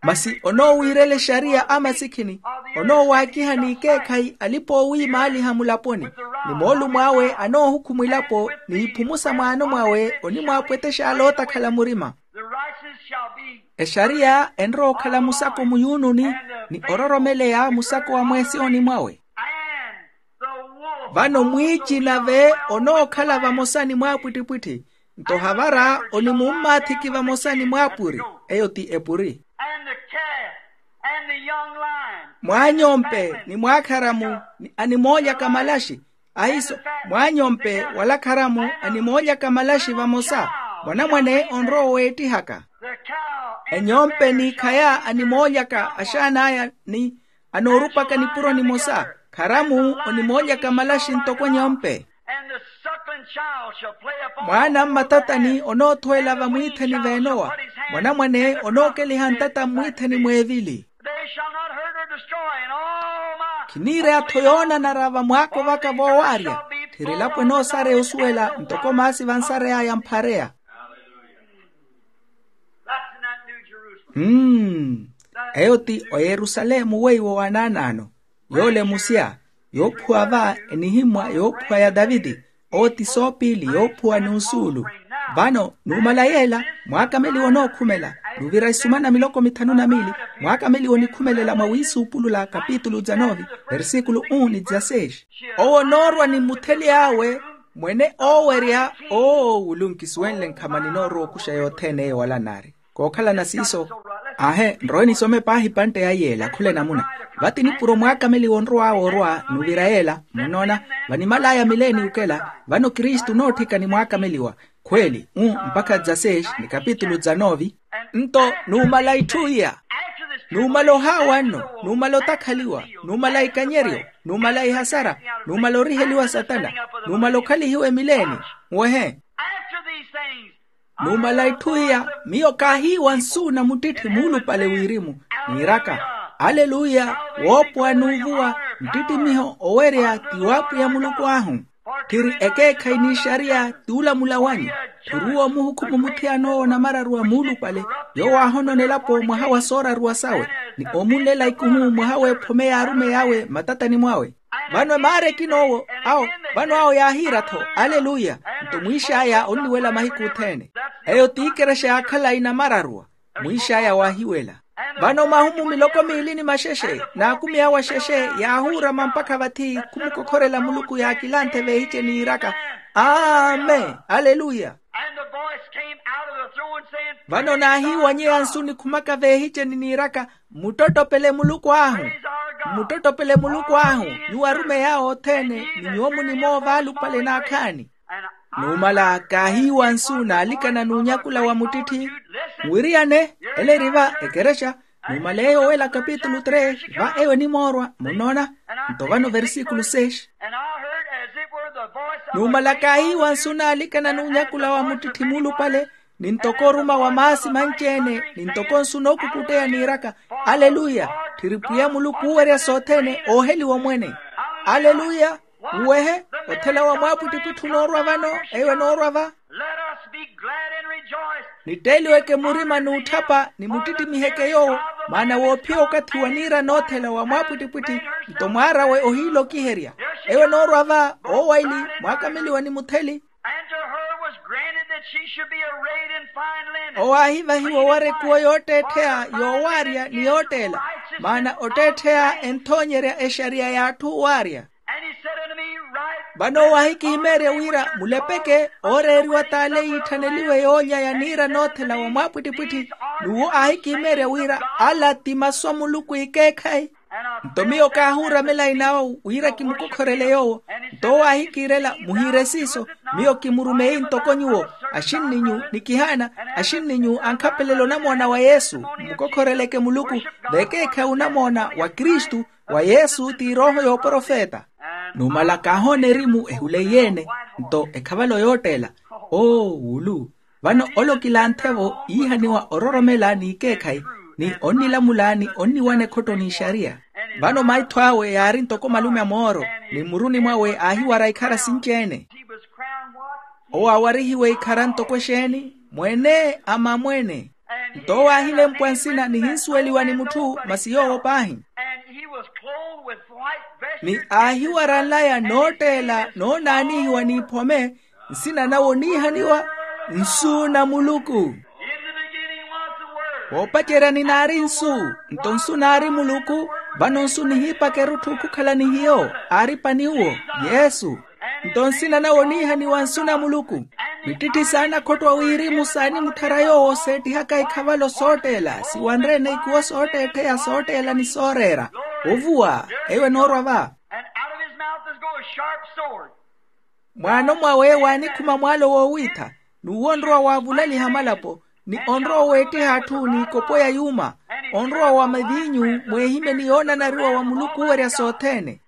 Masi onoowiirela exariya a masikhini. Onoowaakiha n'ikeekhayi alipa-oowiimaaliha mulaponi. Ni moolumo awe anoohukhuma elapo n'iphumusa mwaano mwawe onimwaapwetex'ale ootakhala murima. Exariya enrowa okhala musako muyuununi, ni ororomeleya musako wa mweesiyoni mwawe. Vano mwiici nave onookhala vamosa ni mwaapwittipwitthi. Nto havara onimummathiki vamosa ni mwaapuri. Eyo ti epuri. Mwaanyompe ni mwaakharamu ni animoolyaka malaxi. Ahiiso, mwaanyompe wala kharamu animoolyaka malaxi vamosa. Mwanamwane onrowa oweettihaka. Enyompe n'ikhaya animoolyaka axaan'aya ni anoorupaka nipuro nimosa. Kharamu onimoolyaka malaxi ntoko nyompe. Mwaana mmatatani onoothuwela vamwiithani veenowa. Mwanamwane onookeliha ntata mmwiithani mweevili. Khiniireya-tho yoonanara vamwaako vaka voowaarya. Tthiri elapo enoosareya osuwela ntoko maasi vansarey'aya mphareya. Mmm. Eyo ti oyerusalemu weiwo wanaanaano. Yoole musya, yoophuwa va enihimmwa yoophuwa ya taviti. Owo ti soopiili yoophuwa n'usuulu. Vano numala yeela, mwaakameliwa onookhumela. Nuvira isumana miloko mithanu na miili. Mwaakameliwa onikhumelela mwa wiisuupulula kapitulu dza nove, versikulu um ni dza seis. Owo onoorwa ni mutheli awe. Mwene oowerya. Oo wulu nkisuwenle nkhamani noorowa okuxa yothene eyo wala naari. Kookhalana siiso. Aahe nrowe nisome paahi pantte ya yeela khula enamuna. Vati nipuro mwaakameliwa onrow'awe orwa nuvira yeela munnoona. Vanimal'aya mileeni okela vano kristu onootthika ni mwaakameliwa. Khweeli um mpakha dza seis ni kapitulu dza nove. Nto numala itthu iya. Numala ohaawa nno, numala otakhaliwa, numala ikanyeryo, numala ihasara, numala oriheliwa satana, numala okhalihiwa emileeni. Wehe. After these things, numala itthu iya, miyo kaahiiwa nsuuna muttitthi muulupale wirimu, niiraka, aleluya, woopowa n'uvuwa, nttittimiho owerya ti w'apwiya muluku ahu. Tthiri ekeekhayi n'ixariya t'ulamula wanyu. Tthiri uwo muhukhumu muthiyan'owo namararu a muulupale, yoowo aahonona elapo mwaha wa sooraruwa sawe, ni omunlela ikuhu mwaha w'ephome y'arumeyi awe matatani mwawe. Vano emaara ekinoowo, awo, vano awo yaahiira-tho, aleluya. Nto mwiix'aya onniwela mahiku othene. Eyo ti ikerexa ya khalayi namararuwa. Mwiix'aya waahiwela. Vano mahumu miloko miili ni maxexe n'akumi awo axexe, yaahuurama mpakha vathi khumukokhorela muluku yaakilanthe veehiceni yiiraka, amen, aleluya. And the voice came out of the throne saying, vano naahiiwanyeya nsu nikhumaka veehiceni niiraka, mmuttottopele muluku ahu. Mmuttottopele muluku ahu, nyuwo arumeyi awe othene, ni nyuwo munimoova alupale n'akhaani. Numala kaahiiwa nsu naalikana n'unyakula wa muttitthi. Nwiriyane, ela eri va ekerexa. Numala eyo owela kapitulu tres, va eyo enimoorwa munnoona. Nto vano versikulu seis. Numala kaahiiwa nsu naalikana n'unyakula wa muttitthi muulupale, ni ntoko oruma wa maasi manci-ene, ni ntoko nsu nookukutteya niiraka, aleluya. Tthiri pwiya muluku oowerya sothene ooheliwa omwene. Aleluya. Nwehe, othela wa mwaapwittipwitthi onoorwa vano, eyo enoorwa va. Let us be glad and rejoice. Nitteeliweke murima n'utthapa ni muttittimiheeke yoowo, maana woophiya okathi wa niira n'othela wa mwaapwittipwitthi. Nto mwaar'awe ohiilokiherya. Eyo enoorwa va, oowaili, mwaakameliwa ni mutheli. And to her was granted that she should be arrayed in fine linen. Owaahivahiwa owarya ekuwo yootteettheya, yoowaarya ni yootteela, maana otteettheya enthoonyerya exariya y'atthu owaarya. And he said unto me, write. Vano owahikihimeerya wira mulepeke ooreeriwa t'ale yiitthaneliwe yoolya ya niira n'othela wa mwaapwittipwitthi. N'uwo aahikihimeerya wira ala ti masu a muluku ikeekhayi. Nto miyo kaahuuramela inawo wira kimukokhorele yoowo. Nto owo aahikiirela muhiire siiso. Miyo kimurumeyi ntoko nyuwo, axinninyu ni kihaana, axinninyu ankhapelele onamoona wa yesu. Mmukokhoreleke muluku, vekeekhayi onamoona wa kristu, wa yesu ti erooho y'oprofeta. Numala kaahoona erimu ehula eyi-ene, nto ekhavalo yootteela, oo wulu. Vano ole okilanthe-vo iihaniwa ororomela n'ikeekhayi, ni onnilamula ni onniwana ekhotto n'ixariya. Vano maitho awe yaari ntoko malume a mooro, ni mmuruni mwawe aahiwara ikhara sinci-ene. Owo aawarihiwe ikhara ntoko exeeni? Mwene a mamwene. Nto owo aahilempwa nsina nihinsuweliwa ni mutthu masi yoowo paahi. Ni aahiwara nlaya nootteela noonaanihiwa n'iphome, nsina nawe oniihaniwa nsu na muluku. Voopaceryani naari nsu, nto nsu naari muluku. Vano nsu nihiipaka erutthu khukhala ni hiyo, aari pani uwo? Yesu. Nto nsina nawe oniihaniwa nsu na muluku. Mittitti saana khotto a wirimu saanimutthara yoowo seettihaka ikhavalo sootteela siwanre-ene ikuwo sootteettheya sootteela ni sooreera. Ovuwa. Eyo enoorwa va. And out of his mouth is go a sharp sword. Mwaano mwawe waanikhuma mwaalo woowiitha. N'uwo onrowa waavulaliha malapo, ni onrowa weettiha atthu n'ikopo ya yuuma. Onrowa wa maviinyu mweehimye ni yoonanariwa wa muluku oowerya sothene.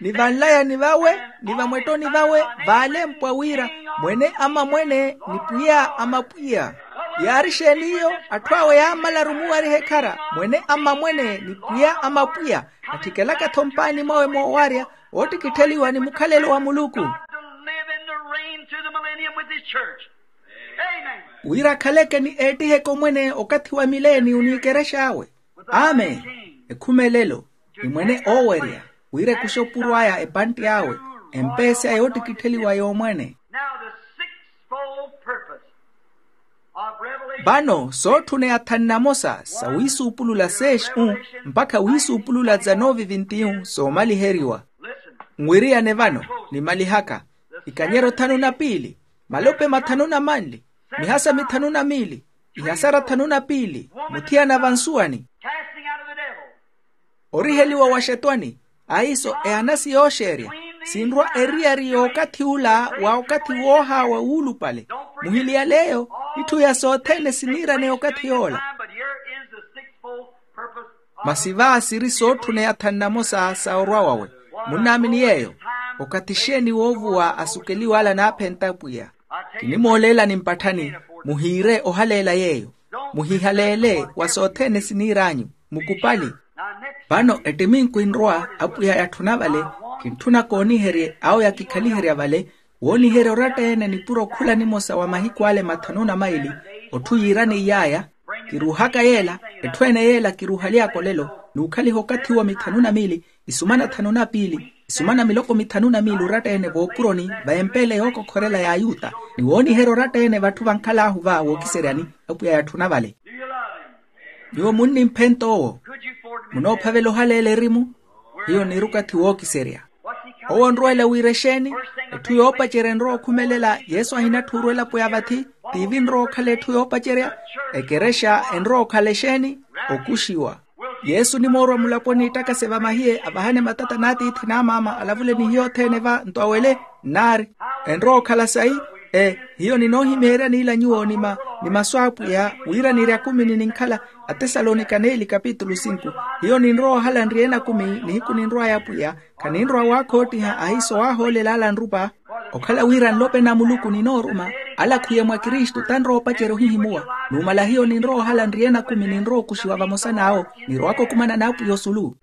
Ni vanlayani vawe, ni vamwettoni vawe vaalempwa wira, mwene a mamwene ni pwiya a mapwiya. Yaari exeeni iyo? Atthu awe yaamalaru omuwariha ekhara, mwene a mamwene ni pwiya a mapwiya. Atthikelaka-tho mpaani mwawe moowarya, woottikittheliwa ni mukhalelo wa muluku. Wira akhaleke ni eettiheke omwene okathi wa mileeni oniikerex'awe. Amen. Ekhumelelo. Ni mwene oowerya, wira ekuxe opuro aya epantti awe, empeesi aya yoottikittheliwa y'omwene. Vano sootthuneya thanu na mosa sa wiisuupulula seexu, mpakha wiisuupulula za novi vintiyu soomaliheriwa. Nwiriyane vano, nimalihaka. Ikanyero thanu na piili, malope mathanu na manli, mihasa mithanu na miili, ihasara thanu na piili, muthiyana vansuwani. Oriheliwa wa xetwani. Aiso ehanasi yooxeerya, sinrwa eriyari y'okathi ula wa okathi woohaawa wuulupale. Muhiliyaleeyo, itthu ya sothene siniiraneya okathi yoola. Masi va siri sootthuna eyathani namosa sa orwa wawe. Munnaamini yeeyo? Okathi xeeni woovuwa asukeliw'ala naaphenta apwiya? Kinimooleelani mpatthani. Muhiire ohaleela yeeyo. Muhihaleele wa sothene siniir'anyu. Mukupali. Vano ettiminku enrowa apwiya yatthuna vale. Kintthuna kooniherye awo yakikhaliherya vale, wooniherya oratta-ene nipuro khula nimosa wa mahiku ale mathanu na maili. Otthu yiiraneiy'aya kiruuhaka yeela. Etthu ene yeela kiruuhaly'aka olelo. N'ukhaliha okathi uwo mithanu na miili, isumana thanu na piili, isumana miloko mithanu na miili oratta-ene vookuroni, va empeele yookokhorela y'ayuta. Ni wooniherya oratta-ene vatthu vankhal'ahu va wookiseryani. Apwiya yatthuna vale. Nyuwo munnimphenta owo. Munoophavela ohaleela erimu? Hiyo niri okathi wookiserya. Owo onrweela wira exeeni? Etthu yoopacerya enrowa okhumelela yesu ahinatthuuru elapo ya vathi. Tiivi enrowa okhala etthu yoopacerya. Ekerexa enrowa okhala exeeni? Okuxiwa. Yesu onimoorwa mulaponi ittakase vamahiye avahane matata n'atiithi n'amaama alavule ni hiyo othene va nto awele. Nnaari enrowa okhala sayi. E hiyo ninoohimeerya niila nyuwo ni masu a apwiya wira niri akumini ninkhala. Atesalonika neeli kapitulu sinku. Hiyo ninrowa ohala nriye-ene akumi nihiku ninrw'aya apwiya. Khaninrowa waakhottiha ahiiso waahoolela ala anrupa. Okhala wira nlope na muluku ninooruma ala khwiya mwa kristu tanrowa opacerya ohihimuwa. Numala hiyo ninrowa ohala nriye-ene akumi ninrowa okuxiwa vamosa n'awo. Nirowaka okumana n'apwiya osulu.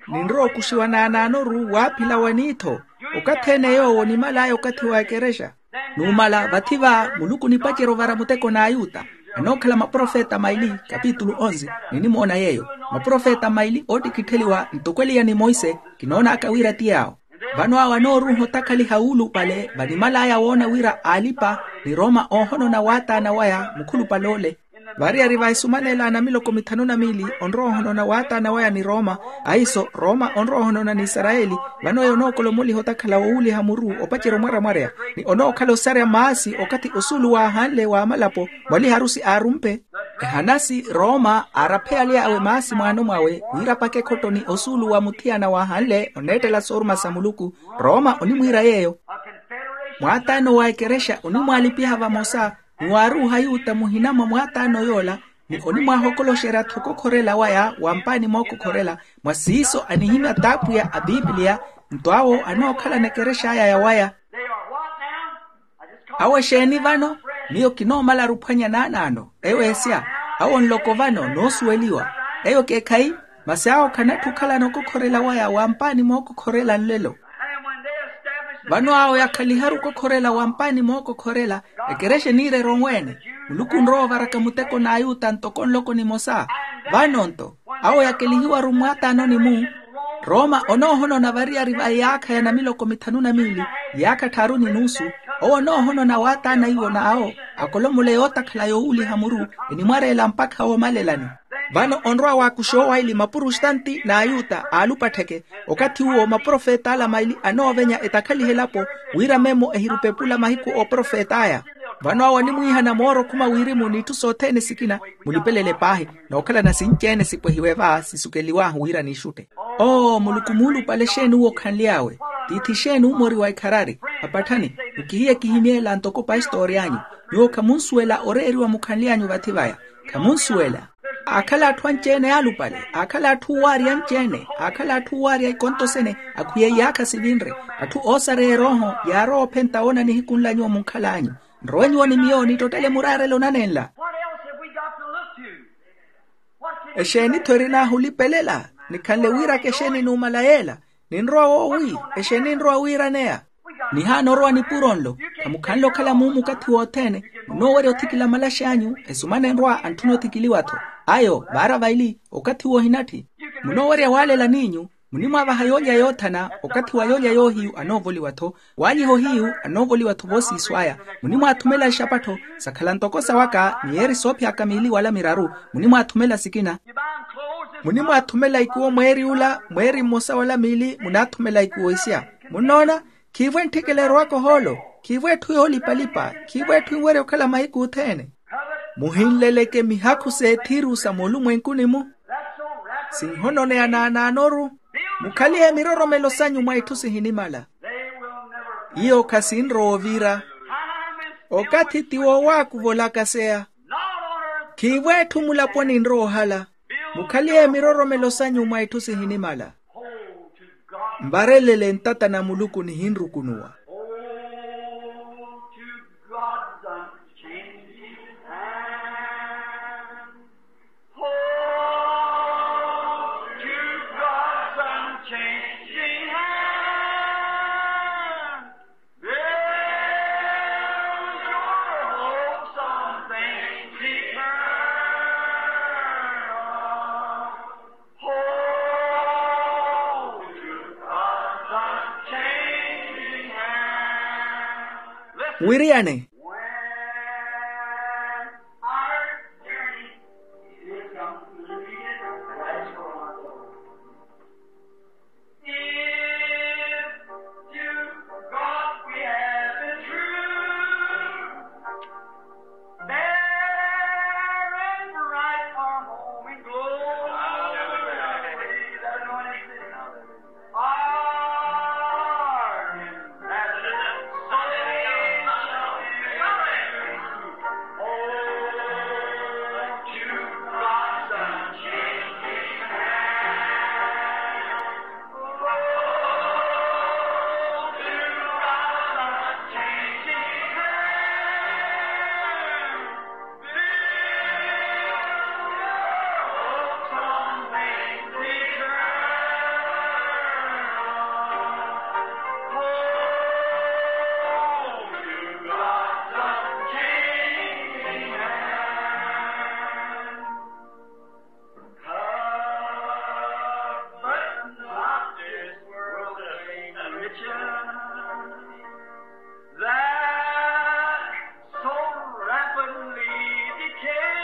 Ninrowa okuxiwa naanaanoru waaphila wa niitho. Okathi ene yoowo onimal'aya okathi wa ekerexa. Numala vathi va muluku onipacerya ovara muteko n'ayuta. Anookhala maprofeta maili kapitulu onze. Ninimoona yeeyo maprofeta maili oottikittheliwa ntoko eliya ni monse. Kinoon'aka wira ti yaawo. Vano awo anooruuha otakhaliha wuulupale vanimal'aya woona wira alipa ni roma oohonona waataana waya mukhulupale ole. Variyari va esumanela na miloko mithanu na miili onrowa ohonona waataana waya ni roma. Ahiiso roma onrowa ohonona ni isarayeli. Vano eyo onookolomuliha otakhala wowuuliha muru opacerya omwaramwareya ni onookhala osarya maasi okathi osuulu waahanle wa amalapo. Mwaliha arusi aarumpe ehanasi roma aaraphe yaly'awe maasi mwaano mwawe wira apake ekhottoni osuulu wa muthiyana waahanle oneettela sooruma sa muluku. Roma onimwiira yeeyo mwaataano wa ekerexa onimwaalipiha vamosa. Ni waaruuha yuta muhina mwa mwaataano yoola ni onimwaahokoloxerya-tho okokhorela waya wa mpaani mookokhorela. Mwa siiso anihimya t'apwiya a pipiliya. Nto awo anookhalana ekerex'aya ya waya. Awo exeeni vano? Miyo kinoomala aruphwanya naanaano. Eyo esya awo nloko vano noosuweliwa. Eyo kekhayi masi awo khanatthu okhalana okokhorela waya wa mpaani mookokhorela nlelo. Vano awo yakhaliharu okokhorela wa mpaani mookokhorela ekerexa eniirerya onweene. Muluku onrowa ovaraka muteko n'ayuta ntoko nloko nimosa. Vano nto awo yakelihiwaru mwaataanoni-mu. Roma onoohonona variyari va iyaakha ya namiloko mithanu na miili iyaakha tthaaru ni nuusu. Owo onoohonona waataana iwo n'awo akolomola eyootakhala yoowuuliha muru enimwareela mpakha woomalelani. Vano onrowa waakuxa owaili mapurustanti n'ayuta aalupattheke. Okathi uwo maprofeta ala maili anoovenya etakhaliha elapo wira memo ehirupa epula mahiku ooprofet'aya. Vano awo animwiihana moorokhuma wirimu n'itthu sothene sikina. Mulipelele paahi nookhalana sinci-ene sipwehiwe va sisukeliw'ahu wira niixutte. Oo muluku muulupale exeeni uwo okhanly'awe? Tiithi exeeni umori wa ikharari? Apatthani mukihiye kihimyeela ntoko pastori anyu. Nyuwo khamunsuwela oreeriwa mukhanly'anyu vathi vaya. Khamunsuwela. Aakhala atthu anci-ene yaalupale aakhala atthu owaarya anci-ene aakhala atthu owaarya ikonto sene. Akhwiye iyaakha sivinre atthu oosareya erooho yaarowa ophenta woona nihiku nla nyuwo munkhal'anyu. Nrowe nyuwo ni miyo nittottele muraarelo nanenla. Exeeni-tho erin'ahu olipelela? Nikhanle wiiraka exeeni numala yeela? Ninrowa woowi? Exeeni ninrowa wiiraneya? Nihaana orowa nipuro nlo. Khamukhanle okhala muumu okathi wothene. Munoowerya othikila malax'anyu esumana enrowa antthuna othikiliwa-tho. Ayo vaara vaili okathi wohinatthi. Munoowerya waalela n'inyu. Munimwaavaha yoolya yoothana okathi wa yoolya yoohiyu anoovoliwa-tho. Waanyiha ohiyu anoovoliwa-tho voosiiso aya. Munimwaathumela ixapattho sakhala ntoko sawaka miyeeri soophiyaka miili wala miraru. Munimwaathumela sikina. Munimwaathumela ikuwo mweeri ula mweeri mmosa wala miili munaathumela ikuwo isya. Munnoona? Khiivo entthikela erowaka ohoolo. Khiivo etthu yoolipalipa. Khiivo etthu enwerya okhala mahiku othene. Muhinleleke mihakhu s'ethiru sa moolumwenkuni-mu. Sinhononeya naanaanoru. Mukhalihe miroromelo sanyu mwa itthu sihinimala. Iyo khasinrowa ovira. Okathi ti wowaakuva olakaseya. Khiivo etthu mulaponi enrowa ohala. Mukhaliye miroromelo sanyu mwa itthu sihinimala. Mvarelele ntata na muluku nihinrukunuwa. Wiriyane. If to God we have been true, bearing bright our home in glory, that anointing, our inhabitants, so shall we. Oh, to God's unchanging hand. But not this world's vain riches that so rapidly decay.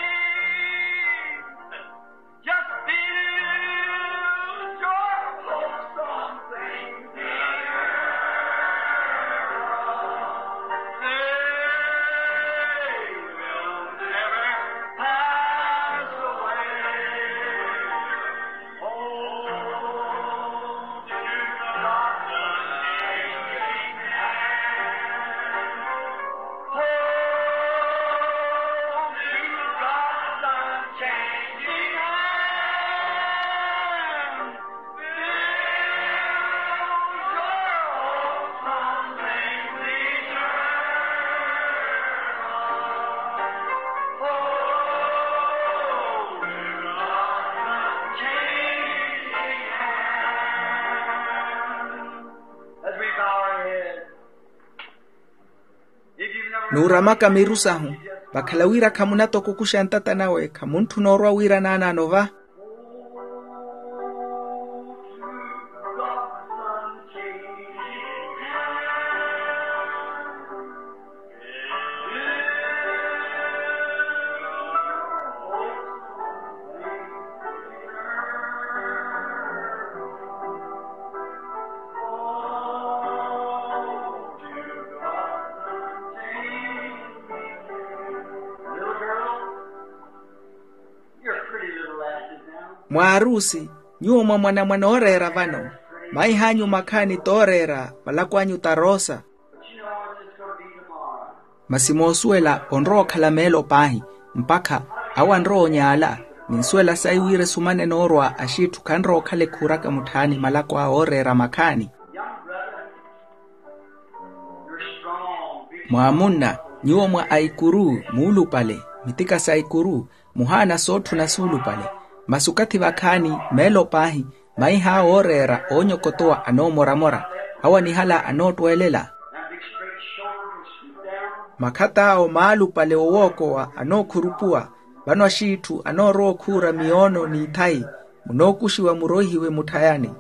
Just build your hopes on things eternal. They will never pass away. Nuuramaka miru sahu, vakhala wira khamunatokokuxa ntata nawe, khamuntthuna orwa wira naanaano va. Mwaarusi, nyuwo mwamwanamwana ooreera vano, maih'anyu makhaani tooreera, malako anyu ta roosa. Masi moosuwela onrowa okhala meelo paahi, mpakha awo anrowa onyaala. Ninsuwela sayi wira esumane noorwa axiitthu khanrowa okhala ekhuuraka mutthaani malako awe ooreera makhaani. Mwaamunna, nyuwo mwa aikuru muulupale, mitika sa ikuru, muhaana sootthuna suulupale. Masi okathi vakhaani meelo paahi, maih'awe ooreera oonyokotowa anoomoramora, awo anihala anoottweelela. Makhat'awo maalupale owookowa anookhuruphuwa. Vano axiitthu anoorowa okhuura miyoono n'ithayi, munookuxiwa muroihiwe mutthayani.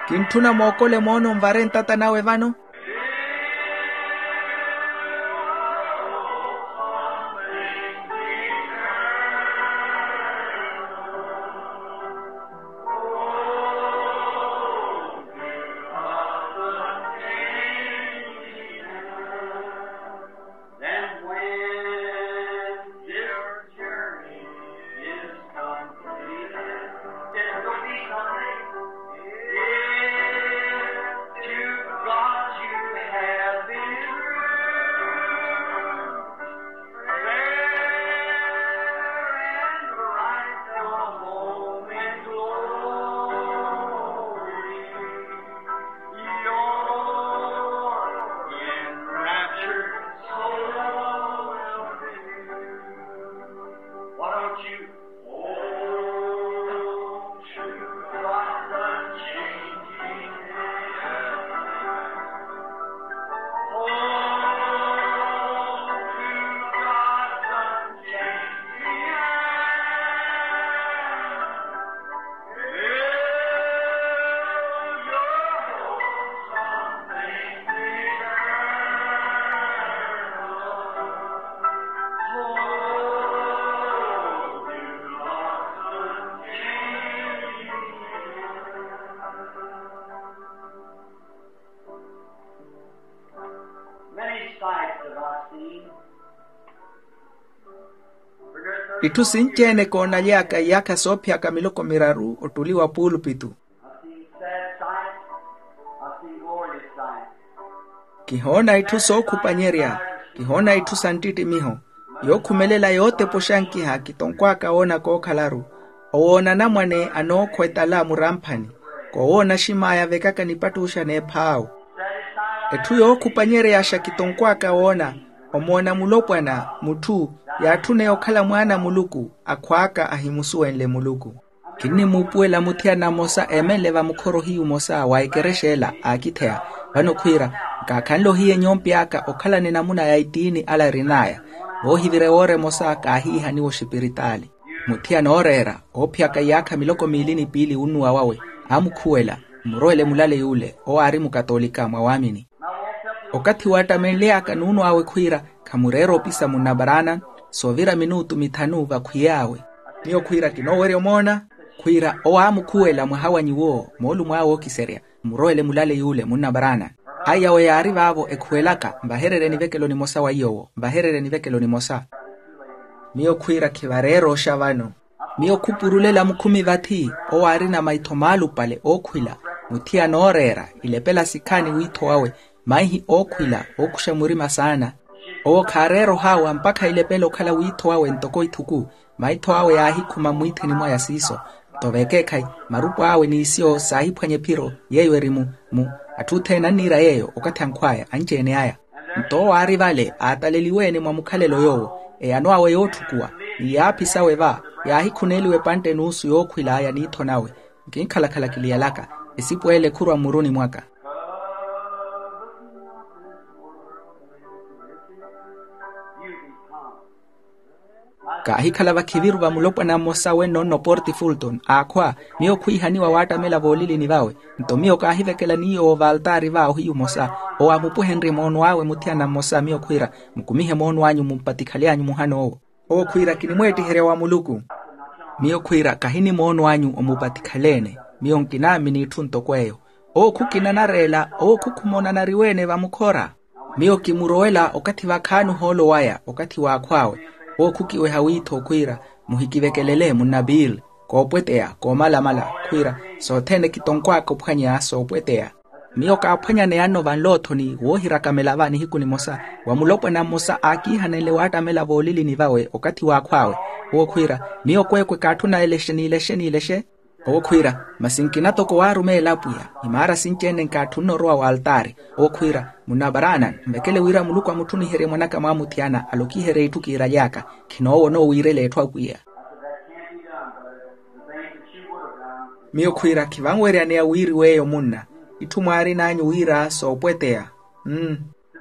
Kintthuna mookole moona onvare ntata nawe vano. Itthu sinci-ene koonaly'aka iyaakha soophiyaka miloko miraru ottuli wa puulupitu. Kihoona itthu sookhupanyerya, kihoona itthu sa nttittimiho. Yookhumelela yootepa oxankiha kitonkw'aka woona kookhalaru. Owoona anamwane anookhwa etala muramphani, koowoona axim'aya vekaka nipattuxa n'ephaawu. Etthu yookhupanyereyaxa kitonkw'aka woona, omoona mulopwana mutthu yaatthuneya okhala mwaana a muluku, akhw'aka ahimusuwenle muluku. Kinnimuupuwela muthiyana mmosa eemenle vamukhoro hiyu mmosa wa ekerexa ela aakitheya. Vano khwiira, nkaakhanle ohiya enyompi aka okhalana enamuna ya itiini ala arin'aya. Voohivira ewoora emosa kaahiihaniwa oxipiritaali. Muthiyana ooreera oophiyaka iyaakha miloko miili ni piili wunnuwa wawe, aamukhuwela, mmurowele mulale yuule owo aari mukatoolika mwa waamini. Okathi waattamenly'aka nuunw'awe khwiira, khamureera opisa munnabaraana. Soovira minutu mithanu vakhwiy'awe. Miyo khwiira kinoowerya omoona. Khwiira owo aamukhuwela mwaha wa nyuwo moolumo awe ookiserya, mmurowele mulale yuule munnabaraana. Aiyawe yaari vaavo ekhuwelaka, nvahererye nivekelo nimosa wa iy'owo, nvahererye nivekelo nimosa. Miyo khwiira khivareera oxa vano. Miyo khupurulela mukhumi vathi owo aarina maitho maalupale ookhwila, muthiyana ooreera ilepela sikhaani wiitho wawe, maihi ookhwila ookuxa murima saana. Owo khaareera ohaawa mpakha ilepela okhala wiitho wawe ntoko ithuku. Maitho awe yaahikhuma mmwiithini mwaya siiso. Nto vekeekhayi, marupu awe n'isiyo saahiphwanya ephiro yeeyo eri mu mu atthu othene anniira yeeyo okathi ankhw'aya anci-ene aya. Nto owo aari vale aataleliwe-ene mwa mukhalelo yoowo, eyano awe yootthukuwa, ni yaaphi sawe va, yaahikhuneeliwa epantte n'usu yookhwil'aya n'iitho nawe. Nkinkhalakhala kiliyalaka, esipu ele khurwa mmuruni mwaka. Kaahikhala vakhiviru va mulopwana mmosa wenno nno porti fulton aakhwa. Miyo khwiihaniwa waattamela voolilini vawe. Nto miyo kaahivekela n'iy'owo vaaltaari va ohiyu mmosa, owo aamupuhenrye moono awe muthiyana mmosa miyo khwiira, mukumihe moono anyu mumpatikhaly'anyu muhana owo. Owo khwiira kinimweettiherya wa muluku. Miyo khwiira kahinimoono anyu omupatikhala-ene. Miyo nkinaamini itthu ntoko eyo. Owo khukina anareela owo khukhumona anariwe-ene vamukhora. Miyo kimurowela okathi vakhaani ohoolo waya okathi waakhw'awe. Owo khukiweha wiitho khwiira, muhikivekelele munna bill, koopweteya koomalamala. Khwiira sothene kitonkw'aka ophwanya soopweteya. Miyo kaaphwanyaneyanno vanloothoni woohirakamela va nihiku nimosa, wa mulopwana mmosa aakiihanenle waattamela voolilini vawe okathi waakhw'awe. Owo khwiira, miyo kweekwe kaatthuna elexe n'ilexe n'ilexe. Owo khwiira, masi nkina toko waarumeela apwiya, imaara sinci-ene nkaatthunna orowa w'altaari. Owo khwiira, munna baraana, nvekele wira muluku amutthuniherye mwanaka mwaamuthiyana alokiherye itthu kiiraly'aka. Khinoowona owiirela etthu apwiya. Miyo khwiira khivanweryaneya wiiri weeyo munna, itthu mwaarin'anyu wira soopweteya. Mm.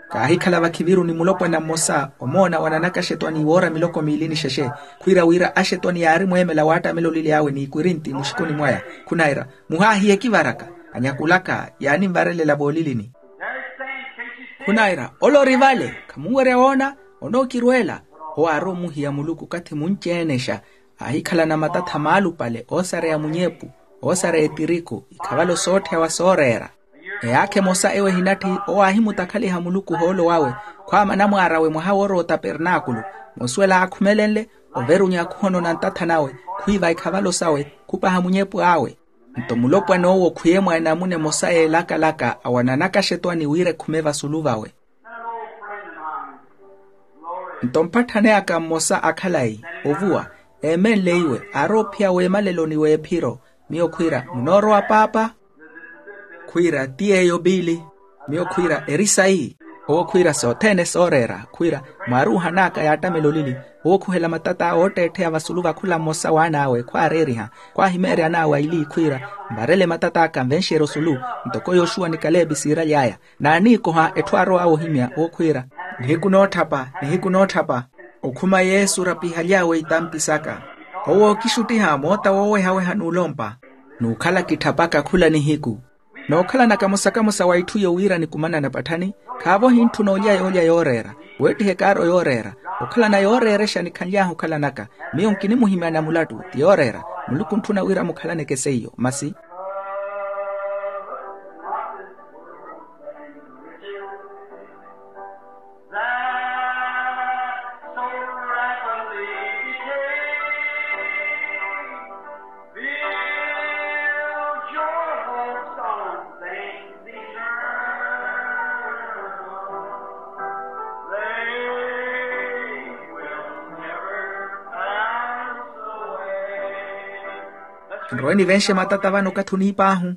Kaahikhala vakhiviru ni mulopwana mmosa omoona wananaka axetwani woora miloko miili ni xexe. Khwiira wira axetwani yaarimweemela waattamela olili awe n'ikwirinti muxikuni mwaya. Khunaira, muhaahiye kivaraka, anyakulaka yaaninvarelela voolilini. Khunaira, ole ori vale, khamunwerya woona, onookirweela. Owo aarowa omuhiya muluku okathi munci-enexa. Aahikhalana matatha maalupale oosareya munyepu, oosareya etiriku, ikhavalo sootthiyawa sooreera. Eyaakha emosa ewo ehinatthi, owo aahimutakhaliha muluku ohoolo wawe, khwaama anamwaar'awe mwaha woorowa otapernaakulu. Moosuwela aakhumelenle, overunya khuhonona ntatha nawe, khwiiva ikhavalo sawe, khupaha munyepu awe. Nto mulopwana owo khwiye mwa enamuna emosa yeelakalaka awananaka axetwani wira ekhume vasulu vawe. Nto mpatthani aka mmosa akhalayi ovuwa, eemenle iwe aarowa ophiya w'emaleloni w'ephiro. Miyo khwiira, munoorowa paapa? Khwiira, ti yeeyo biili. Miyo khwiira, eri sayi? Owo khwiira, sothene sooreera. Khwiira, mwaaruuhan'aka yaattamela olili. Owo khuhela matat'awe ootteettheya vasulu va khula mmosa w'an'awe khwaareeriha, khwaahimeerya an'awe aili khwiira, mvarele matat'aka nvenxerye osulu. Ntoko yoxuwa ni kaleepi siiraly'aya, naaniikoha etthu aarow'awe ohimya owo khwiira, nihiku nootthapa, nihiku nootthapa. Okhuma yesu orapihaly'awe itampi saka. Owo ookixuttiha moota woowehaweha n'ulompa. N'ukhala kitthapaka khula nihiku. Nookhalanaka mosa kamosa wa itthu iyo wira nikumanana patthani, khaavo ohintthuna olya yoolya yooreera. Weettihe kaaro yooreera. Okhalana yooreerexa nikhanly'ahu okhalanaka. Miyo nkinimuhimyana mulattu ti yooreera. Muluku ontthuna wira mukhalaneke seiyo masi. Nrowe nivenxe matata vano okathi oniip'ahu.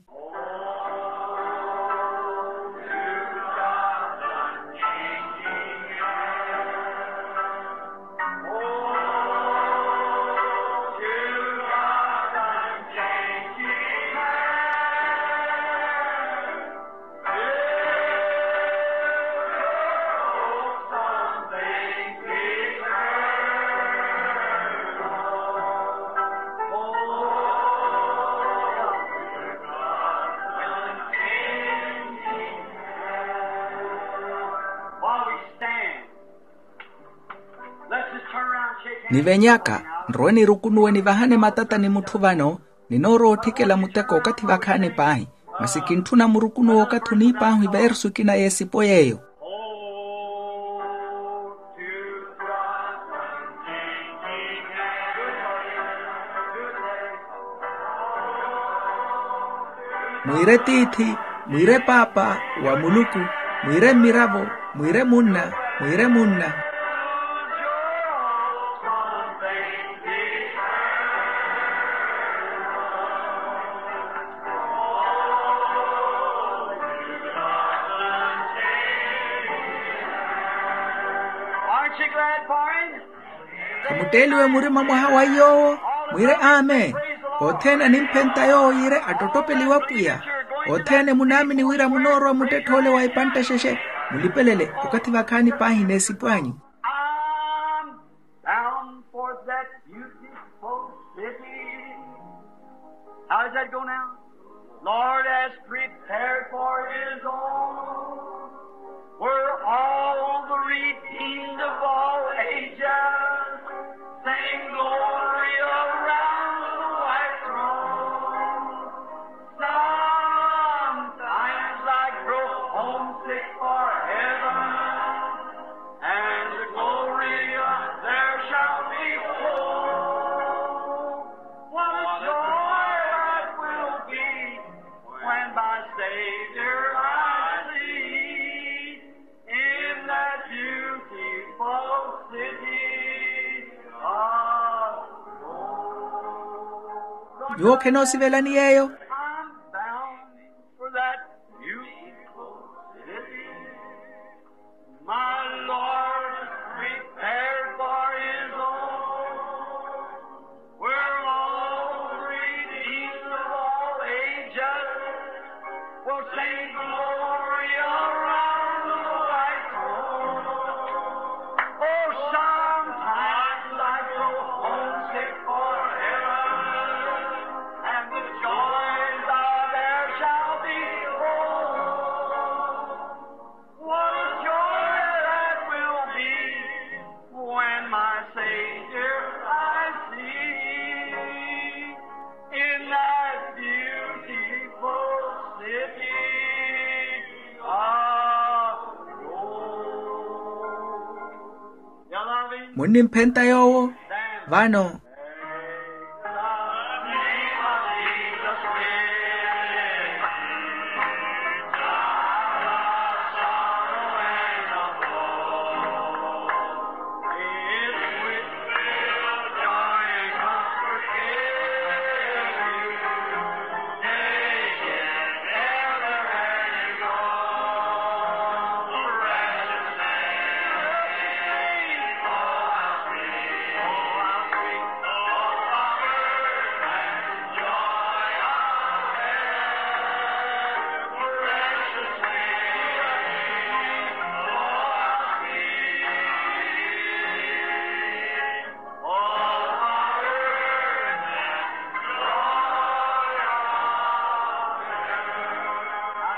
Nivenyaka, nrowe nirukunuwe nivahane matata ni mutthu vano. Ninoorowa otthikela muteko okathi vakhaani paahi, masi kintthuna murukunuwe okathi oniip'ahu iveersu ekina y'esipo yeeyo. Mwiire tiithi, mwiire paapa wa muluku, mwiire mmiravo, mwiire munna, mwiire munna. Khamutteeliwe murima mwaha wa yoowo? Mwiire amen. Othene animphenta yoowo yiire attottopeliwa pwiya. Othene munaamini wira munoorowa muttetthoole wa ipantta xexe, mulipelele okathi vakhaani paahi n'esipo anyu. Bound for that beautiful city. How does that go now? Lord has prepared for his own, where all the redeemed of all ages sing glory around the white throne. Sometimes I grow homesick for heaven and the glory there shall be. Oh, what a joy that will be when my Savior I see in that beautiful city of gold. Nyuwo khenoosivelani yeeyo? I'm bound for that beautiful city my Lord prepared for his own, where all the redeemed of all ages will sing glory around the white throne. Oh, sometimes I grow homesick for heaven and the joys that there shall be. Oh, what a joy that will be when my Savior I see in that beautiful city of gold. Munnimphenta yoowo vano.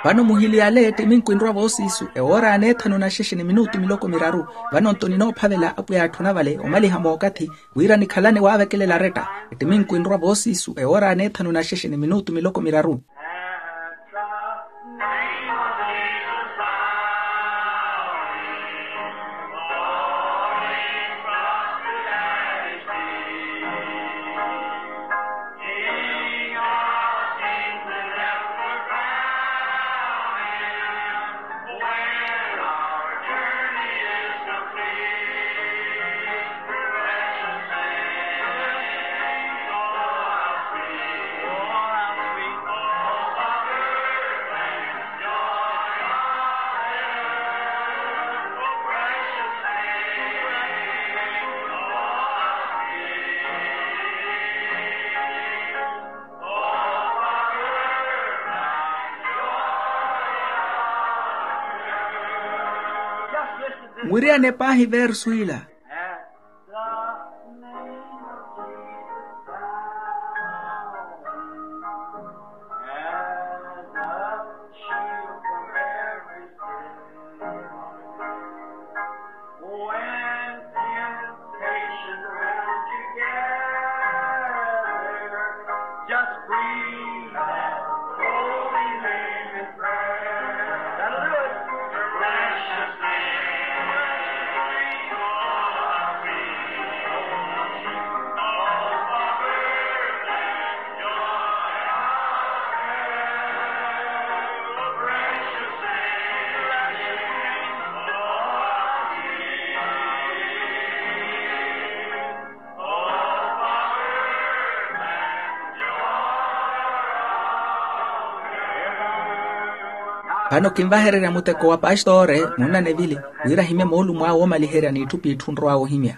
Vano muhili ale ettiminku enrwa voosiisu ewoora ya neethanu na xexe ni minutu miloko miraru. Vano nto ninoophavela apwiya atthuna vale omaliha mookathi wira nikhalane waavekelela aretta. Ettiminku enrwa voosiisu ewoora ya neethanu na xexe ni minutu miloko miraru. Mwiriyane paahi versu ila. When temptation round you gather, just breathe that holy name in prayer. That'll do it. Precious name, precious name. Vano kinvahererya muteko wa pastori munnanevili wira ahimye moolumo awe oomaliherya n'itthu p'itthu onrow'awe ohimya.